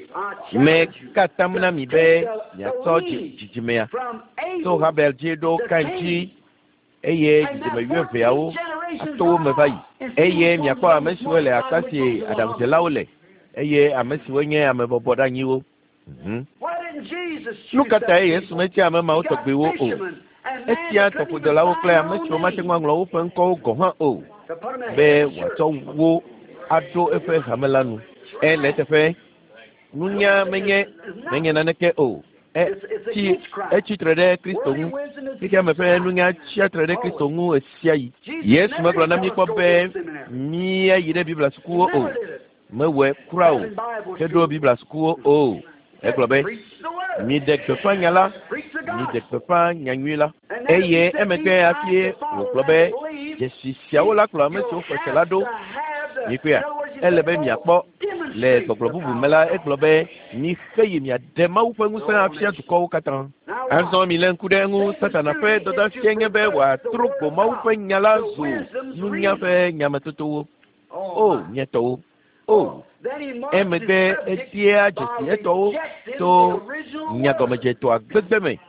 Meka atam na mi be miatsɔ dzidzimea tso Habel dzi ɖo Kain dzi eye dzidzime wuieveawo ato wo me va yi eye miakpɔ ame siwo le akpa si aɖaŋudzelawo le eye ame siwo nye ame bɔbɔɖeanyiwo. Nu ka tae Yesu metia ame mawo tɔgbiwo o? Etia tɔƒodelawo kple ame siwo mate ŋu aŋlɔ woƒe ŋkɔwo gɔ̃ hã o be wòatsɔ wo aɖo eƒe hame la nu. Ele eteƒe nunya menye menye naneke o. Etsi etsi tre ɖe Kristo ŋu. Xexeame ƒe nunya tsia tre ɖe Kristo ŋu ɣesiaɣi. Yesu megblɔ na mí kpɔ be míayi ɖe Biblia sukuwo o. Mewɔe kura o. Heɖo Biblia sukuwo o. Egblɔ be miɖe gbeƒã nya la, miɖe gbeƒã nyanyui la. Eye emegbe hafi wògblɔ be dzesi siawo la kplɔ ame siwo xɔ se la ɖo. Mikpɔea, ele be miakpɔ le gbɔgblɔ bubu me la egblɔ be mixe yi miaɖe Mawu ƒe ŋusẽ afia dukɔwo katã. Azɔ mi lé ŋku ɖe eŋu. Satana ƒe dɔdeasie nye be wòatrɔ gbo Mawu ƒe nya la zu nunya ƒe nyametotowo. O nye tɔwo. O emegbe edea dzesi etɔwo to nyagɔmedzetɔa gbegbe me.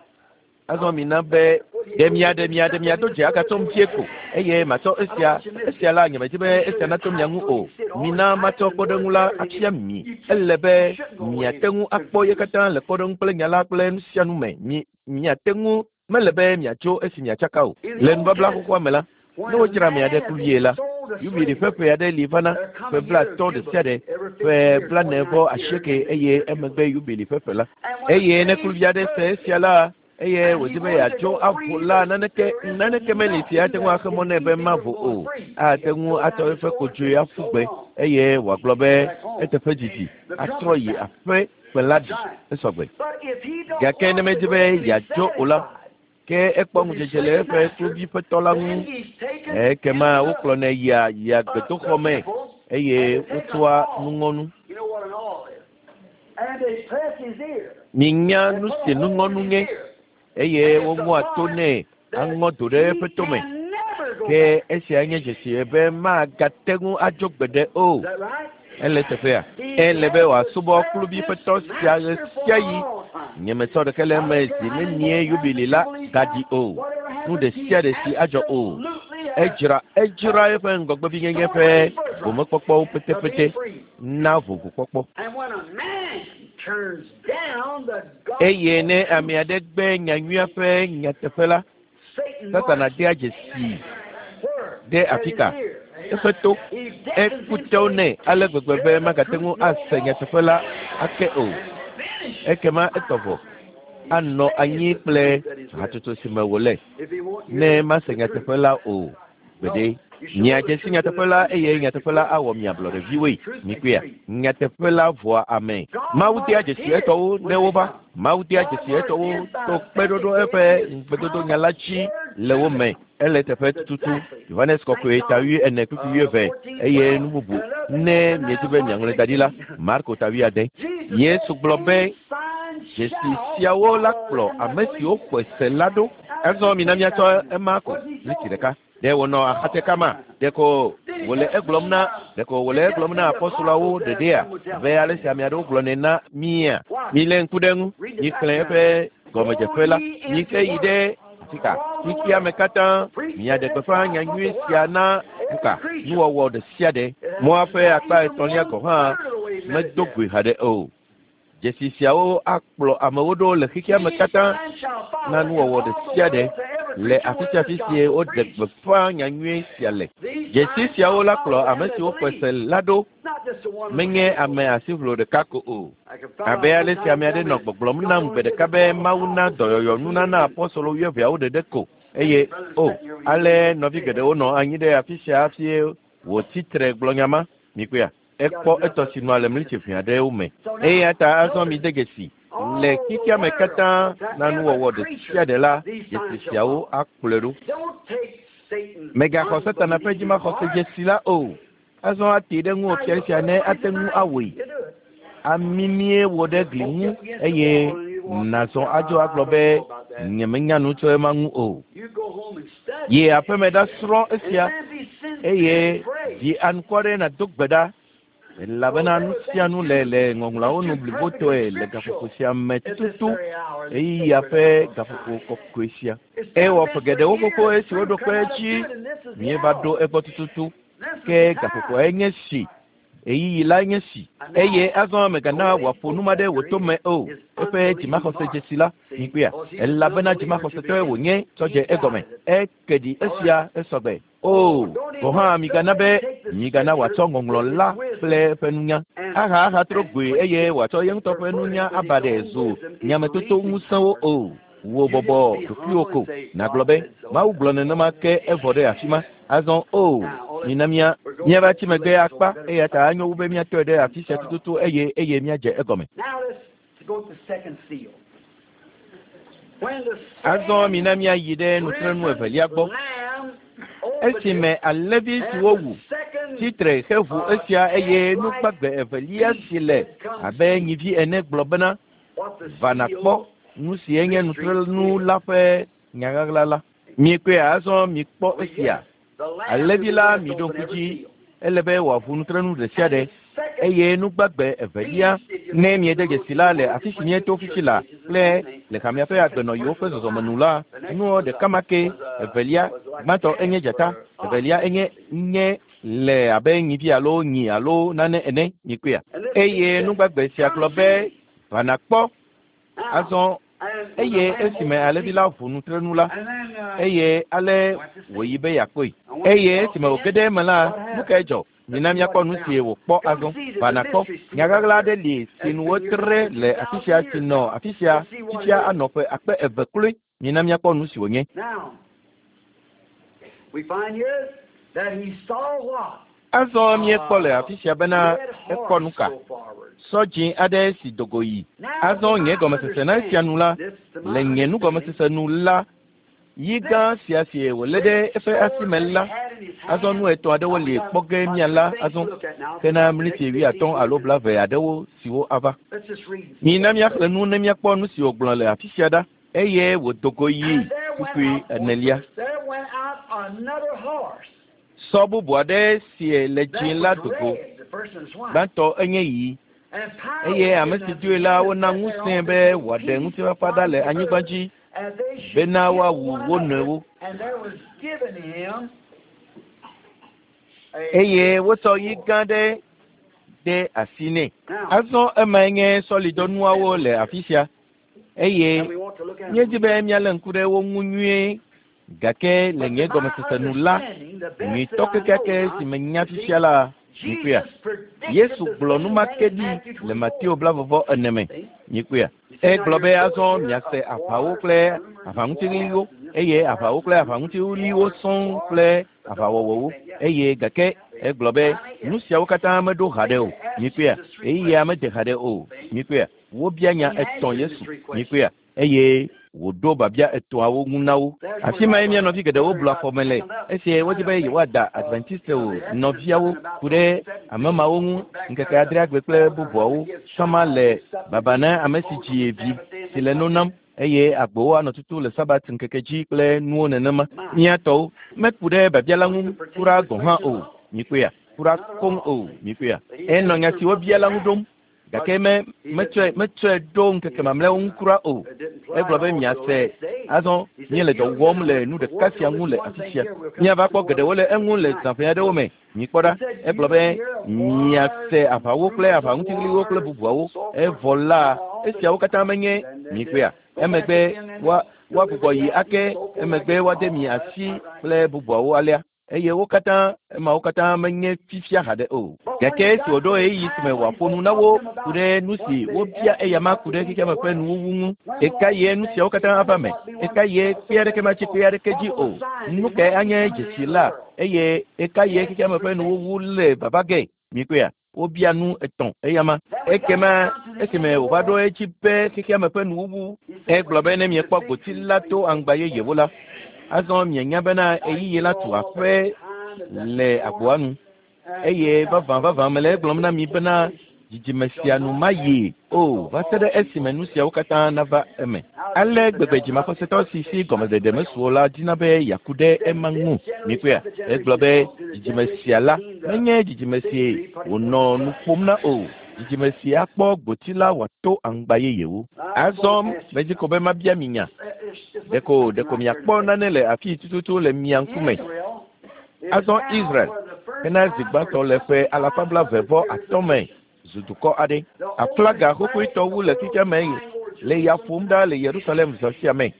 Azɔ mina be ɖe mia ɖe mia ɖe mia do dze agatsɔm vie ko eye matsɔ esia esia la nyemedi be esia natso mia ŋu o. Mina matsɔ kpɔɖeŋu la afia mi. Ele be miate ŋu akpɔ ye katã le kpɔɖeŋu kple nya la kple nu sia nu me. Mi miate ŋu mele be miatso esi miatsaka o. Le nubabla xoxoa me la, ne wodzra ame aɖe kluvie la, yubili ƒe ƒe aɖe li vana ƒe blaatɔ̃ ɖe sia ɖe ƒe blane vɔ asieke eye emegbe yubili ƒe ƒe la. Eye ne kluvi aɖe se esia la, eye wòdi be yeatso avo la, naneke naneke meli si ate ŋu axe mɔ nɛ be mavo o. Ate ŋu atsɔ eƒe kodzoe aƒu gbe eye wòagblɔ be eteƒe didi atrɔ yi aƒe kpe la ɖi esɔgbe. Gake ne medi be yeatso o la, ke ekpɔ ŋudzedze le eƒe kluvi ƒe tɔ la ŋu. Ekema wokplɔnɛ yia yia gbedoxɔ me eye wotsɔa nuŋɔnu. Minya nu si nuŋɔnu nye eye woŋɔa to nɛ aŋɔ do ɖe eƒe tome. Ke esia nye dzesi be magate ŋu adzo gbeɖe o. Ele teƒea. Ele be wòasubɔ kluvi ƒe tɔ sia ɣe sia ɣi. Nyemetsɔ ɖeke le eme zi nenie yubili la gaɖi o. Nu ɖe sia ɖe si adzɔ o. Edzra edzra eƒe ŋgɔgbevinyenye ƒe gomekpɔkpɔwo petepete na vovokpɔkpɔ. Eye ne ame aɖe gbe nyanyuia ƒe nyateƒe la, Satana dea dzesi ɖe afi ka? Eƒe to eku tewo nɛ ale gbegbe be magate ŋu ase nyateƒe la ake o. Ekema etɔ vɔ anɔ anyi kple hatsotso si me wòle ne mase nyateƒe la o gbeɖe. Miadze si nyateƒe la eye nyateƒe la awɔ mia ablɔɖeviwoe. Mikpɔea, nyateƒe la vɔa ame. Mawu dea dzesi etɔwo ne wova. Mawu dea dzesi etɔwo to kpeɖoɖo eƒe ŋugbedodo nya la dzi le wo me. Ele teƒe tututu. Yohanes kɔkɔe ta wui ene kpukpui wuieve eye nu bubu ne miedi be miaŋlɔe da ɖi la, Marko ta wuiade. Yesu gblɔ be dzesi siawo la kplɔ ame siwo xɔe se la ɖo. Azɔ mina miatsɔ ema ko miniti ɖeka. Ɖe wònɔ axate kama, ɖeko wòle egblɔm na ɖeko wòle egblɔm na apɔstoloawo ɖeɖea abe ale si ame aɖewo gblɔnɛ na mía. Milé ŋku ɖe eŋu, mixlẽ eƒe gɔmedzeƒe la, mixe yi ɖe afi ka? Xexea me katã miaɖe gbeƒã nyanyui sia na nuka? Nuwɔwɔ ɖe sia ɖe. Mɔa ƒe akpa etɔ̃lia gɔ̃ hã medo goe haɖe o. Dzesi siawo akplɔ amewo ɖo le xexea me katã na nuwɔwɔ ɖe sia ɖe le afi sia afi si woɖe gbeƒã nyanyui sia le. Dzesi siawo la kplɔ ame siwo xɔe se la ɖo, menye ame asiʋlo ɖeka ko o. Abe ale si ame aɖe nɔ gbɔgblɔm nam gbe ɖeka be Mawu na dɔyɔyɔ nunana apɔstolo wuieveawo ɖeɖe ko eye o ale nɔvi geɖewo nɔ anyi ɖe afi sia hafi wòtsi tre gblɔ nya ma. Mikpɔea, ekpɔ etɔ si nɔa le mlitsi ʋɛ aɖewo me. Eya ta azɔ mi de dzesi le xexea me katã na nuwɔwɔ ɖe sia ɖe la, dzesi siawo akplɔe ɖo. Mègaxɔ Satana ƒe dzimaxɔse dzesi la o. Azɔ ate ɖe ŋuwò fia sia ne ate ŋu awɔe. Amimie wò ɖe gli ŋu eye nàzɔ adzo agblɔ be nyemenya nu tso ema ŋu o. Yi aƒeme ɖasrɔ̃ esia eye ɖi anukware nàdo gbe ɖa elabena nu sia nu le le ŋɔŋlɔawo nu blibotɔe le gaƒoƒo sia me tututu ɣeyiɣia ƒe gaƒoƒo kɔkɔe sia. Ewɔ ƒe geɖewo xoxo esi woɖo kpe edzi míeva ɖo egbɔ tututu ke gaƒoƒoae nye si ɣeyiɣi la nye si eye azɔ mègana wòaƒo nu ma ɖe wò tome o. Eƒe dzimaxɔse dzesi la mikpɔea, elabena dzimaxɔsetɔe wònye tsɔ dze egɔme. Eke ɖi esia esɔgbe. O, gɔ̃ hã migana be migana wòatsɔ ŋɔŋlɔ la kple eƒe nunya aha ahatrɔ goe eye wòatsɔ ye ŋutɔ ƒe nunya aba ɖe zu nyametoto ŋusẽwo o. Wò bɔbɔ ɖokuiwò ko nàgblɔ be Mawu gblɔ nenema ke evɔ ɖe afi ma. Azɔ o, mina mía míava tsi megbe akpa eya ta anyo wu be míatɔe ɖe afi sia tututu eye eye míadze egɔme. Now let's go to the second seal. Azɔ mina míayi ɖe nutrenu evelia gbɔ. Esime alẽvi si wowu tsitre heʋu esia eye nugbagbe evelia si le abe nyivi ene gblɔ bena va nàkpɔ nu si enye nutrenu la ƒe nyaɣaɣla la. Miekpɔe azɔ mikpɔ esia. Alẽvi la miɖo ŋku dzi ele be wòaʋu nutrenu ɖe sia ɖe eye nugbagbe evelia ne miede dzesi la le afi si míeto fifi la kple le hamea ƒe agbenɔyiwo ƒe zɔzɔme nu la nuwo ɖeka ma ke evelia gbãtɔ enye dzata evelia enye nye le abe nyivi alo nyi alo nane ene mikpɔea eye nugbagbe sia gblɔ be va nàkpɔ azɔ eye esime alẽvi la ʋu nutrenu la eye ale wòyi be yeakpɔe eye esime wòge ɖe eme la nu kae dzɔ mina míakpɔ nu si wòkpɔ azɔ va nàkpɔ nyaɣaɣla aɖe li si nu wotre le afi sia si nɔ afi sia fifia anɔ ƒe akpe eve kloe mina míakpɔ nu si wònye. Azɔ míekpɔ le afi sia bena ekpɔ nu ka sɔ dzĩ aɖe si dogo yi. Azɔ nye gɔmesese na esia nu la le nye nugɔmesese nu la yi gã sia si wòlé ɖe eƒe asi me la azɔ nu etɔ̃ aɖewo li kpɔ ge míala azɔ hena mliti wuiatɔ̃ alo blaeve aɖewo siwo ava. Mina míaxlẽ nu ne míakpɔ nu si wògblɔ le afi sia ɖa eye wòdogo yi kpukpui enelia. Sɔ bubu aɖe si le dzĩ la dogo gbãtɔ enye ɣi eye ame si doe la wona ŋusẽe be wòaɖe ŋutifafa ɖa le anyigba dzi bena woawu wo nɔewo. Eye wotsɔ yi gã ɖe de asi nɛ. Azɔ emae nye sɔlidɔnuawo le afi sia eye míedi be míalé ŋku ɖe wo ŋu nyuie gake le nye gɔmesese nu la nyuitɔ kekeake si menya fifia la mikpɔea Yesu gblɔ nu ma ke ɖi le Mateo blavɔvɔ ene me mikpɔea egblɔ be azɔ miase aʋawo kple aʋaŋutiɣliwo eye aʋawo kple aʋaŋutiɣliwo sɔŋ kple aʋawɔwɔwo eye gake egblɔ be nu siawo katã meɖo haɖe o mikpɔea ɣeyiɣia mede haɖe o mikpɔea wobia nya etɔ̃ Yesu mikpɔea eye wòɖo babia etɔ̃awo ŋu na wo. Afi mae mía nɔvi geɖewo blu afɔme le esi wodi be yewoada Adventistewo nɔviawo ku ɖe ame mawo ŋu ŋkeke adreagbe kple bubuawo sama le baba na ame si dzi vi si le no nam eye agbowo anɔ tutu le sabat ŋkeke dzi kple nuwo nenema. Mía tɔwo meku ɖe babia la ŋu kura gɔ̃ hã o mikpɔea kura koŋ o mikpɔea enɔ nya si wobia la ŋu ɖom gake me metsɔe metsɔe ɖo ŋkeke mamlɛawo ŋu kura o. Egblɔ be miase azɔ míele dɔ wɔm le nu ɖeka sia ŋu le afi sia. Míava kpɔ geɖewo le eŋu le zãƒe aɖewo me. Mikpɔ ɖa egblɔ be miase aʋawo kple aʋaŋutiɣliwo kple bubuawo evɔ la esiawo katã menye mikpɔea emegbe woa woagbugbɔ yi ake emegbe woade mi asi kple bubuawo alea eye wo katã emawo katã menye fifia haɖe o. Gake esi wòɖo ɣeyiɣi si me wòaƒo nu na wo ku ɖe nu si wobia eyama ku ɖe xexeame ƒe nuwuwu ŋu eka ye nu siawo katã ava me eka ye kpe aɖeke matsi kpe aɖeke dzi o nu kae anye dzesi la eye eka ye xexeame ƒe nuwuwu le vava ge mikpɔea wobia nu etɔ̃ eyama ekema esime wòva ɖo edzi be xexeame ƒe nuwuwu egblɔ be ne miekpɔ gboti la to aŋgba yeyewo la azɔ mienya bena ɣeyiɣi la tu aƒe le agboa nu eye vavã vavã mele egblɔm na mi bena dzidzime sia nu mayi o va se ɖe esime nu siawo katã nava eme. Ale gbegbe dzimaxɔsetɔ si si gɔmeɖeɖe mesu o la dina be yeaku ɖe ema ŋu mikpɔea egblɔ be dzidzime sia la menye dzidzime si wònɔ nu ƒom na o dzidzime si akpɔ gboti la wòato aŋgba yeyewo. Azɔ medzi ko be mabia mi nya ɖeko ɖeko miakpɔ nane le afi tututu le mia ŋkume. Azɔ Israel hena zi gbãtɔ le ƒe alafa blaeve vɔ atɔ̃ me zu dukɔ aɖe. Aflaga xoxoetɔ wu le xexeame le ya ƒom ɖa le Yerusalem zã sia me.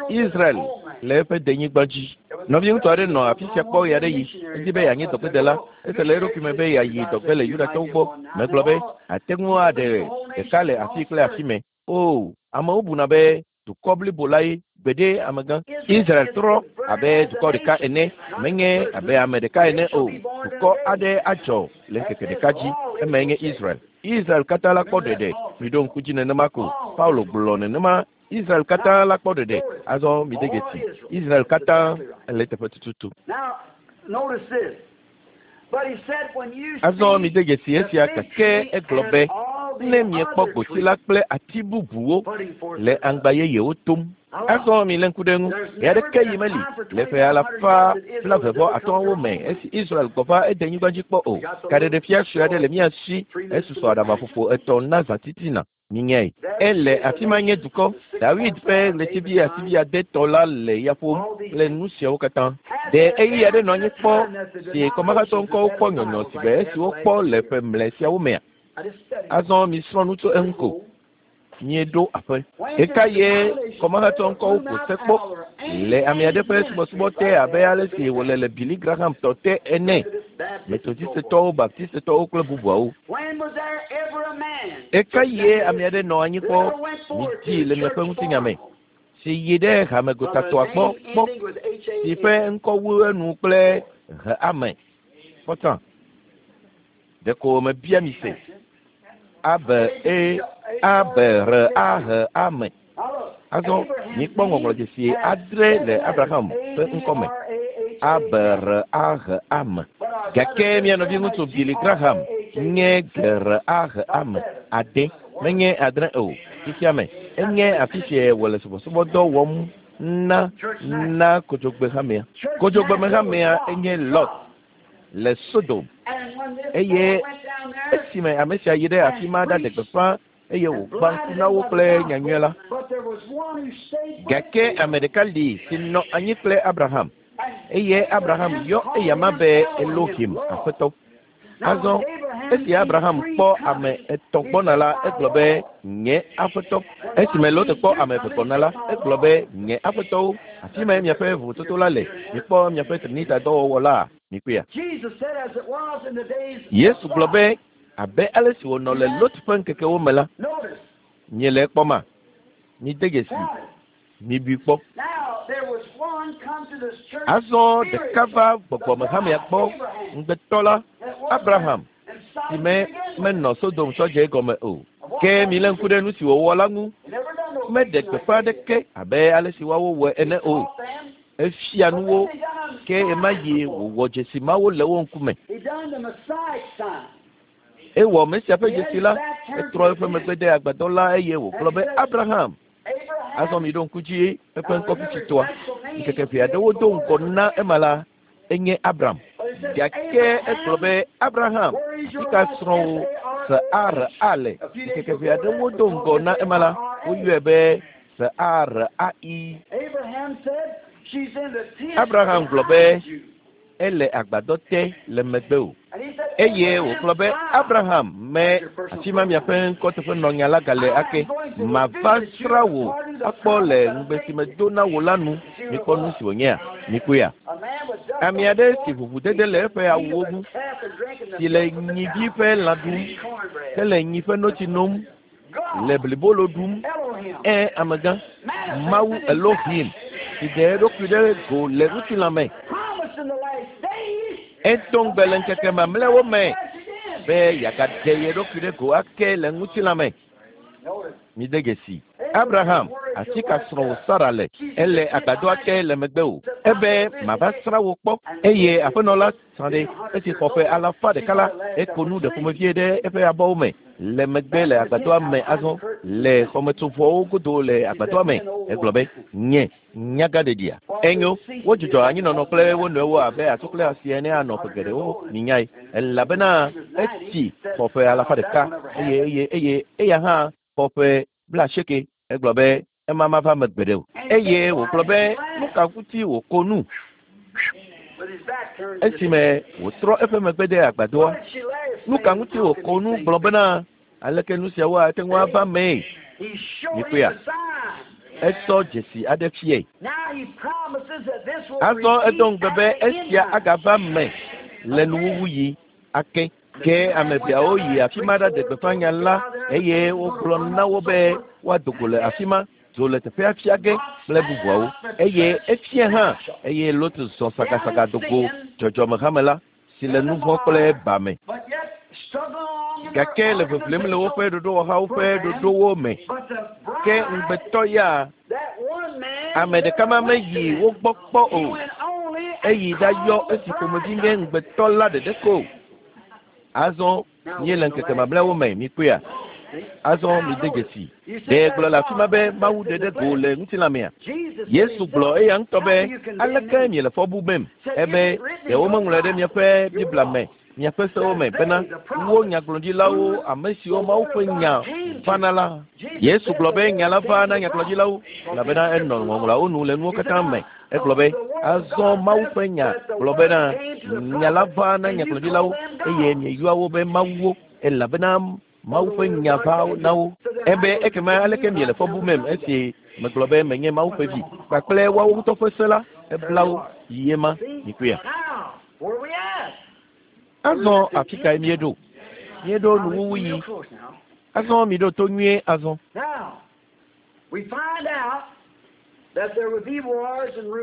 Israel le eƒe denyigba dzi. Nɔviŋutsu aɖe nɔ afi sia kpɔ ɣe aɖe yi edi be yeanye dɔgbedela ese le eɖokui me be yeayi dɔgbe le Yudatɔwo gbɔ. Megblɔ be ate ŋu aɖe ɖeka le afi kple afi me. O amewo buna be dukɔ blibo la ye gbeɖe amegã. Israel trɔ abe dukɔ ɖeka ene menye abe ame ɖeka ene o. Dukɔ aɖe adzɔ le ŋkeke ɖeka dzi emae nye Israel. Israel katã la kpɔ ɖeɖe. Miɖo ŋku dzi nenema ko. Paulo gblɔ nenema. Israel katã la kpɔ ɖeɖe. Azɔ mi de dzesi. Israel katã ele teƒe tututu. Azɔ mi de dzesi esia gake egblɔ be ne miekpɔ gboti la kple ati bubuwo le aŋgba yeyewo tom. Azɔ mi lé ŋku ɖe ŋu. Ɣe aɖeke yi meli le ƒe alafa blaeve vɔ atɔ̃wo me esi Israel gbɔ va ede nyigba dzi kpɔ o. Kaɖeɖefia sue aɖe le mía si. Esusɔ aɖabaƒoƒo etɔ̃ na zãtitina. Minyae. Ele afi ma nye dukɔ. Dawid ƒe ɣletivi asivi adetɔ la le ya ƒom kple nu siawo katã. Ɖe ɣeyiɣi aɖe nɔ anyi kpɔ si kɔmahatsɔ ŋkɔwo kpɔ nyɔnyɔ si be esi wokpɔ le ƒe mlɛ siawo mea? Azɔ misrɔ̃ nu tso eŋu ko. Míeɖo aƒe. Ɣeka ye kɔmahatsɔ ŋkɔwo ƒo se kpɔ le ame aɖe ƒe subɔsubɔ te abe ale si wòle le Billy Graham tɔ te ene. Metodistetɔwo, Baptistetɔwo kple bubuawo. Ɣeka ye ame aɖe nɔ anyi kpɔ midi le miaƒe ŋutinya me si yi ɖe hamegotatɔa gbɔ kpɔ si ƒe ŋkɔ wu enu kple he ame. Kpɔtã. Ɖeko mebia mi se. A B E A B R A H A M. Azɔ mikpɔ ŋɔŋlɔdzesi adre le Abraham ƒe ŋkɔme. A B R A H A M. Gake mía nɔviŋutsu Billy Graham nye G R A H A M ade menye adre o. Fifia me enye afi si wòle subɔsubɔdɔ wɔm na na kodzogbehamea. Kodzogbehamea enye Lot le Sodom. Eye esime ame sia yi ɖe afi ma ɖaɖe gbeƒã eye wògbã ŋku na wo kple nyanyui la. Gake ame ɖeka li si nɔ anyi kple Abraham. Eye Abraham yɔ eyama be Elohim, Aƒetɔ. Azɔ esi Abraham kpɔ ame etɔ̃ gbɔna la, egblɔ be nye Aƒetɔ. Esime Lot kpɔ ame eve gbɔna la, egblɔ be nye Aƒetɔwo. Afi mae miaƒe vovototo la le. Mikpɔ miaƒe Trinita dɔwɔwɔ la. Mikpɔea. Yesu gblɔ be abe ale si wònɔ le Lot ƒe ŋkekewo me la, miele ekpɔma? Mide dzesi. Mibui kpɔ. Azɔ ɖeka va gbɔgbɔmehamea gbɔ ŋugbetɔ la, Abraham, si me menɔ Sodom tsɔ dze egɔme o. Ke milé ŋku ɖe nu si wòwɔ la ŋu. Meɖe gbeƒã aɖeke abe ale si woawo wɔe ene o. Efia nu wo, ke ɣema ɣi wòwɔ dzesi mawo le wo ŋkume. Ewɔ Mesia ƒe dzesi la, etrɔ eƒe megbe de agbadɔ la eye wògblɔ be Abraham. Azɔ miɖo ŋku dzi eƒe ŋkɔ fifitɔa. Ŋkeke ʋɛ aɖewo do ŋgɔ na ema la, enye Abram. Gake egblɔ be Abraham, afi ka srɔ̃wò S A R A le? Ŋkeke ʋɛ aɖewo do ŋgɔ na ema la, woyɔe be S A R A I. Abraham gblɔ be ele agbadɔ te le megbe o. Eye wògblɔ be Abraham me afi ma miaƒe ŋkɔteƒenɔnya la gale ake. Mava srã wò akpɔ le ŋugbe si medo na wò la nu. Mikpɔ nu si wònyea? Mikpɔea? Ame aɖe si ʋuʋudede le eƒe awuwo ŋu, si le nyivi ƒe lã ɖum, hele nyi ƒe notsi nom, le blibolo ɖum, ẽ amegã, Mawu Elohim, si ɖe eɖokui ɖe go le ŋutilã me. Edo ŋugbe le ŋkeke mamlɛawo me be yeagaɖe ye ɖokui ɖe go ake le ŋutilã me. Mide dzesi. Abraham, afi ka srɔ̃wò Sara le? Ele agbadɔa te le megbe o. Ebe mava srã wò kpɔ. Eye aƒenɔ la srã ɖe esi xɔ ƒe alafa ɖeka la, eko nu ɖe ƒomevie ɖe eƒe abɔwo me le megbe le agbadɔa me azɔ le xɔmetsovɔwo godo le agbadɔa me. Egblɔ be nye nyagaɖeɖia. Enyo, wodzudzɔ anyinɔnɔ kple wo nɔewo abe atsu kple asi ene anɔ ƒe geɖewo minyae. Elabena etsi xɔ ƒe alafa ɖeka eye eye eye eya hã xɔ ƒe blaasieke. Egblɔ be ema mava me gbeɖe o. Eye wògblɔ be nu ka ŋuti wòko nu? Esime wòtrɔ eƒe megbe de agbadɔa, nu ka ŋuti wòko nu gblɔ bena aleke nu siawo ate ŋu ava mee? Mikpɔea? Etsɔ dzesi aɖe fiae. Azɔ edo ŋugbe be esia agava me le nuwuwu yi ake. Ke ame eveawo yi afi ma ɖaɖe gbeƒã nya la eye wogblɔ na wo be woado go le afi ma, dzo le teƒea fia ge kple bubuawo. Eye efia hã eye Lot zɔ sagasaga do go dzɔdzɔmehame la si le nu vɔ̃ kple ba me. Gake le ʋeʋlem le woƒe ɖoɖowɔhawo ƒe ɖoɖowo me. Ke ŋugbetɔ ya, ame ɖeka ma meyi wo gbɔ kpɔ o. Eyi ɖayɔ esi ƒomevi nye ŋugbetɔ la ɖeɖe ko. Azɔ míele ŋkeke mamlɛawo me, mikpɔea? Azɔ mide dzesi. Ɖe gblɔ le afi ma be Mawu ɖeɖe go le ŋutilãmea? Yesu gblɔ eya ŋutɔ be, aleke miele fɔ bumem? Ebe ɖe womeŋlɔe ɖe miaƒe Biblia me, miaƒe sewo me bena wo nyagblɔɖilawo, ame siwo Mawu ƒe nya vana la. Yesu gblɔ be nya la va na nyagblɔɖilawo, elabena enɔ ŋɔŋlɔawo nu le nuwo katã me. Egblɔ be azɔ Mawu ƒe nya gblɔ bena nya la va na nyagblɔɖilawo eye mieyɔa wo be mawuwo, elabena Mawu ƒe nya va na wo. Ebe ekema aleke miele fɔ bumem esi megblɔ be menye Mawu ƒe vi kpakple woawo ŋutɔ ƒe se la ebla wo yi ema mikpɔea. Azɔ afi kae míeɖo? Míeɖo nuwuwu yi. Azɔ miɖo to nyuie azɔ.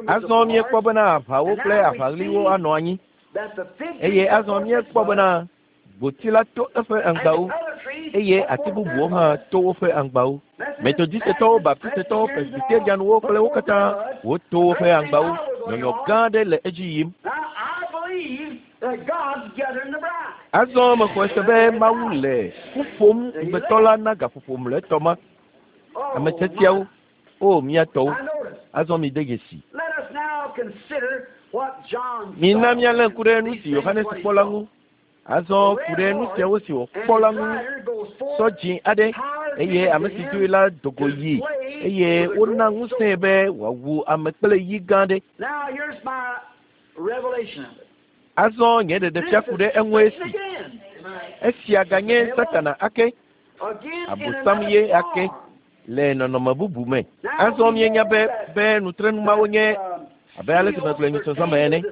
Azɔ míekpɔ bena aʋawo kple aʋaɣliwo anɔ anyi. Eye azɔ míekpɔ bena gboti la to eƒe aŋgbawo eye ati bubuwo hã to woƒe aŋgbawo. Metodistetɔwo, Baptistetɔwo, Presbyterianwo kple wo katã woto woƒe aŋgbawo. Nyɔnyɔ gã aɖe le edzi yim. Azɔ mexɔe se be Mawu le ƒu ƒom ŋugbetɔ la na gaƒoƒo mlɔetɔ ma. Ame tiatiawo, o mía tɔwo, azɔ mide dzesi. Mina míalé ŋku ɖe nu si Yohanes kpɔ la ŋu. Azɔ ku ɖe nu siawo si wòkpɔ la ŋu. Sɔ dzĩ aɖe eye ame si doe la do go yi eye wona ŋusẽe be wòawu ame kple yi gã aɖe. Azɔ nye ɖeɖefia ku ɖe eŋu esi. Esia ganye Satana ake, Abosam ye ake le nɔnɔme bubu me. Azɔ míenya be be nutrenumawo nye abe ale si megblɔe nyitsɔzɔme ene.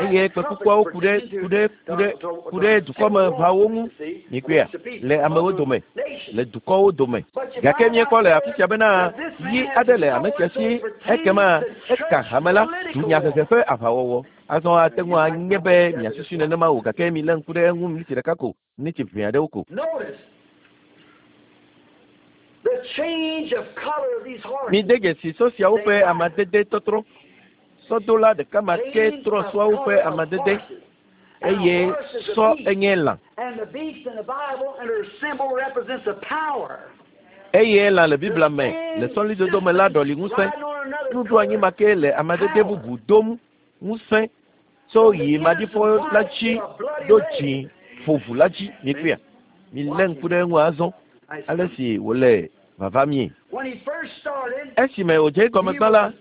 Eye kpekukuawo ku ɖe ku ɖe ku ɖe ku ɖe dukɔmeʋawo ŋu mikpɔea le amewo dome, le dukɔwo dome. Gake míekpɔ le afi sia bena yi aɖe le ame sia si ekema eka hame la dunyahehe ƒe aʋawɔwɔ. Azɔ ate ŋu anye be miasusui nenema o, gake milé ŋku ɖe eŋu miniti ɖeka ko, miniti ʋɛ aɖewo ko. Mide dzesi sɔ siawo ƒe amadede tɔtrɔ. Sɔdola ɖeka ma ke trɔ sɔawo ƒe amadede eye sɔ enye lã. Eye lã le Biblia me le sɔlidodo me la ɖɔli ŋusẽ. Nuɖoanyi ma ke le amadede bubu dom ŋusẽ tso yi maɖifɔ la dzi ɖo dzi ƒoʋu la dzi. Mikpɔea? Milé ŋku ɖe eŋu azɔ ale si wòle vava mie. Esime wòdze egɔme gbã la,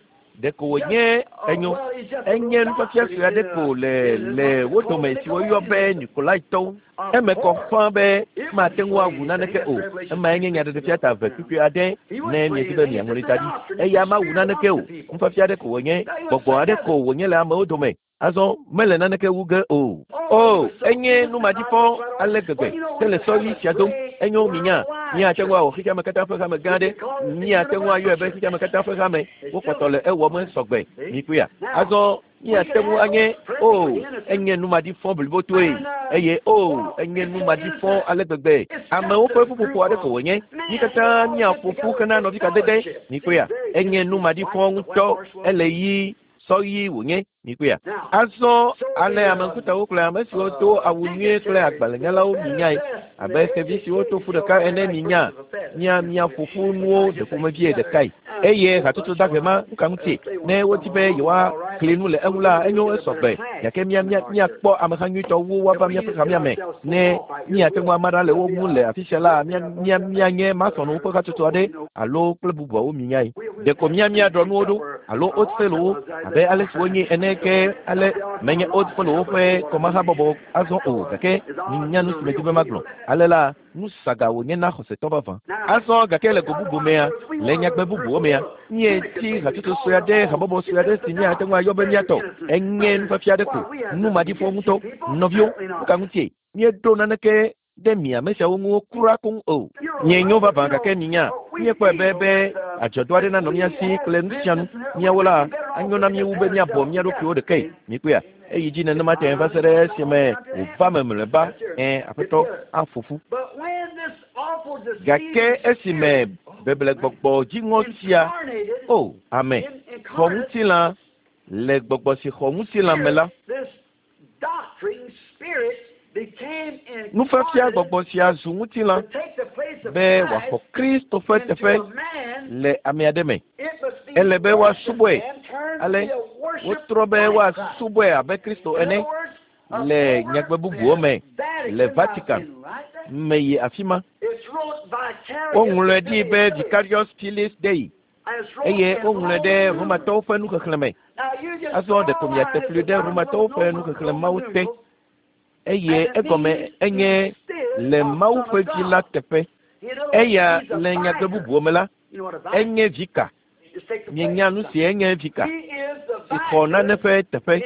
ɖeko wònye enyo enye nufiafia sue aɖe ko le le wo dome si woyɔ be Nikolaitɔwo. Eme kɔ ƒãa be mate ŋu awu naneke o. Emae nye nyaɖeɖefia ta eve kpukpui aɖe ne miedi be miaŋlɔe da ɖi. Eya mawu naneke o. Nufiafia aɖe ko wònye, gbɔgbɔ aɖe ko wònye le amewo dome. Azɔ mele naneke wu ge o. O, enye numaɖifɔ ale gbegbe ke le sɔɣi sia dom. Enyo minya, míate ŋu awɔ xexeame katã ƒe hame gã aɖe. Míate ŋu ayɔe be xexeame katã ƒe hame. Wokpɔtɔ le ewɔm sɔgbe. Mikpɔea? Azɔ míate ŋu anye o, enye numaɖifɔ blibotoe eye o, enye numaɖifɔ ale gbegbe. Amewo ƒe ƒuƒoƒo aɖe ko wònye. Mí katã míaƒo ƒu hena nɔvikadede. Mikpɔea? Enye numaɖifɔ ŋutɔ. Ele ɣi sɔɣi wònye. Mikpɔea? Azɔ ale ame ŋkutawo kple ame siwo do awu nyuie kple agbalẽnyalawo minyae abe xevi siwo to ƒu ɖeka ene minya mia miaƒo ƒu nuwo ɖe ƒomevie ɖekae. Eye hatsotso dahe ma nuka ŋutie ne wodi be yewoakli nu le eŋu la enyo esɔgbe. Gake mia mia miakpɔ ameha nyuitɔ wu woava míaƒe hamea me ne míate ŋu ama ɖa le wo ŋu le afi sia la mia mia mianye masɔnuwo ƒe hatsotso aɖe alo kple bubuawo minyae. Ɖeko mia miaɖɔ nuwo ɖo alo old fellowwo abe ale si wonye ene ke ale menye old fellowwo ƒe kɔmahabɔbɔ azɔ o, gake minya nu si medi be magblɔ. Ale la nu saga wònye na xɔsetɔ vavã. Azɔ gake le go bubu mea, le nyagbe bubuwo mea, míeti hatsotso sue aɖe, habɔbɔ sue aɖe si míate ŋu ayɔ be míatɔ. Enye nufiafia aɖe ko, numaɖifɔ ŋutɔ. Nɔviwo, nuka ŋutie míeɖo naneke ɖe mi ame siawo ŋu kura koŋ o. Mienyo vavã gake minya, míekpɔe be be adzɔdɔ aɖe nanɔ mía si kple nu sia nu. Míawo la, Anyo na míewu be míabɔ mía ɖokuiwo ɖekae. Mikpɔea? Eyi dzi nenema te va se ɖe esime wòva me mlɔeba. Ẽ, aƒetɔ aƒo ƒu. Gake esime beblegbɔgbɔ dziŋɔ sia, o, ame, xɔ ŋutilã, le gbɔgbɔ si xɔ ŋutilã me la, nufiafia gbɔgbɔ sia zu ŋutilã be wòaxɔ Kristo ƒe teƒe le ame aɖe me. Ele be woasubɔe. Ale wotrɔ be woasubɔe abe Kristo ene le nyagbe bubuwo me le Vatican me yi afi ma. Woŋlɔe ɖi be Vicarius Filii Dei eye woŋlɔe ɖe Romatɔwo ƒe nuxexlẽme. Azɔ ɖeko miate fli ɖe Romatɔwo ƒe nuxexlẽmawo te eye egɔme enye le Mawu ƒe vi la teƒe. Eya le nyagbe bubuwo me la, enye vika. Mienya nu si enye vika si xɔ nane ƒe teƒe.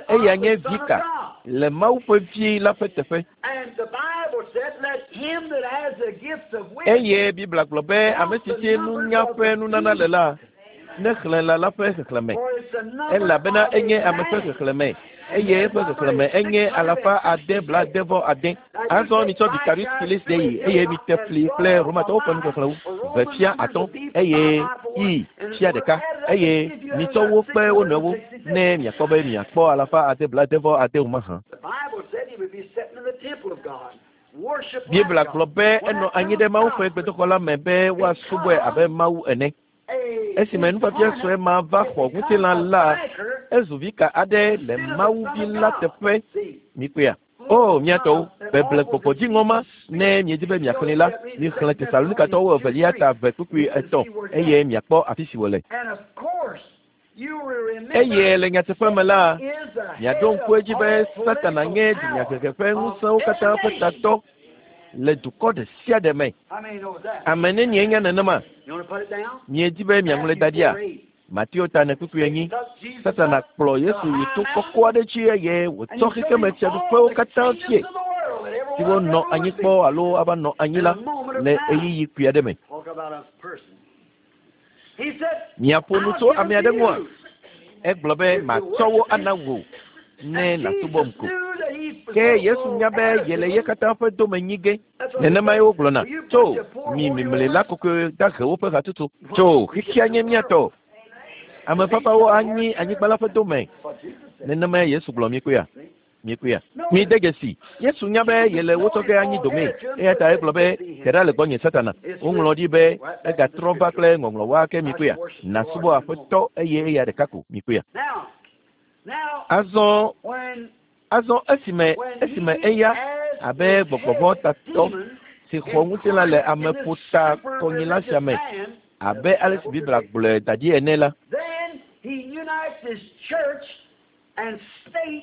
Eya nye vika le Mawu ƒe vi la ƒe teƒe. Eye Biblia gblɔ be ame si si nunya ƒe nunana le la, nexlẽ la la ƒe xexlẽme. Elabena enye ame ƒe xexlẽme eye eƒe xexlẽme enye alafa ade blaade vɔ ade. Azɔ mitsɔ Vicarius Filii Dei eye mite fli kple Romatɔwo ƒe nuxexlẽwo ve fia atɔ̃ eye i fia ɖeka eye mitsɔ wo kpe wo nɔewo ne miakpɔ be miakpɔ alafa ade blaade vɔ ade o mahã. Biblia gblɔ be enɔ anyi ɖe Mawu ƒe gbedoxɔ la me be woasubɔe abe Mawu ene. Esime nufiafia sue ma va xɔ ŋutilã la, ezu vika aɖe le Mawu vi la teƒe. Mikpɔea? O, mía tɔwo, beble gbɔgbɔ dziŋɔ ma, ne miedi be miaxlẽe la, mixlẽ Tesalonikatɔwo evelia ta eve kpukpui etɔ̃ eye miakpɔ afi si wòle. Eye le nyateƒe me la, miaɖo ŋku edzi be Satana nye dunyahehe ƒe ŋusẽwo katã ƒe tatɔ le dukɔ ɖe sia ɖe me. Ame nenie nya nenema? Miedi be miaŋlɔe da ɖia? Mateo ta ene kpukpui enyi. Satana kplɔ Yesu yi to kɔkɔ aɖe dzi eye wòtsɔ xexeme fiaɖuƒewo katã fie siwo nɔ anyi kpɔ alo ava nɔ anyi la le ɣeyiɣi kpui aɖe me. Miaƒo nu tso ame aɖe ŋua? Egblɔ be matsɔ wo ana wò ne nàsubɔm ko. Ke Yesu nya be yele ye katã ƒe dome nyi ge. Nenemae wogblɔna tso mi mimlila kɔkɔe dahewo ƒe hatsotso. Tso xexea nye mía tɔ. Ame fafawo anyi anyigba la ƒe dome. Nenemae Yesu gblɔ mikpɔea? Mikpɔea? Mide dzesi. Yesu nya be yele wo tsɔ ge anyi domee. Eya ta egblɔ be te ɖa le gbɔnye Satana. Woŋlɔ ɖi be egatrɔ va kple ŋɔŋlɔwoa ke mikpɔea? Nàsubɔ Aƒetɔ eye eya ɖeka ko mikpɔea? Azɔ azɔ esime esime eya abe gbɔgbɔvɔ tatɔ si xɔ ŋutilã le ameƒota kɔnyila sia me abe ale si Biblia gblɔe da ɖi ene la,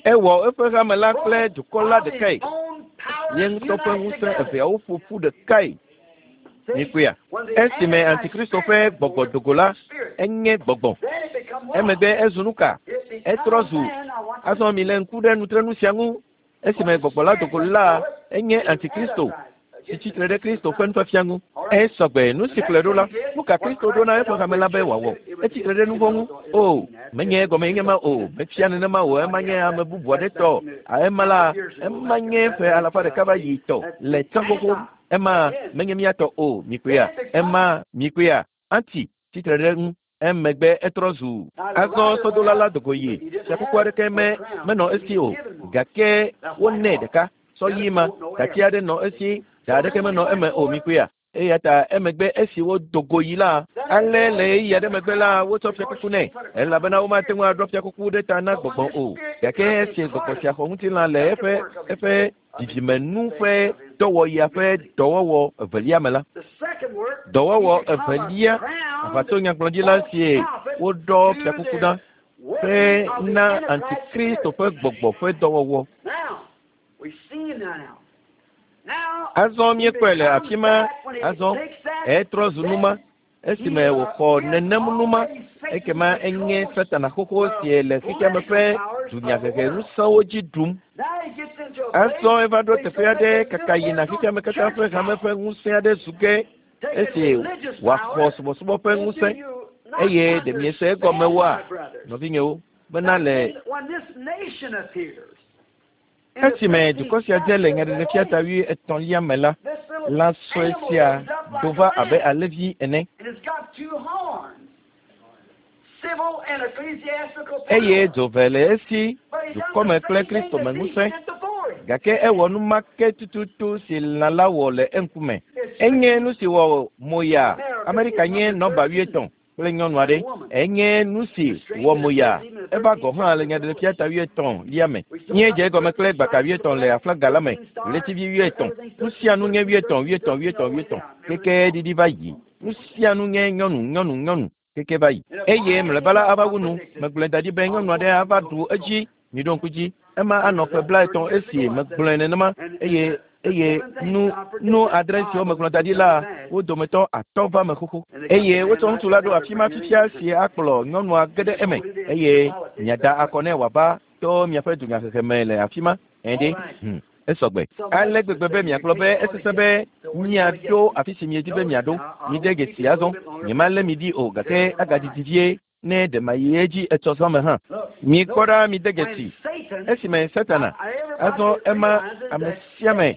ewɔ eƒe hame la kple dukɔ la ɖekae. Ye ŋutɔ ƒe ŋusẽ eveawo ƒo ƒu ɖekae. Mikpɔea? Esime Antikristo ƒe gbɔgbɔ dogo la, enye gbɔgbɔ. Emegbe ezu nu ka? Etrɔ zu. Azɔ mi le ŋku ɖe nutrenu sia ŋu. Esime gbɔgbɔ la dogo la, enye Antikristo si tsitre ɖe Kristo ƒe nufiafia ŋu. Esɔgbe nu si kplɔe ɖo la, nu ka Kristo ɖo na eƒe hame la be wòawɔ? Etsitre ɖe nu vɔ̃ ŋu. O, menye egɔme nye ma o, mefia nenema o, ema nye ame bubu aɖe tɔ. Ema la, ema nye ƒe alafa ɖeka va yi tɔ le tsã xoxo. Ema menye mía tɔ o, mikpɔea? Ema mikpɔea? Anti tsitre ɖe ŋu. Emegbe etrɔ zu. Azɔ sɔdola la dogo yi. Fiakuku aɖeke me menɔ esi o, gake wonɛ ɖeka. Sɔ ɣi ma, dati aɖe nɔ esi, da aɖeke menɔ eme o, mikpɔea? Eya ta emegbe esi wodo go yi la, ale le ɣeyiɣi aɖe megbe la, wotsɔ fiakuku nɛ elabena womate ŋu aɖɔ fiakuku ɖe ta na gbɔgbɔ o. Gake esi gbɔgbɔ sia xɔ ŋutilã le eƒe eƒe dzidzimenu ƒe dɔwɔɣia ƒe dɔwɔwɔ evelia me la, dɔwɔwɔ evelia aʋatsonyagblɔɖila sie woɖɔ fiakuku na ƒe na Antikristo ƒe gbɔgbɔ ƒe dɔwɔwɔ. Azɔ míekpɔe le afi ma. Azɔ etrɔ zu numa. Esime wòxɔ nenem numa, ekema enye Satana xoxo si le xexeame ƒe dunyahehe ŋusẽwo dzi ɖum. Azɔ eva ɖo teƒe aɖe kaka yina xexeame katã ƒe hame ƒe ŋusẽ aɖe zu ge esi wòaxɔ subɔsubɔ ƒe ŋusẽ. Eye ɖe miese egɔme woa, nɔvinyewo, bena le esime dukɔ sia dze le nyaɖeɖefia ta wuietɔ̃lia me la, lã sue sia do va abe alẽvi ene. Eye dzo ve le esi dukɔme kple Kristome ŋusẽ, gake ewɔ nu ma ke tututu si lã la wɔ le eŋkume. Enye nu si wɔ moya. Amerika nye nɔba wuietɔ̃ kple nyɔnu aɖe. Enye nu si wɔ moya. Eva gɔ̃ hã le nyaɖeɖefia ta wuietɔ̃lia me. Míedze egɔme kple gbaka wuietɔ̃ le aflaga la me, ɣletivi wuietɔ̃. Nu sia nu nye wuietɔ̃, wuietɔ̃, wuietɔ̃, wuietɔ̃. Keke ɖiɖi va yi. Nu sia nu nye nyɔnu, nyɔnu, nyɔnu. Keke va yi. Eye mlɔeba la ava wu nu. Megblɔe da ɖi be nyɔnu aɖe ava ɖu edzi. Miɖo ŋku dzi. Ema anɔ ƒe blaetɔ̃ esi megblɔe nenema eye eye nu nu adre siwo megblɔ da ɖi la wo dometɔ atɔ̃ va me xoxo. Eye wotsɔ ŋutsu la ɖo afi ma fifia si akplɔ nyɔnua ge ɖe eme eye miada akɔ nɛ wòava to miaƒe dunyahehe me le afi ma. Ɛɖe hmm esɔgbe. Ale gbegbe be miagblɔ be esesẽ be miaɖo afi si miedi be miaɖo. Mide dzesi azɔ. Nyemalé mi ɖi o gake agadidi vie ne ɖe mayi edzi etsɔ zã me hã. Mikpɔ ɖa mide dzesi. Esime Satana azɔ ema ame sia ame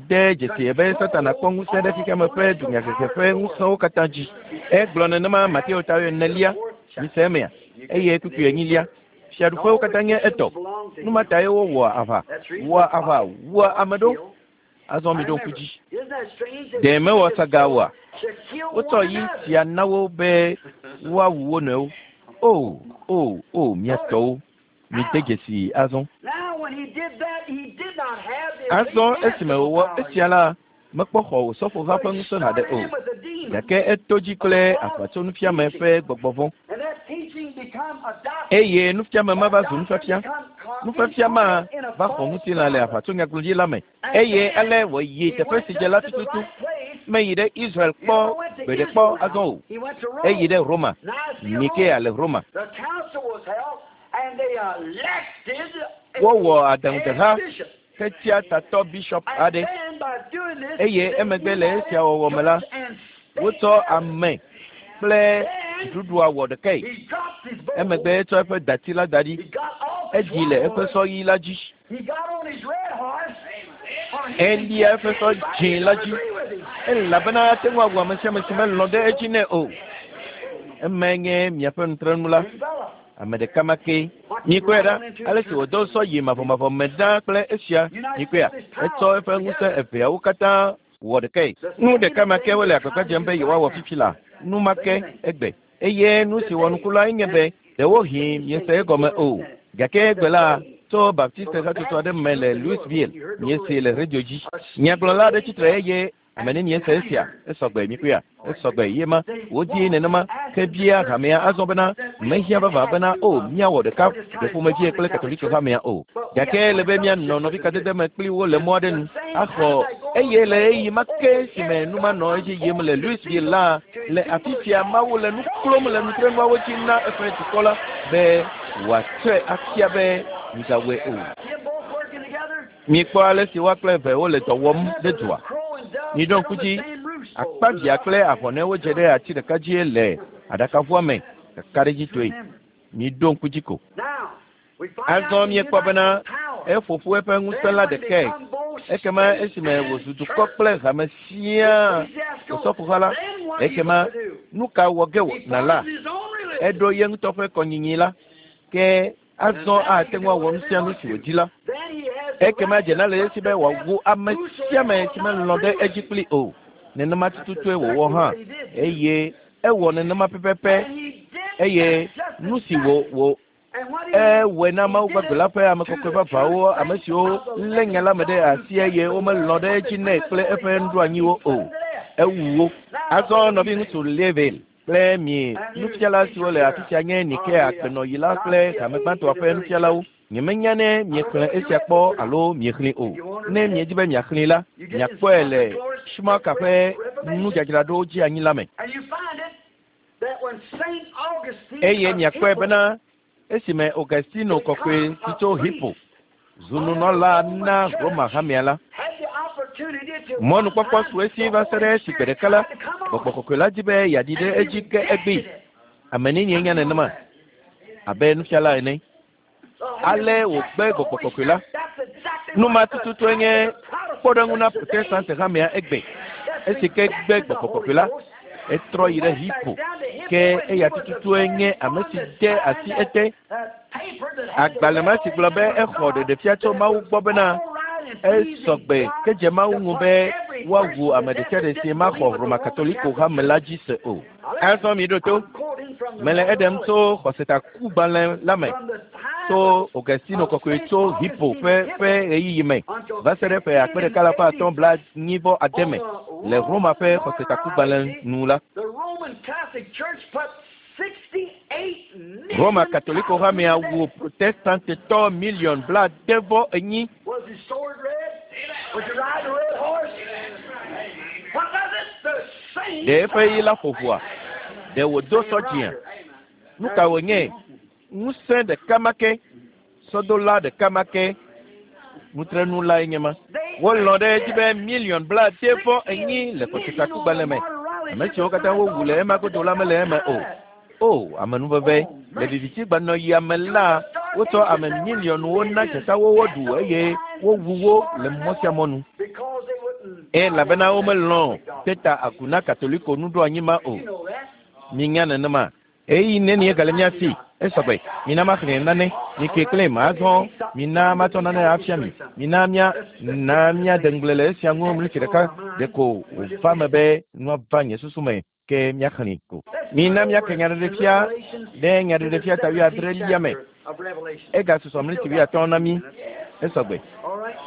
de dzesi be Satana kpɔ ŋusẽ ɖe xexeame ƒe dunyahehe ƒe ŋusẽwo katã dzi. Egblɔ nenema Mateo ta enelia, mise emea, eye kpukpui enyilia. Fiaɖuƒewo katã nye etɔ. Nu ma tae wowɔa aʋa, wɔa aʋa, wua ame ɖo. Azɔ miɖo ŋku dzi. Ɖe mewɔ saga oa? Wotsɔ yi sia na wo be woawu wo nɔewo. O, o, o, mía tɔwo, mide dzesi azɔ. Azɔ esime wòwɔ esia la, mekpɔ xɔ osɔfoha ƒe ŋusẽ haɖe o. Gake eto dzi kple aʋatsonufiame ƒe gbɔgbɔ vɔ̃. Eye nufiame ma va zu nufiafia. Nufiafia ma va xɔ ŋutilã le aʋatsonyagblɔɖi la me. Eye ale wòyi teƒe si dze la tututu. Meyi ɖe Israel kpɔ gbeɖe kpɔ azɔ o. Eyi ɖe Roma. Nikea le Roma. Wowɔ aɖaŋudeha hetia tatɔ bishop aɖe. Eye emegbe le esia wɔwɔ me la, wotsɔ ame kple dziɖuɖua wɔ ɖekae. Emegbe etsɔ eƒe dati la da ɖi. Edzi le eƒe sɔ ɣi la dzi. Elia eƒe sɔ dzĩ la dzi. Elabena ate ŋu awu ame sia ame si melɔ̃ ɖe edzi nɛ o. Emae nye miaƒe nutrenu la. Ame ɖeka ma ke. Mikpɔe ɖa, ale si wòdo sɔ yi mavɔmavɔ me ɖaa kple esia. Mikpɔea, etsɔ eƒe ŋusẽ eveawo katã wɔ ɖekae. Nu ɖeka ma ke wole agbagba dzem be yewoawɔ fifi la. Nu ma ke egbe. Eye nu si wɔ nuku lae nye be ɖewohĩ miese egɔme o. Gake egbe la, tso Baptiste hatsotso aɖe me le Louisville, miese le radio dzi. Nyagblɔla aɖe tsitre eye ame nenie se esia. Esɔgbe mikpɔea, esɔgbe ye ma. Wodii nenema ke bia hamea azɔ bena mehiã vava bena o míawɔ ɖeka ɖeƒomevie kple Katoliko hamea o. Gake ele be míanɔ nɔvikadede me kpli wo le mɔ aɖe nu axɔ eye le ɣeyiɣi ma ke si me nu ma nɔ edzi yim le Louisville la, le afi sia Mawu le nu klom le nutrenuawo dzi na eƒe dukɔ la be wòatsɔe afia be migawɔe o. Mikpɔ ale si woa kple eve wole dɔ wɔm ɖe dua. Miɖo ŋku dzi, akpavia kple ahɔnɛwo dze ɖe ati ɖeka dzie le aɖakaʋua me kakaɖedzitɔe. Miɖo ŋku dzi ko. Azɔ míekpɔ bena eƒo ƒu eƒe ŋusẽ la ɖekae. Ekema esime wòzu dukɔ kple hame siaa osɔfoha la, ekema nu ka wɔ ge nàla? Eɖo ye ŋutɔ ƒe kɔnyinyi la, ke azɔ ate ŋu awɔ nu sia nu si wòdi la. Ekema dzena le esi be wòawu ame sia ame si melɔ̃ ɖe edzi kpli o. Nenema tututue wòwɔ hã eye ewɔ nenema pɛpɛpɛ eye nu si wò wò ewɔe na Mawu gbagbe la ƒe ame kɔkɔe vavãwo, ame siwo lé nya la me ɖe asi eye womelɔ̃ ɖe edzi nɛ kple eƒe nuɖoanyiwo o. Ewu wo. Azɔ nɔviŋutsu Level kple mi nufiala siwo le afi sia nye Nikea gbenɔyila kple hame gbãtɔa ƒe nufialawo. Nyemenya ne miexlẽ esia kpɔ alo miexlẽe o. Ne miedi be miaxlẽe la, miakpɔe le Schumacher ƒe nudzadzraɖo dzi anyi la me. Eye miakpɔe bena esime Augustino kɔkɔe si tso Hippo zu nunɔla na Roma hamea la, mɔnukpɔkpɔ su esi va se ɖe esi gbe ɖeka la, gbɔgbɔ kɔkɔe la di be yeaɖi ɖe edzi ke egbee. Ame nenie nya nenema abe nufiala ene. Ale wògbe gbɔgbɔ kɔkɔe la. Nu ma tututue nye kpɔɖeŋu na Protestant hamea egbe. Esi ke gbe gbɔgbɔ kɔkɔe la, etrɔ yi ɖe Hippo. Ke eya tututue nye ame si de asi ete. Agbalẽ ma si gblɔ be exɔ ɖeɖefia tso Mawu gbɔ bena esɔgbe ke dze Mawu ŋu be woawu ame ɖe sia ɖe si maxɔ Roma Katoliko hame la dzi se o. Azɔ mi ɖo to. Mele eɖem tso xɔsetakugbalẽ la me tso Augustino kɔkɔe tso Hippo ƒe ƒe ɣeyiɣi me va se ɖe ƒe akpe ɖeka alafa atɔ̃ bla nyi vɔ ade me le Roma ƒe xɔsetakugbalẽ nu la. Roma Katoliko hamea wu Protestantetɔ miliɔn bla ade vɔ enyi. Ɖe eƒe ɣi la ƒo ʋua? Ɖe wòdo sɔ dzĩa? Nu ka wònye? Ŋusẽ ɖeka ma ke, sɔdola ɖeka ma ke, nutrenu lae nye ma. Wolɔ̃ ɖe edzi be miliɔn bla ade vɔ enyi le xɔsetakugbalẽ me. Ame siwo katã wowu le ema godo la mele eme o. O, amenuveve, le viviti gbanɔɣia me la, wotsɔ ame miliɔnwo na dzatawo woɖu eye wowu wo le mɔ sia mɔ nu. Elabena womelɔ̃ de ta agu na Katoliko nuɖoanyi ma o. Minya nenema. Eyi nenie gale mía si. Esɔgbe. Mina maxlẽ nane. Mi keklẽ azɔ. Mina matsɔ nane afia mi. Mina mía na míade ŋugble le esia ŋu mlitsi ɖeka ɖeko wòva me be nua va nye susu me ke míaxlẽe ko. Mina míake nyaɖeɖefia ɖe nyaɖeɖefia ta wuiadrelia me. Egasusɔ mlitsi wuiatɔ̃ na mí. Esɔgbe.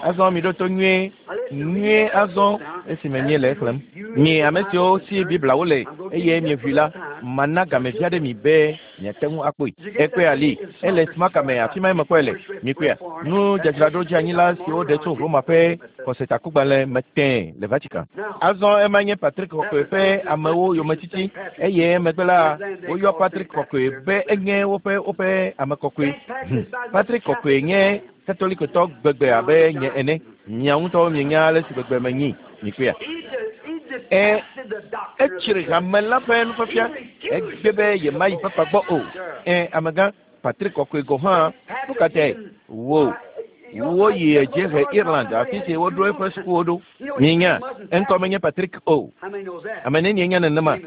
Azɔ mi ɖo to nyuie nyuie azɔ esime míele exlẽm. Mi ame siwo si Biblia le eye mieʋui la, mana game vi aɖe mi be miate ŋu akpɔe. Ekpɔe ali, ele Smaka me, afi ma mekpɔe le. Mikpɔea? Nudzadzraɖo dzeanyila siwo ɖe tso Roma ƒe xɔsetakugbalẽ me tẽe le Vatican. Azɔ ema nye Patrick Kɔkɔe ƒe amewo yometiti eye emegbe la woyɔ Patrick Kɔkɔe be enye woƒe woƒe ame kɔkɔe. Hm. Patrick Kɔkɔe nye Katolikotɔ gbegbe abe nye ene. Mia ŋutɔwo mienya ale si gbegbe menyi. Mikpɔea? E etsri hame la ƒe nufiafia. Egbe be yemayi papa gbɔ o. E amegã Patrick Kɔkɔe gɔ̃ hã. Nu ka tae? Wo woyi dziehe Ireland afi si woɖo eƒe sukuwo ɖo. Minya eŋkɔ menye Patrick o. Ame nenie nya nenema?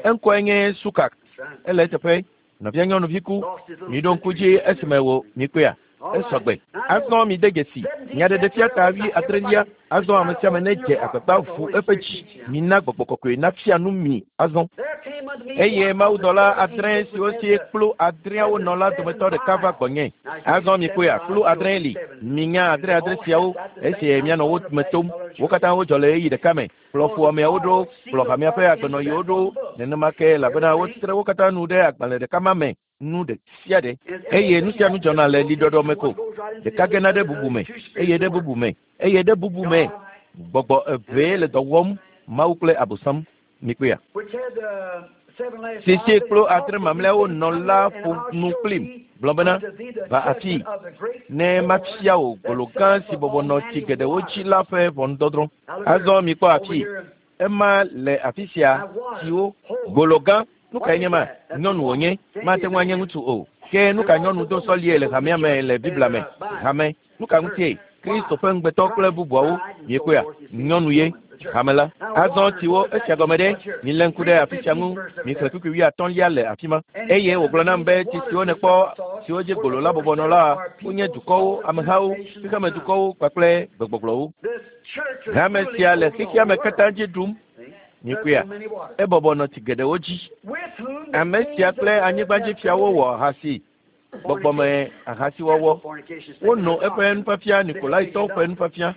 Eŋkɔe nye Sukak. Ele eteƒe. Nɔvia nyɔnuvi ku. Miɖo ŋku dzi esime wo mikpɔea? Esɔgbe. Azɔ mi de dzesi. Nyaɖeɖefia ta wi adrelia. Azɔ ame sia ame nedze agbagba ʋu eƒe dzi. Mina gbɔgbɔ kɔkɔe nafia nu mi azɔ. Eye mawudɔla adre siwo si kplu adreawo nɔ la dometɔ ɖeka va gbɔnye. Azɔ mikpɔea, kplu adre li. Minya adre adre siawo esi mianɔ wo me tom. Wo katã wodzɔ le ɣeyiɣi ɖeka me. Kplɔ ƒoameawo ɖo, kplɔ hamea ƒe agbenɔɣiwo ɖo. Nenema ke elabena wotre wo katã nu ɖe agbalẽ ɖeka ma me. Nu ɖe sia ɖe. Eye nu sia nu dzɔna le liɖɔɖɔ me ko. Ɖeka gena ɖe bubu me, eye ɖe bubu me, eye ɖe bubu me. Gbɔgbɔ evee le dɔ wɔm, Mawu kple Abosam. Mikpɔea? Sisi kplu adre mamlɛawo nɔ la ƒo nu kplim gblɔ bena, va afii ne mafia wò golo gã si bɔbɔ nɔ tsi geɖewo dzi la ƒe ʋɔnudɔdrɔ̃. Azɔ mikpɔ afii. Ema le afi sia tsiwo. Golo gã. Nu kae nye ma? Nyɔnu wònye. Mate ŋu anye ŋutsu o. Ke nu ka nyɔnu do sɔlie le hamea me le Biblia me? Hame. Nu ka ŋutie? Kristo ƒe ŋugbetɔ kple bubuawo. Miekpɔea? Nyɔnu ye. Hame la. Azɔ tsiwo esia gɔme ɖe. Milé ŋku ɖe afi sia ŋu. Mixlẽ kpukpui wuiatɔ̃lia le afi ma. Eye wògblɔ nam be tsi siwo nèkpɔ siwo dzi golo la bɔbɔ nɔ la wonye dukɔwo, amehawo, xexemedukɔwo kpakple gbegbɔgblɔwo. Hame sia le xexea me katã dzi ɖum. Mikpɔea? Ebɔbɔ nɔ tsi geɖewo dzi. Ame sia kple anyigbadzifiawo wɔ ahasi, gbɔgbɔme ahasiwɔwɔ. Wono eƒe nufiafia, Nikolaitɔwo ƒe nufiafia,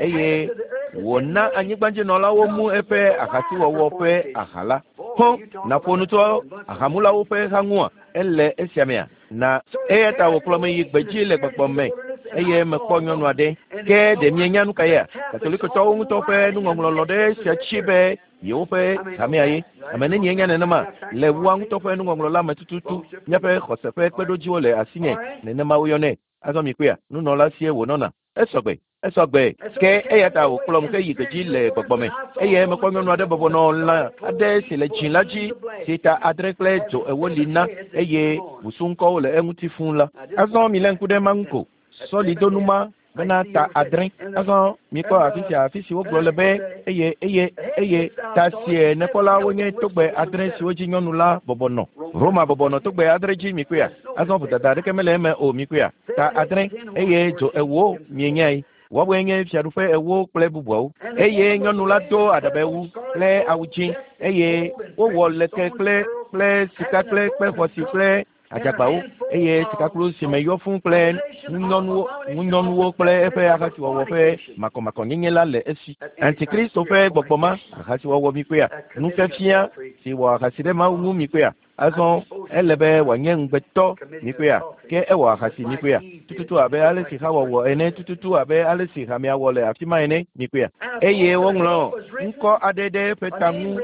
eye wòna anyigbadzinɔlawo mu eƒe ahasiwɔwɔ ƒe aha la. Hɔ, nàƒo nu tso ahamulawo ƒe ha ŋua? Ele esia mea? Na eya ta wòkplɔ me yi gbedzi le gbɔgbɔ me eye mekpɔ nyɔnu aɖe. Ke ɖe mienya nu ka yea? Katolikotɔwo ŋutɔ ƒe nuŋɔŋlɔ lɔ ɖe esia tsi be yewoƒe hamea ye. Ame nenie nya nenema? Le woa ŋutɔ ƒe nuŋɔŋlɔ la me tututu. Míaƒe xɔse ƒe kpeɖodziwo le asinye. Nenema woyɔnɛ. Azɔ mikpɔea? Nunɔla sie wònɔna. Esɔgbe. Esɔgbe ke eya ta wòkplɔm heyi gbedzi le gbɔgbɔ me eye mekpɔ nyɔnu aɖe bɔbɔ nɔ lã aɖe si le dzĩ la dzi si ta adre kple dzo ewo li na eye busuŋkɔwo le eŋuti fũu la. Azɔ milé ŋku ɖe ma ŋu ko. Sɔlidonu ma bena ta adre. Azɔ mikpɔ afi sia afi si wogblɔ le be eye eye eye ta sie nekpɔ wonye togbɛ adre siwo dzi nyɔnu la bɔbɔ nɔ. Roma bɔbɔ nɔ togbɛ adre dzi mikpɔea. Azɔ vodada aɖeke mele eme o mikpɔea. Ta adre eye dzo ewo mienyae. Woawoe nye fiaɖuƒe ewo kple bubuawo. Eye nyɔnu la do aɖabɛwu kple awu dzĩ eye wowɔ leke kple kple sika kple kpe xɔasi kple adzagbawo eye sikakplu si me yɔ fũu kple ŋunyɔnuwo ŋunyɔnuwo kple eƒe ahasiwɔwɔ ƒe makɔmakɔnyenye la le esi. Antikristo ƒe gbɔgbɔ ma ahasiwɔwɔ mikpɔea nufiafia si wɔ ahasi ɖe Mawu ŋu mikpɔea. Azɔ ele be wòanye ŋugbetɔ mikpɔea ke ewɔ ahasi mikpɔea tututu abe ale si Hawa wɔ ene tututu abe ale si hamea wɔ le afi ma ene mikpɔea. Eye woŋlɔ ŋkɔ aɖe ɖe eƒe ta ŋu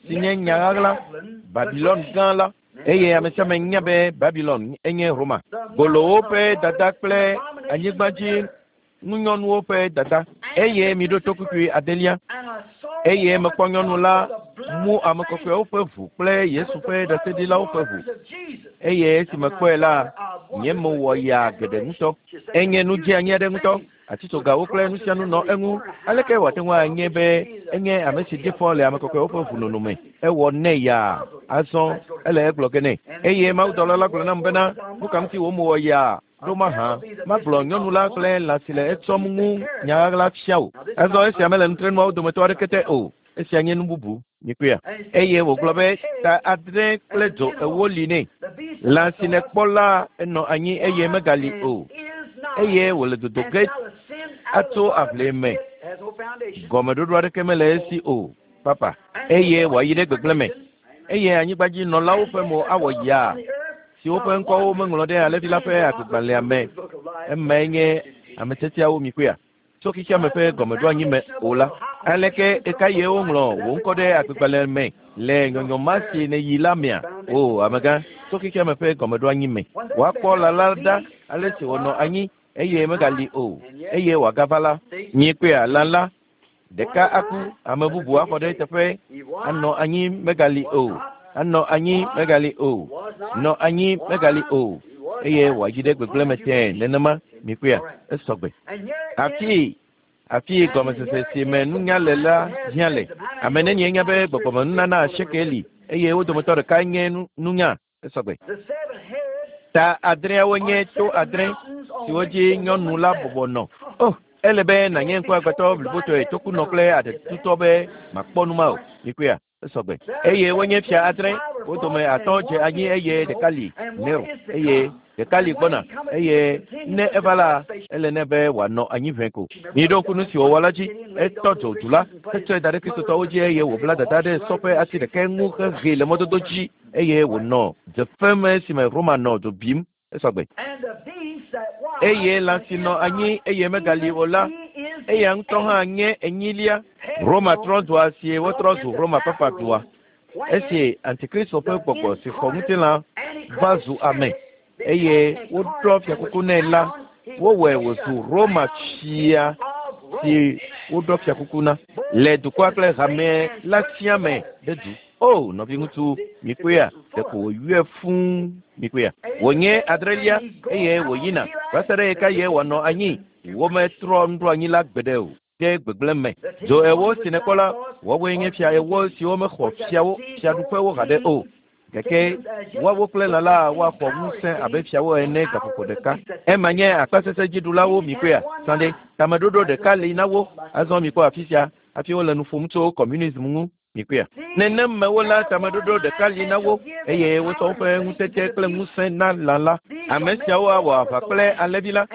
si nye nya ɣaɣla Babilɔn gã la. Eye ame sia ame nya be Babilɔn enye Roma. Golowo ƒe dada kple anyigbadzi ŋunyɔnuwo ƒe dada. Eye miɖo to kpukpui adelia. Eye mekpɔ nyɔnu la mu ame kɔkɔewo ƒe ʋu kple Yesu ƒe ɖaseɖilawo ƒe ʋu. Eye esi mekpɔe la, nye mo wɔ yaa geɖe ŋutɔ. Enye nu dzeanyi aɖe ŋutɔ. Atitsogawo kple nu sia nu nɔ eŋu. Aleke wòate ŋu anye be enye ame si ɖi fɔ le ame kɔkɔewo ƒe ʋu me? Ewɔ nɛ yaa. Azɔ ele egblɔ ge nɛ. Eye mawudɔla la gblɔ nam bena, nu ka ŋuti wò mo wɔ yaa ɖo mahã? Magblɔ nyɔnu la kple lã si le etsɔm ŋu nya ɣaɣla fia wò. Azɔ esia mele nutrenuawo dometɔ aɖeke te o. Esia nye nu bubu. Mikpɔea. Eye wògblɔ be ta adre kple dzo ewo li nɛ. Lã si nèkpɔ la enɔ anyi eye megali o. Eye wòle dodo ge atso aʋli me. Gɔmeɖoɖo aɖeke mele esi o. Papa. Eye wòayi ɖe gbegblẽ me. Eye anyigbadzinɔlawo ƒe mo awɔ yaa siwo ƒe ŋkɔwo meŋlɔ ɖe alẽvi la ƒe agbegbalẽa me. Emae nye ame tiatiawo mikpɔea. Tso xexeame ƒe gɔmeɖoanyi me o la. Aleke eka ye woŋlɔ wò ŋkɔ ɖe agbegbalẽ me le nyɔnyɔ ma si nèyi la mea? O amegã, tso xexeame ƒe gɔmeɖoanyi me. Woakpɔ lã la ɖa ale si wònɔ anyi eye megali o eye wòagava la. Miekpɔea lã la ɖeka aku ame bubu axɔ ɖe eteƒe anɔ anyi megali o anɔ anyi megali o nɔ anyi megali o eye wòayi ɖe gbegblẽ me tẽe nenema mikpɔea esɔgbe. Afi afi gɔmesese si me nunya le la hiã le. Ame nenie nya be gbɔgbɔmenunana asieke li eye wo dometɔ ɖeka nye nunya esɔgbe. Ta adreawo nye to adre siwo dzi nyɔnu la bɔbɔ nɔ. Oh, ele be nànye ŋkuagbãtɔ blibotɔe tokunɔ kple aɖetutɔ be makpɔ nu ma o. Mikpɔea esɔgbe. Eye wonye fia adre wo dome atɔ̃ dze anyi eye ɖeka li Nero eye ɖeka li gbɔna eye ne eva la ele nɛ be wòanɔ anyi ʋɛ ko. Miɖo ŋku nu si wòwɔ la dzi. Etɔ dzo du la hetsɔe da ɖe kristotɔwo dzi eye wòbla dada ɖe sɔ ƒe asi ɖeka ŋu hehee le mɔdodo dzi eye wònɔ dze esime Roma nɔ dzo bim esɔgbe. Eye lã si nɔ anyi eye megali o la, eya ŋutɔ hã nye enyilia. Roma trɔ dua si wotrɔ zu Roma papa dua. Esi Antikristo ƒe gbɔgbɔ si xɔ ŋutilã va zu ame eye woɖɔ fiakuku nɛ la, wowɔe wòzu Roma fia si woɖɔ fiakuku na le dukɔa kple hame la sia me ɖe du. O nɔviŋutsu mikpɔea ɖeko wòyɔe fũu mikpɔea. Wònye adrelia eye wòyina va se ɖe ɣeka ye wòanɔ anyi wometrɔ nuɖoanyi la gbeɖe o ɖe gbegblẽ me. Dzo ewo si nèkpɔ la, woawoe nye fia ewo siwo mexɔ fiawo fiaɖuƒewo haɖe o. Gake woawo kple lã la woaxɔ ŋusẽ abe fiawo ene gaƒoƒo ɖeka. Ema nye akpasesẽdziɖulawo mikpɔea. Sãde tameɖoɖo ɖeka li na wo. Azɔ mikpɔ afi sia hafi wole nu ƒom tso communism ŋu mikpɔea. Nenem mewo la tameɖoɖo ɖeka li na wo eye wotsɔ woƒe ŋutete kple ŋusẽ na lã la. Ame siawo awɔ aʋa kple alẽvi la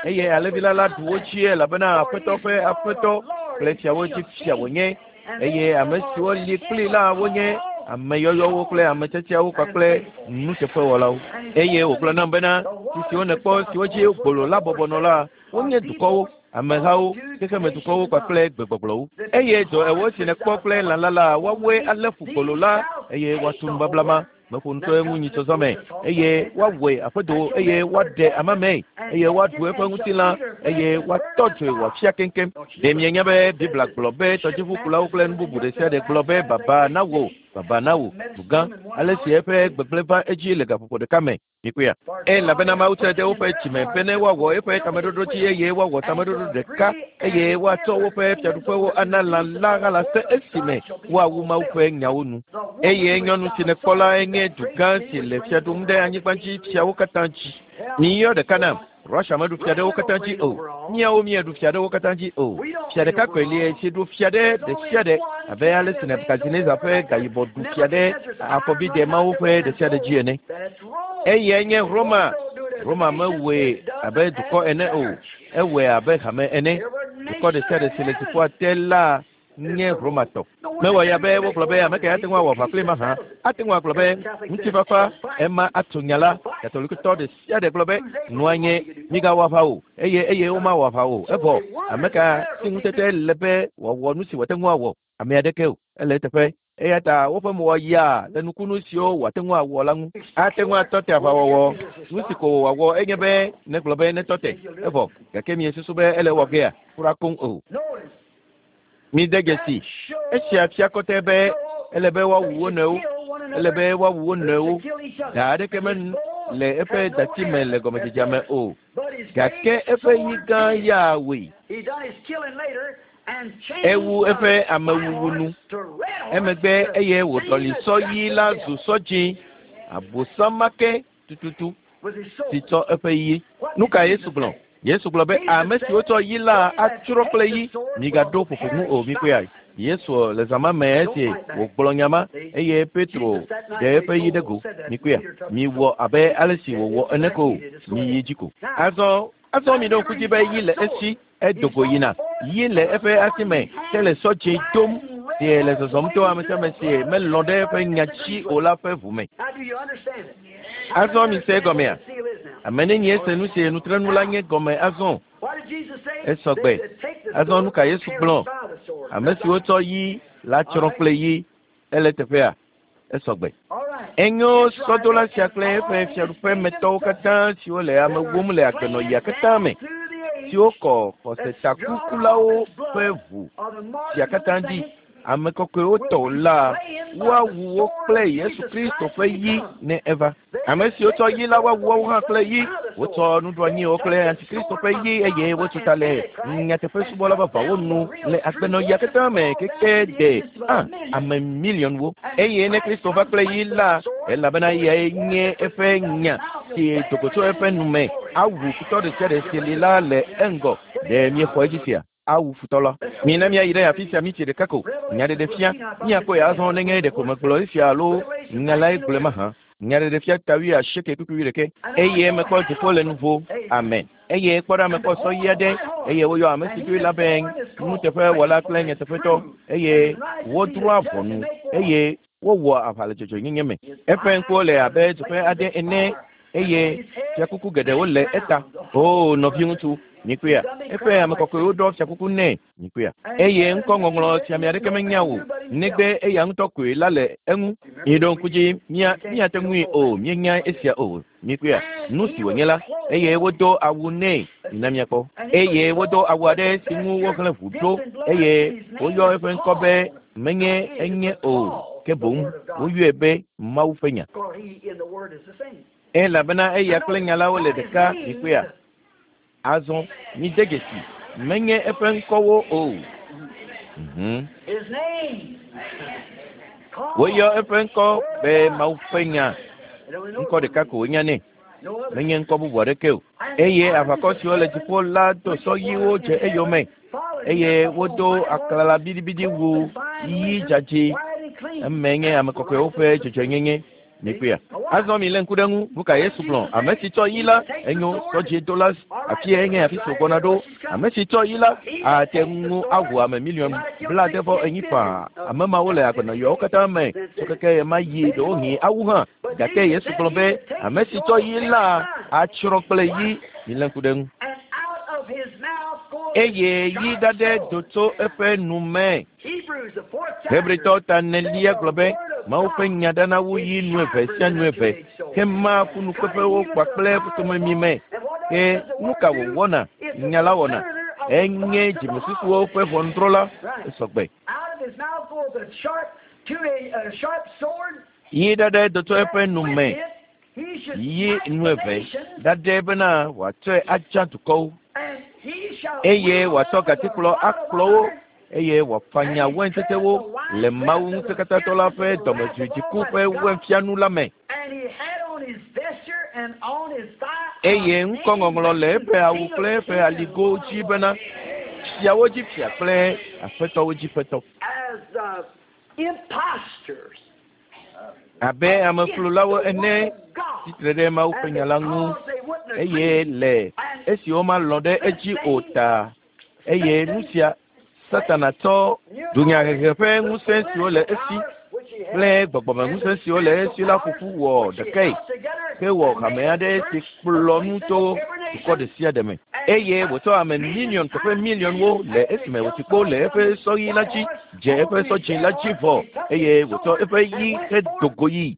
eye alẽvi la la ɖu wo dzi elabena aƒetɔ ƒe aƒetɔ kple fiawo dzi fia wònye eye ame siwo li kpli la wonye ame yɔyɔwo kple ame tiatiawo kpakple nuteƒewɔlawo. Eye wògblɔ nam bena tsi siwo nèkpɔ siwo dzi gbolo la bɔbɔ nɔ la wonye dukɔwo, amehawo, xexemedukɔwo kpakple gbegbɔgblɔwo. Eye dzo ewo si nèkpɔ kple lã la la woawoe alé fu gbolo la eye woatu nubabla ma. Meƒo nu tso eŋu nyitsɔzɔ me eye woawɔe aƒedo eye woaɖe amame eye woaɖu eƒe ŋutilã eye woatɔ dzoe wòafia keŋkeŋ. Ɖe mienya be Biblia gblɔ be tɔdziʋukulawo kple nu bubu ɖe sia ɖe gblɔ be baba na wò, baba na wò, dugã, ale si eƒe gbegblẽ va edzi le gaƒoƒo ɖeka me. Mikpɔea? Elabena Mawu tsɔe de woƒe dzime be ne woawɔ eƒe tameɖoɖo dzi eye woawɔ tameɖoɖo ɖeka eye woatsɔ woƒe fiaɖuƒewo ana lã la hã se esime woawu Mawu ƒe nyawo nu. Eye nyɔnu si nèkpɔ la nye dugã si le fia ɖum ɖe anyigba dzi fiawo katã dzi. Miyɔ ɖeka nam. Russia meɖu fia ɖe wo katã dzi o. Míawo míeɖu fia ɖe wo katã dzi o. Fia ɖeka koe li si ɖu fia ɖe ɖe sia ɖe abe ale si Nebukadnezar ƒe gayibɔ ɖu fia ɖe afɔbidɛ mawo ƒe ɖe sia ɖe dzi ene. Eyae nye Roma. Roma mewɔe abe dukɔ ene o. Ewɔe abe hame ene. Dukɔ ɖe sia ɖe si le dziƒoa te la nye Romatɔ. Mewɔ ya be wogblɔ be ame ke ate ŋu awɔ aʋa kpli mahã ate ŋu agblɔ be ŋutifafa ema atso nya la. Katolikotɔ ɖe sia ɖe gblɔ be nua nye migawɔ aʋa o eye eye womawɔ aʋa o. Evɔ ame ka si ŋutete le be wòawɔ nu si wòate ŋu awɔ ame aɖeke o. Ele eteƒe. Eya ta woƒe mo wɔ yaa le nukunu siwo wòate ŋu awɔ la ŋu. Ate ŋu atɔ te aʋawɔwɔ. Nu si ko wòawɔ enye be negblɔ be netɔ te. Evɔ gake miesusu be ele wɔ gea kura koŋ o. Mi de dzesi. Esia fia kɔtɛ be ele be woawu wo nɔewo. Ele be woawu wo nɔewo. Da aɖeke mele eƒe dati me le gɔmedzedzea me o. Gake eƒe yi gã ya wòe. Ewu eƒe amewuwu nu. Emegbe eye wòɖɔli sɔ ɣi la zu sɔ dzĩ. Abosam ma ke tututu si tsɔ eƒe yi. Nu ka Yesu gblɔ? Yesu gblɔ be ame siwo tsɔ yi la atsrɔ̃ kple yi. Migaɖo ƒoƒo ŋu o, mikpɔe. Yesu le zã ma me esi wògblɔ nya ma eye Petro ɖe eƒe yi ɖe go. Mikpɔe. Miwɔ abe ale si wòwɔ ene ko o. Miyi dzi ko. Azɔ azɔ miɖo ŋku dzi be yi le esi edo go yina. Yi le eƒe asi me ke le sɔ dzĩ dom si le zɔzɔm to ame sia ame si melɔ̃ ɖe eƒe nya dzi o la ƒe ʋu me. Azɔ mise egɔmea? Ame nenie se nu si nutrenu la nye gɔme azɔ? Esɔgbe. Azɔ nu ka Yesu gblɔ? Ame siwo tsɔ yi la tsrɔ̃ kple yi. Ele teƒea? Esɔgbe. Enyo sɔdola sia kple eƒe fiaɖuƒemetɔwo katã siwo le ame wum le agbenɔɣia katã me, siwo kɔ xɔsetakukulawo ƒe ʋu sia katã dzi, ame kɔkɔewo tɔ la, woawu wo kple Yesu Kristo ƒe yi ne eva. Ame siwo tsɔ yi la woawu woawo hã kple yi. Wotsɔ nuɖoanyiwo kple Antikristo ƒe yi eye wotso ta le nyateƒesubɔla vavãwo nu le agbenɔɣia katã me keke de a ame miliɔnwo. Eye ne Kristo va kple yi la, elabena eyae nye eƒe nya si do go tso eƒe nu me awu futɔ ɖe sia ɖe si li la le eŋgɔ. Ɖe miexɔ edzi sia? Awu futɔ la. Mina míayi ɖe afi sia míti ɖeka ko. Nyaɖeɖefia míakpɔe azɔ nenye ɖeko megblɔ esia alo nya lae gblɔe mahã. Nyaɖeɖefia ta wuiasieke kpukpui wuiɖekɛ. Eye mekpɔ dziƒo le nuvo. Amen. Eye kpɔ ɖa mekpɔ sɔ ɣi aɖe eye woyɔ ame si doe la be nuteƒewɔla kple nyateƒetɔ eye wodrɔ̃a ʋɔnu eye wowɔa aʋa le dzɔdzɔenyenye me. Eƒe ŋkuwo le abe dzoƒe aɖe ene eye fiakuku geɖewo le eta. Oo nɔviŋutsu, mikpɔea? Eƒe ame kɔkɔewo ɖɔ fiakuku nɛ. Mikpɔea? Eye ŋkɔŋɔŋlɔ si ame aɖeke menya o negbe eya ŋutɔ koe la le eŋu. Miɖo ŋku dzi mía míate ŋui o míenya esia o. Mikpɔea? Nu si wònye la eye wodo awu nɛ. Mina míakpɔ. Eye wodo awu aɖe si ŋu wohlẽ ʋu ɖo eye woyɔ eƒe ŋkɔ be menye enye o ke boŋ woyɔe be Mawu ƒe nya. Elabena eya kple nya la wole ɖeka. Mikpɔea? Azɔ mide dzesi menye eƒe ŋkɔwo o. Mhm. Woyɔ eƒe ŋkɔ be Mawu ƒe nya. Ŋkɔ ɖeka ko wonya nɛ. Menye ŋkɔ bubu aɖeke o. Eye aʋakɔ siwo le dziƒo la do sɔ ɣiwo dze eyome eye wodo aklala biɖibiɖi wu ɣi dzadzɛ. Eme nye ame kɔkɔewo ƒe dzɔdzɔenyenye. Mikpɔea? Azɔ mi lé ŋku ɖe ŋu. Nu ka Yesu gblɔ? Ame si tsɔ yi la, enyo sɔdziedola afi enye afi si wògbɔna ɖo. Ame si tsɔ yi la ate ŋu awu ame miliɔn blaade vɔ enyi faa. Ame mawo le agbenɔɣiawo katã me tso keke ɣe ma ɣi ɖewohĩ awu hã. Gake Yesu gblɔ be ame si tsɔ yi la atsrɔ̃ kple yi. Milé ŋku ɖe ŋu. Eye yi ɖaɖɛ do tso eƒe nu me. Hebritɔwo ta enelia gblɔ be Mawu ƒe nya ɖana wu yi nu eve sia nu eve hema ƒunukpeƒewo kpakple ƒutomemi me. Ke nu ka wòwɔna? Nya la wɔna. Enye dzimesusuwo ƒe ʋɔnudrɔ̃la esɔgbe. Yi ɖaɖɛ dotɔ eƒe nu me. Yi nu eve ɖaɖɛ bena wòatsɔe atsa dukɔwo. Eye wòatsɔ gatikplɔ akplɔ wo. Eye wòafanya waintetewo le Mawu ŋusẽkatãtɔ la ƒe dɔmedzoedziku ƒe wainfianu la me. Eye ŋkɔŋɔŋlɔ le eƒe awu kple eƒe aligo dzi bena fiawo dzi fia kple aƒetɔwo dzi ƒetɔ. Abe ameflulawo ene tsitre ɖe Mawu ƒe nya la ŋu eye le esi womalɔ̃ ɖe edzi o ta eye nu sia Satana tsɔ dunyahehe ƒe ŋusẽ siwo le esi kple gbɔgbɔmeŋusẽ siwo le esi la ƒoƒu wɔ ɖekae hewɔ hame aɖe si kplɔ nu tso dukɔ ɖe sia ɖe me. Eye wòtsɔ ame miliɔn teƒe miliɔnwo le esime wòti kpo le eƒe sɔɣi la dzi dze eƒe sɔdzi la dzi vɔ eye wòtsɔ eƒe yi hedo go yi.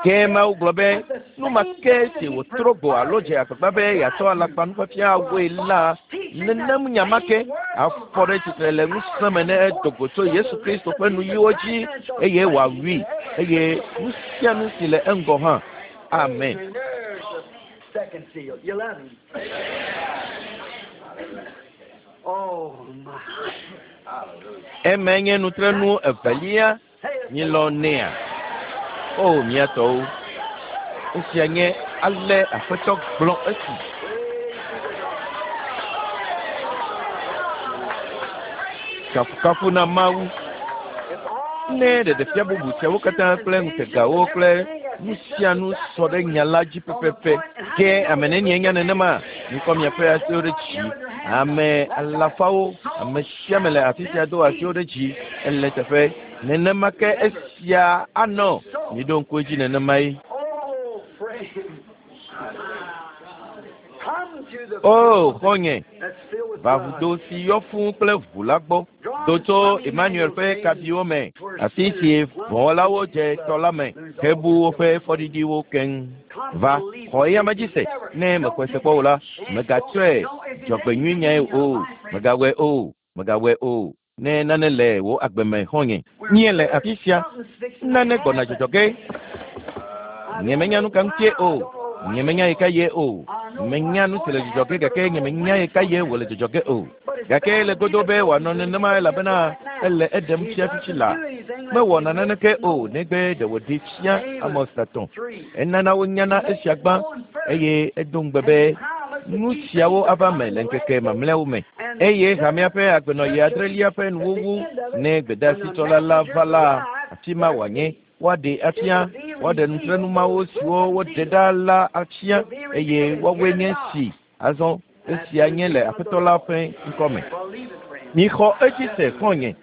Ke Mawu gblɔ be nu ma ke si wòtrɔ go alo dze agbagba be yeatsɔ alakpanufiafia awɔe la nenem nya ma ke afɔ ɖe tsitre le ŋusẽ me ne edo go tso Yesu Kristo ƒe nuyiwo dzi eye wòawui eye nu sia nu si le eŋgɔ hã. Amen. Eme nye nutrenu evelia míelɔ̃ nɛa. O mía tɔwo, esia nye ale Aƒetɔ gblɔ esi. Kafukafu na Mawu. Ne ɖeɖefia bubu siawo katã kple ŋutegawo kple nu sia nu sɔ ɖe nya la dzi pɛpɛpɛ. Ke ame nenie nya nenema? Mikɔ miaƒe asiwo ɖe dzi. Ame alafawo, ame sia ame le afi sia do asiwo ɖe dzi ele teƒe. Nenema ke esia anɔ. Miɖo ŋku edzi nenemae. O xɔ̃nye, va vudo si yɔ fũu kple ʋu la gbɔ. Do tso Emmanuel ƒe kabiwo me, afi si vɔ̃wɔlawo dze tɔ la me hebu woƒe fɔɖiɖiwo keŋ. Va, xɔ eya me dzi se. Ne mexɔe se kpɔ o la, mègatsɔe dzɔgbenyuinyae o, mègawɔe o, mègawɔe o. Ne nane le wò agbe me xɔ̃nye, míele afi sia. Nane gbɔna dzɔdzɔ ge. Nyemenya nu ka ŋutie o. Nyemenya yi ka ye o. Menya nu si le dzɔdzɔ ge gake nyemenya yi ka ye wòle dzɔdzɔ ge o. Gake le godo be wòanɔ nenema elabena ele eɖem fia fifi la. Mewɔna naneke o negbe ɖe wòɖee fia Amos tatɔ̃. Enana wonyana esia gbã eye edo ŋugbe be nu siawo ava me le ŋkeke mamlɛawo me. Eye hamea ƒe agbenɔɣi adrelia ƒe nuwuwu ne gbedeasitsɔla la va la, afi ma wòanye. Woaɖe afia, woaɖe nutrenu mawo siwo woɖe ɖa la afia eye woawoe nye si. Azɔ esia nye le Aƒetɔ la ƒe ŋkɔme. Mixɔ edzi se xɔ̃nye.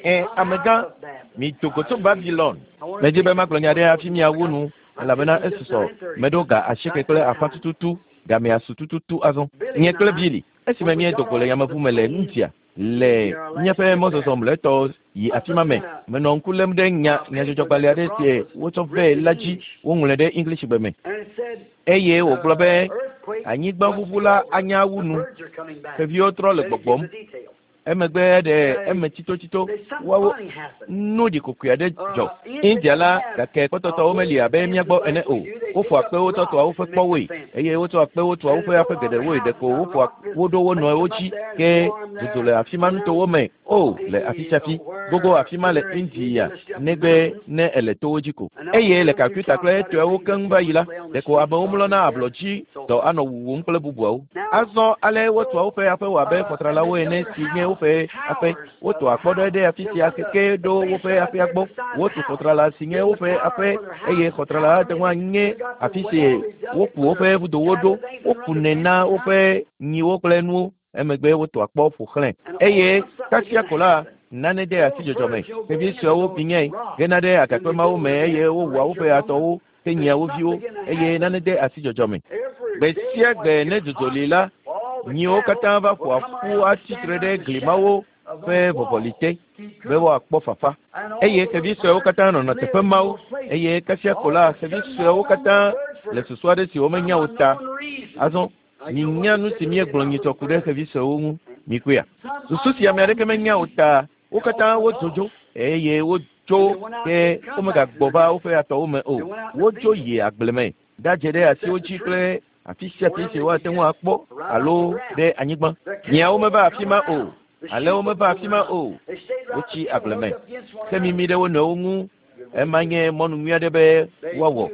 Ẽ, amegã, mido go tso Babilon. Medzi be magblɔ nya ɖe hafi miawu nu elabena esusɔ meɖo ga asieke kple afã tututu gamea su tututu azɔ. Nye kple Billy esime míedo go le yameʋu me le India le míaƒe mɔzɔzɔ mlɔetɔ yi afi ma me. Menɔ ŋku lém ɖe nya nyadzɔdzɔgbalẽ aɖe si wotsɔ vɛ la dzi woŋlɔe ɖe English gbe me. Eye wògblɔ be anyigbaʋuʋu la anya wu nu. Xeviwo trɔ le gbɔgbɔm. Emegbe ɖe eme tsitotsito woawo nu ɖikokoe aɖe dzɔ. India la gake kpɔtɔtɔwo meli abe mía gbɔ ene o. Woƒoa kpewo tsɔ tɔa woƒe kpɔwoe eye wotsɔa kpewo tɔa woƒe aƒe geɖewoe ɖeko woƒoa wo ɖo wo nɔewo dzi ke zozo le afi ma nutowo me o le afi sia afi gogo afi ma le India negbe ne ele towo dzi ko. Eye le Calcutta kple etɔewo keŋ va yi la ɖeko amewo mlɔna ablɔ dzi dɔ anɔ wuwum kple bubuawo. Azɔ ale wotua woƒe aƒewo abe xɔtralawo ene si nye woƒe aƒe. Wotua kpɔ ɖe ɖe afi sia keke ɖo woƒe aƒea gbɔ. Wotu xɔtrala si nye woƒe aƒe eye xɔtrala ate ŋu anye afi si woku woƒe vudowo ɖo. Wokunɛ na woƒe nyiwo kple nuwo. Emegbe wotua kpɔ ƒo xlẽ. Eye kasia ko la nane de asi dzɔdzɔme. Xevi suewo binyae gena ɖe agakpe mawo me eye wowua woƒe atɔwo henyia wo viwo eye nane de asi dzɔdzɔme. Gbe sia gbe ne dzodzo li la, nyiwo katã va ƒoa ƒu atsitre ɖe gli mawo ƒe vɔvɔli te. be woakpɔ fafa. Eye xevi suewo katã nɔna teƒe mawo eye kasia ko la xevi suewo katã le susu aɖe si womenya o ta. Azɔ minya nu si míegblɔ nyitsɔ ku ɖe xevi suewo ŋu mikuia. Susu si ame aɖeke menya o ta wo katã wodzo dzo eye wodzo ke womegagbɔ va woƒe atɔwo me o. Wodzo yi agble me ɖadze ɖe asiwo dzi kple afi sia afi si woate ŋu akpɔ alo ɖe anyigba. Nyiawo meva afi ma o, alẽwo meva afi ma o. Wotsi agble me hemimi ɖe wo nɔewo ŋu. Ema nye mɔnu nyui aɖe be woawɔ.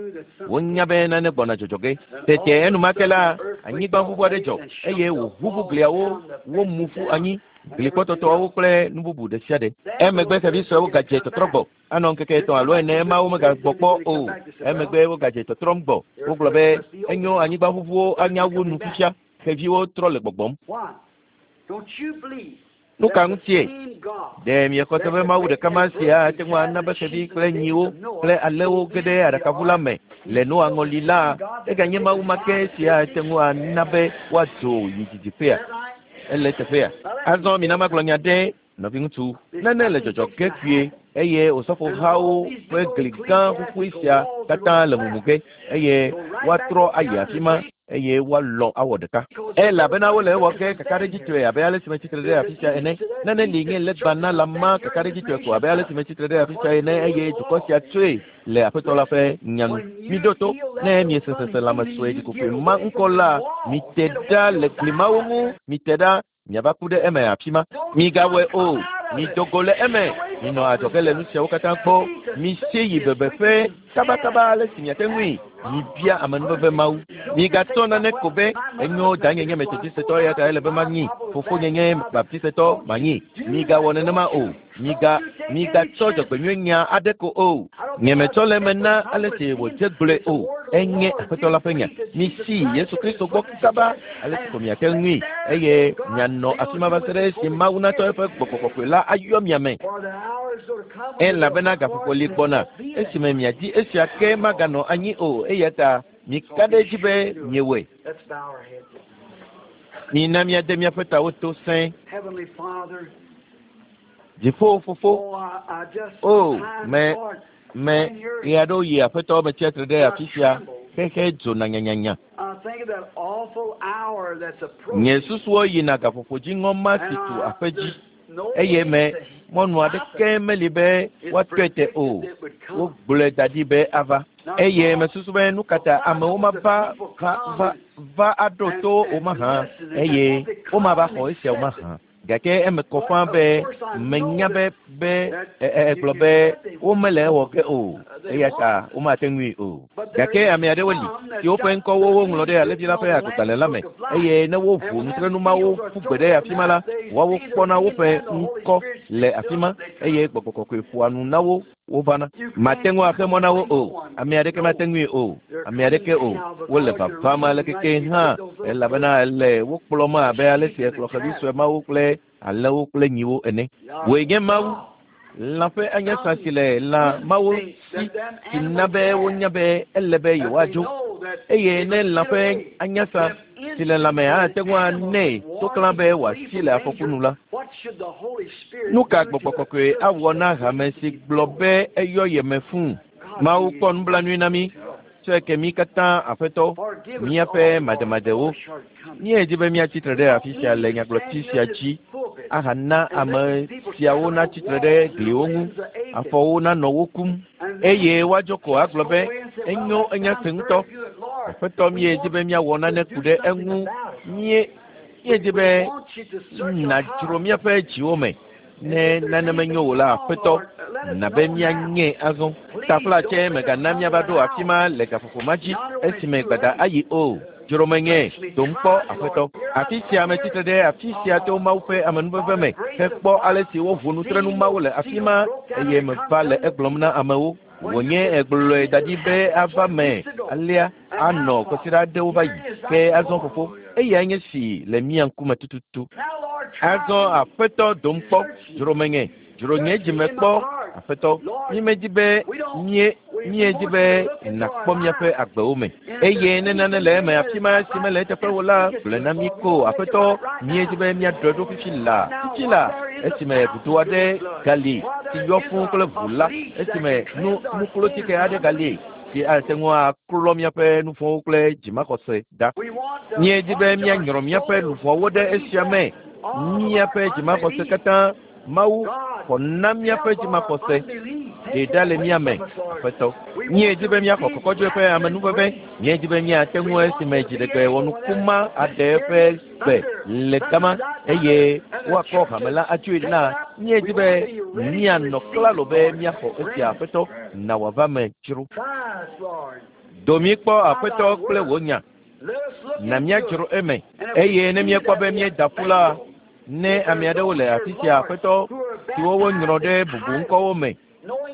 Wonya be nane gbɔna dzɔdzɔ ge. Tete enumake la, anyigbaʋuʋu aɖe dzɔ eye wòʋuʋu gliawo, womu ƒu anyi, glikpɔtɔtɔawo kple nu bubu ɖe sia ɖe. Emegbe xevi suewo gadze tɔtrɔ gbɔ. Anɔ ŋkeke etɔ̃ alo ene emawo megagbɔ kpɔ o. Emegbe wogadze tɔtrɔm gbɔ. Wogblɔ be enyo anyigbaʋuʋuwo anya wu nu fifia. Xeviwo trɔ le gbɔgbɔm. Nu ka ŋutie? Ɖe miexɔ se be Mawu ɖeka ma sia ate ŋu ana be xevi kple nyiwo kple alẽwo ge ɖe aɖakaʋu la me le Noa ŋɔli la, eganye Mawu ma ke sia ate ŋu ana be woadzo yi didiƒea? Ele teƒea. Azɔ mina magblɔ nya ɖe nɔviŋutsu. Nane le dzɔdzɔ ge kpuie eye osɔfohawo ƒe gli gã ƒuƒui sia katã le mumu ge eye woatrɔ ayi afi ma eye woalɔ̃ awɔ ɖeka. Elabena wole ewɔ ge kakaɖedzitɔe abe ale si metsitre ɖe afi sia ene. Nane li nye legba na la ma kakaɖedzitɔe ko abe ale si metsitre ɖe afi sia ene eye dukɔ sia tsoe le Aƒetɔ la ƒe nya nu. Miɖo to ne miese seselãme sue ɖikokoe ma ŋkɔ la, mite ɖa le gli mawo ŋu, mite ɖa miava ku ɖe eme afi ma. Migawɔe o, mido go le eme, minɔ adzɔge le nu siawo katã gbɔ, misie yi bebeƒe kabakaba ale si miate ŋui. Mibia amenuveve Mawu. Migatsɔ nane ko be enyo danye nye Metodistetɔ eya ta ele be manyi, fofonye nye Baptistetɔ manyi. Migawɔ nenema o. Miga migatsɔ dzɔgbenyui nya aɖe ko o. Nyemetsɔ le eme na ale si wòdze gblɔe o. Enye Aƒetɔ la ƒe nya. Misi Yesu Kristo gbɔ kaba ale si ko miate ŋui eye mianɔ afi ma va se ɖe esi Mawu natsɔ eƒe gbɔgbɔ kɔkɔe la ayɔ mia me. Elabena gaƒoƒo li gbɔna esime miadi esia ke maganɔ anyi o eya ta mika ɖe edzi be miewɔe. Mina miade miaƒe tawo to sẽe. Dziƒo fofo, o me me ɣe aɖewo yi Aƒetɔ metsia tre ɖe afi sia xexe dzona nyanyanya. Nye susuwo yina gaƒoƒo dziŋɔ ma si tu aƒe dzi eye me mɔnu aɖeke meli be woatɔe te o. Wogblɔe da ɖi be ava eye mesusu be nu ka ta amewo mava va va va aɖo to wo mahã eye womava xɔ esiawo mahã. Gake eme kɔ ƒãa be menya be be egblɔ be womele ewɔ ge o eya ta womate ŋui o. Gake ame aɖewo li siwo ƒe ŋkɔwo woŋlɔ ɖe alẽvi la ƒe agbalẽ la me eye ne woʋu nutrenu mawo ƒu gbe ɖe afi ma la, woawo kpɔna woƒe ŋkɔ le afi ma eye gbɔgbɔ kɔkɔe ƒoa nu na wo wovana. Mate ŋu axe mɔ na wo o. Ame aɖeke mate ŋui o. Ame aɖeke o. Wole vavam ale keke hã elabena ele wo kplɔm abe ale si ekplɔ xevi sue mawo kple alẽwo kple nyiwo ene. Wòe nye Mawu. Lã ƒe anyasa si le lã mawo si si na be wonya be ele be yewoadzo eye ne lã ƒe anyasa si le lãme ate ŋu anɛ toklã be wòasi le afɔku nu la, nu ka gbɔgbɔ kɔkɔe awɔ na hame si gblɔ be eyɔ yeme fũu? Mawu kpɔ nublanui na mí. Tsɔe ke mí katã Aƒetɔ, míaƒe mademadewo. Míedi be míatsi tre ɖe afi sia le nyagblɔti sia dzi ahana ame siawo natsi tre ɖe gliwo ŋu, afɔwo nanɔ wo kum eye woadzo ko agblɔ be enyo enya se ŋutɔ. Aƒetɔ míedi be míawɔ nane ku ɖe eŋu. Míe míedi be nàdzro míaƒe dziwo me. Ne nane menyo o la, Aƒetɔ, na be míanye azɔ. Taflatse mègana míava ɖo afi ma le gaƒoƒo ma dzi esime gbada ayi o. Dzro menye, dom kpɔ Aƒetɔ. Afi sia metsitre ɖe afi sia to Mawu ƒe amenuveve me hekpɔ ale si woʋu nutrenu mawo le afi ma eye meva le egblɔm na amewo. Wònye egblɔe da ɖi be ava me alea anɔ kɔsiɖa aɖewo va yi. Ke azɔ fofo, eyae nye si le mía ŋkume tututu. Azɔ Aƒetɔ dom kpɔ, dzro menye, dzro nye dzime kpɔ, Aƒetɔ. Mímedi be míe míedi be nàkpɔ míaƒe agbewo me. Eye ne nane le eme afi ma si mele eteƒe o la, gblɔe na mí ko Aƒetɔ. Míedi be míaɖɔe ɖo fifi laa, fifi laa. Esime vudo aɖe gali si yɔ fũu kple ʋu la, esime nu nuklotike aɖe gali si ate ŋu aklɔ míaƒe nuvɔ̃wo kple dzimaxɔse ɖa. Míedi be míanyrɔ míaƒe luʋɔwo ɖe esia me, míaƒe dzimaxɔse katã. Mawu xɔ na míaƒe dzimaxɔse ɖe ɖa le mía me, Aƒetɔ. Míedi be míaxɔ kɔkɔdzo ƒe amenuveve. Míedi be míate ŋu esime dziɖegbe wɔnuku ma aɖe eƒe gbe le gama eye woakɔ hame la atsoe la. Míedi be míanɔ klalo be míaxɔ esia, Aƒetɔ, na wòava me dzro. Do mí kpɔ, Aƒetɔ, kple wò nya. Na míadzro eme eye ne míekpɔ be míeda ƒu la, ne ame aɖewo le afi sia, Aƒetɔ, siwo wonyrɔ ɖe bubu ŋkɔwo me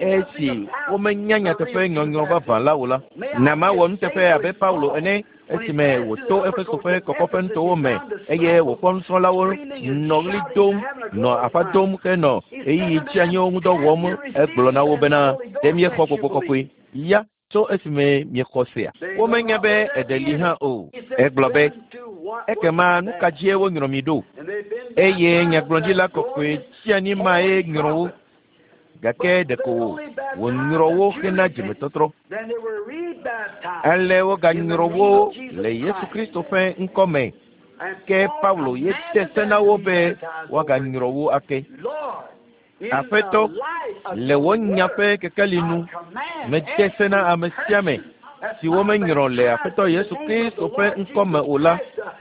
esi womenya nyateƒe nyɔnyrɔ vavã la o la, na mawɔ nuteƒe abe Paulo ene esime wòto Efeso ƒe kɔkɔƒe nutowo me eye wòkpɔ nusrɔ̃lawo nɔ ɣli dom, nɔ aƒa dom henɔ ɣeyiɣi tsianyiwo ŋudɔ wɔm. Egblɔ na wo bena, ɖe miexɔ gbɔgbɔ kɔkɔe ya tso esime miexɔ sea? Womenya be eɖe li hã o. Egblɔ be, ekema nu ka dzie wonyrɔ mi ɖo? Eye nyagblɔɖila kɔkɔe tsianyi mae nyrɔ wo. Gake ɖeko wònyrɔ wo hena dzimetɔtrɔ. Ale woganyrɔ wo le Yesu Kristo ƒe ŋkɔ me. Ke Paulo ye de se na wo be woaganyrɔ wo ake. Aƒetɔ, le wò nya ƒe kekeli nu, mede se na ame sia ame si womenyrɔ le Aƒetɔ Yesu Kristo ƒe ŋkɔ me o la,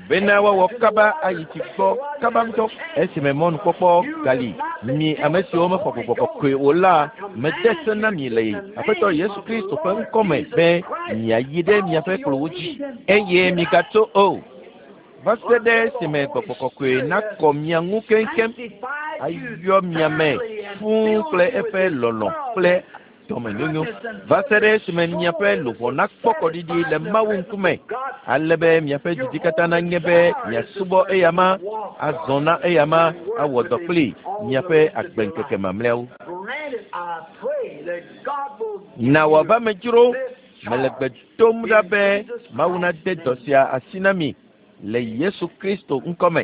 bena woawɔ kaba ayi tsi gbɔ kaba ŋutɔ esime mɔnukpɔkpɔ gali. Mi ame siwo mexɔ gbɔgbɔ kɔkɔe o la, mede se na mi le Aƒetɔ Yesu Kristo ƒe ŋkɔ me be miayi ɖe miaƒe kplɔwo dzi eye migatso o, va se ɖe esime gbɔgbɔ kɔkɔe nakɔ mia ŋu keŋkeŋ, ayɔ mia me fũu kple eƒe lɔlɔ̃ kple dɔmenyonyo, va se ɖe esime miaƒe luʋɔ nakpɔ kɔɖiɖi le Mawu ŋkume, ale be miaƒe didi katã nanye be miasubɔ eyama, azɔ na eyama, awɔ dɔ kpli miaƒe agbeŋkeke mamlɛawo. Na wòava me dzro, mele gbe dom ɖa be Mawu nade dɔ sia asi na mi le Yesu Kristo ŋkɔ me.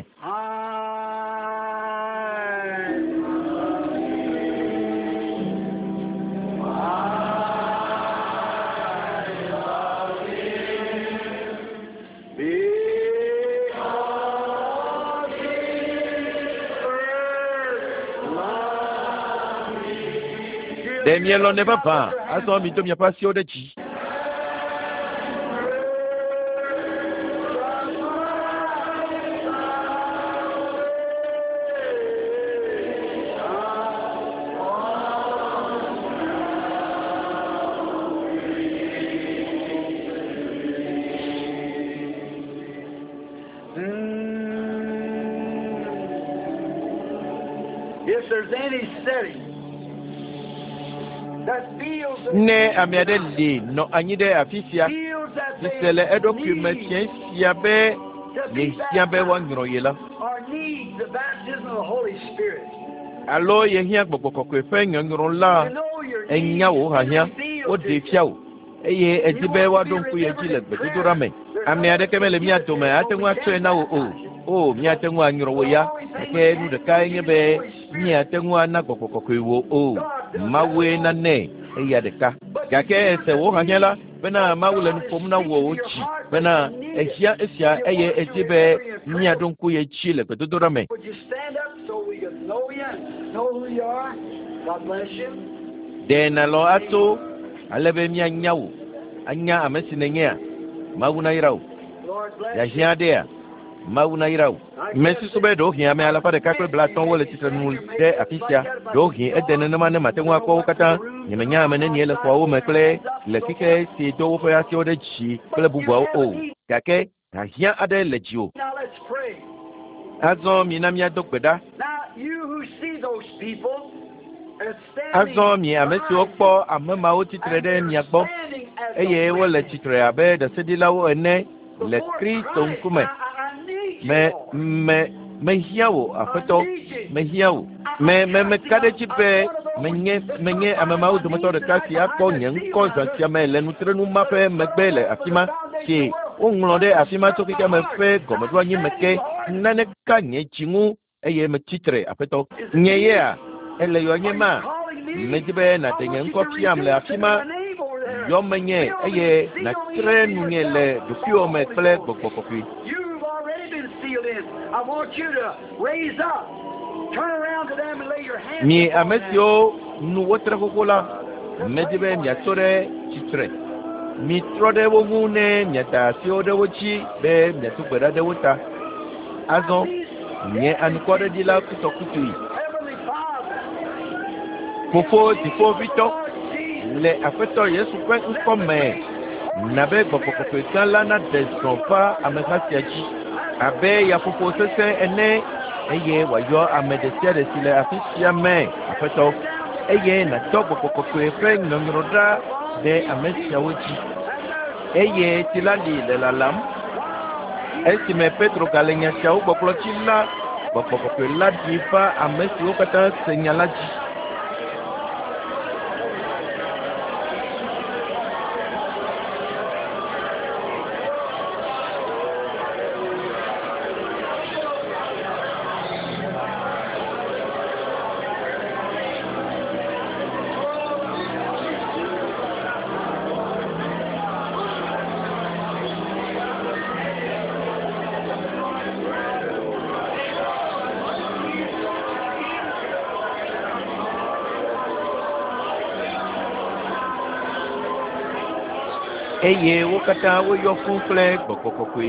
Ɖe mielɔ̃nɛ vavã, azɔ mido miaƒe asiwo ɖe dzi. If there's any setting that feels that Ne ame aɖe li nɔ anyi ɖe afi sia, feels that si they se le eɖokui me need fiẽ sia be to be yehiã be baptized woanyrɔ ye la, or needs the baptism of the Holy Spirit. alo yehiã gbɔgbɔ kɔkɔe ƒe nyɔnyrɔ la, You know your enya needs wò hiahiã, revealed woɖee to you. fia wò eye edi be woaɖo ŋku ye dzi le gbedodoɖa me. Ame aɖeke mele mía dome ate ŋu atsɔe na wò o. O, míate ŋu anyrɔ wò ya, gake nu ɖekae nye be míate ŋu ana gbɔgbɔ kɔkɔe wò o. Mawue nanɛ eya ɖeka. Gake ese wò hiahiã la, bena Mawu le nu ƒom na wò dzi bena ehiã esia eye edi be míaɖo ŋku ye dzi le gbedodoɖa me. Would you stand up so we can know you and know who you are? God bless you. Ɖe nàlɔ̃ atso ale be míanya wò, anya ame si nènyea? Mawu nayra wò. Lord bless you. Hiahiã aɖea? Mawu nayra wò. Mesusu be ɖewohĩ ame alafa ɖeka kple blaatɔ̃wo le tsitre nu ɖe afi sia. Ɖewohĩ ede nenema ne mate ŋu akpɔ wo katã. Nyemenya ame nenie le xɔawo me kple le xexe si do woƒe asiwo ɖe dzi kple bubuawo o. Gake hiahiã aɖe le dziwò. Now let's pray. Azɔ mina míado gbe ɖa. Now you who see those people are standing Azɔ mi ame siwo kpɔ ame mawo tsitre and ɖe they're mia gbɔ standing as a eye wole witness tsitre abe ɖaseɖilawo ene le before Kristo Christ. ŋkume. I, I, I need you, Me Lord. me mehiã wò, I Aƒetɔ, need you. mehiã wò. Me me meka ɖe edzi be menye menye ame mawo dometɔ ɖeka si akpɔ nye ŋkɔ zã sia me le nutrenu ma ƒe megbe le afi ma si woŋlɔ ɖe afi ma tso xexea me ƒe gɔmeɖoanyi me ke. Nane ka nye dzi ŋu eye metsi tre aƒetɔ nye yea ele yɔ nye ma medi be nàɖe nye ŋkɔ fiam le afi ma yɔ menye eye nàtre nunye le ɖokuiwò me kple gbɔgbɔ kɔkɔe. You've already been sealed in. I want you to raise up, turn around to them and lay your hands Mi upon ame them. siwo nu wotre xoxo la, medi be miatso ɖe tsitre. Mitrɔ ɖe wo ŋu ne miada asiwo ɖe wo dzi be miado gbe ɖa ɖe wo ta. Azɔ, nye anukwareɖila kutɔkutui, Heavenly Father, Fofo dziƒoʋĩtɔ, Lord Jesus, le Aƒetɔ Yesu ƒe ŋkɔ me, na be gbɔgbɔ kɔkɔe gã la naɖe zɔ va ameha sia dzi abe yaƒoƒo sesẽ ene eye wòayɔ ame ɖe sia ɖe si le afi sia me Aƒetɔ eye nàtɔ gbɔgbɔ kɔkɔe ƒe nyɔnyrɔ ɖa ɖe ame siawo dzi eye tsi la li le lalam. Esime Petro gale nya siawo gbɔgblɔ dzi la, gbɔgbɔ kɔkɔe la ɖi va ame siwo katã se nya la dzi. Eye wo katã woyɔ fũu kple gbɔgbɔ kɔkɔe.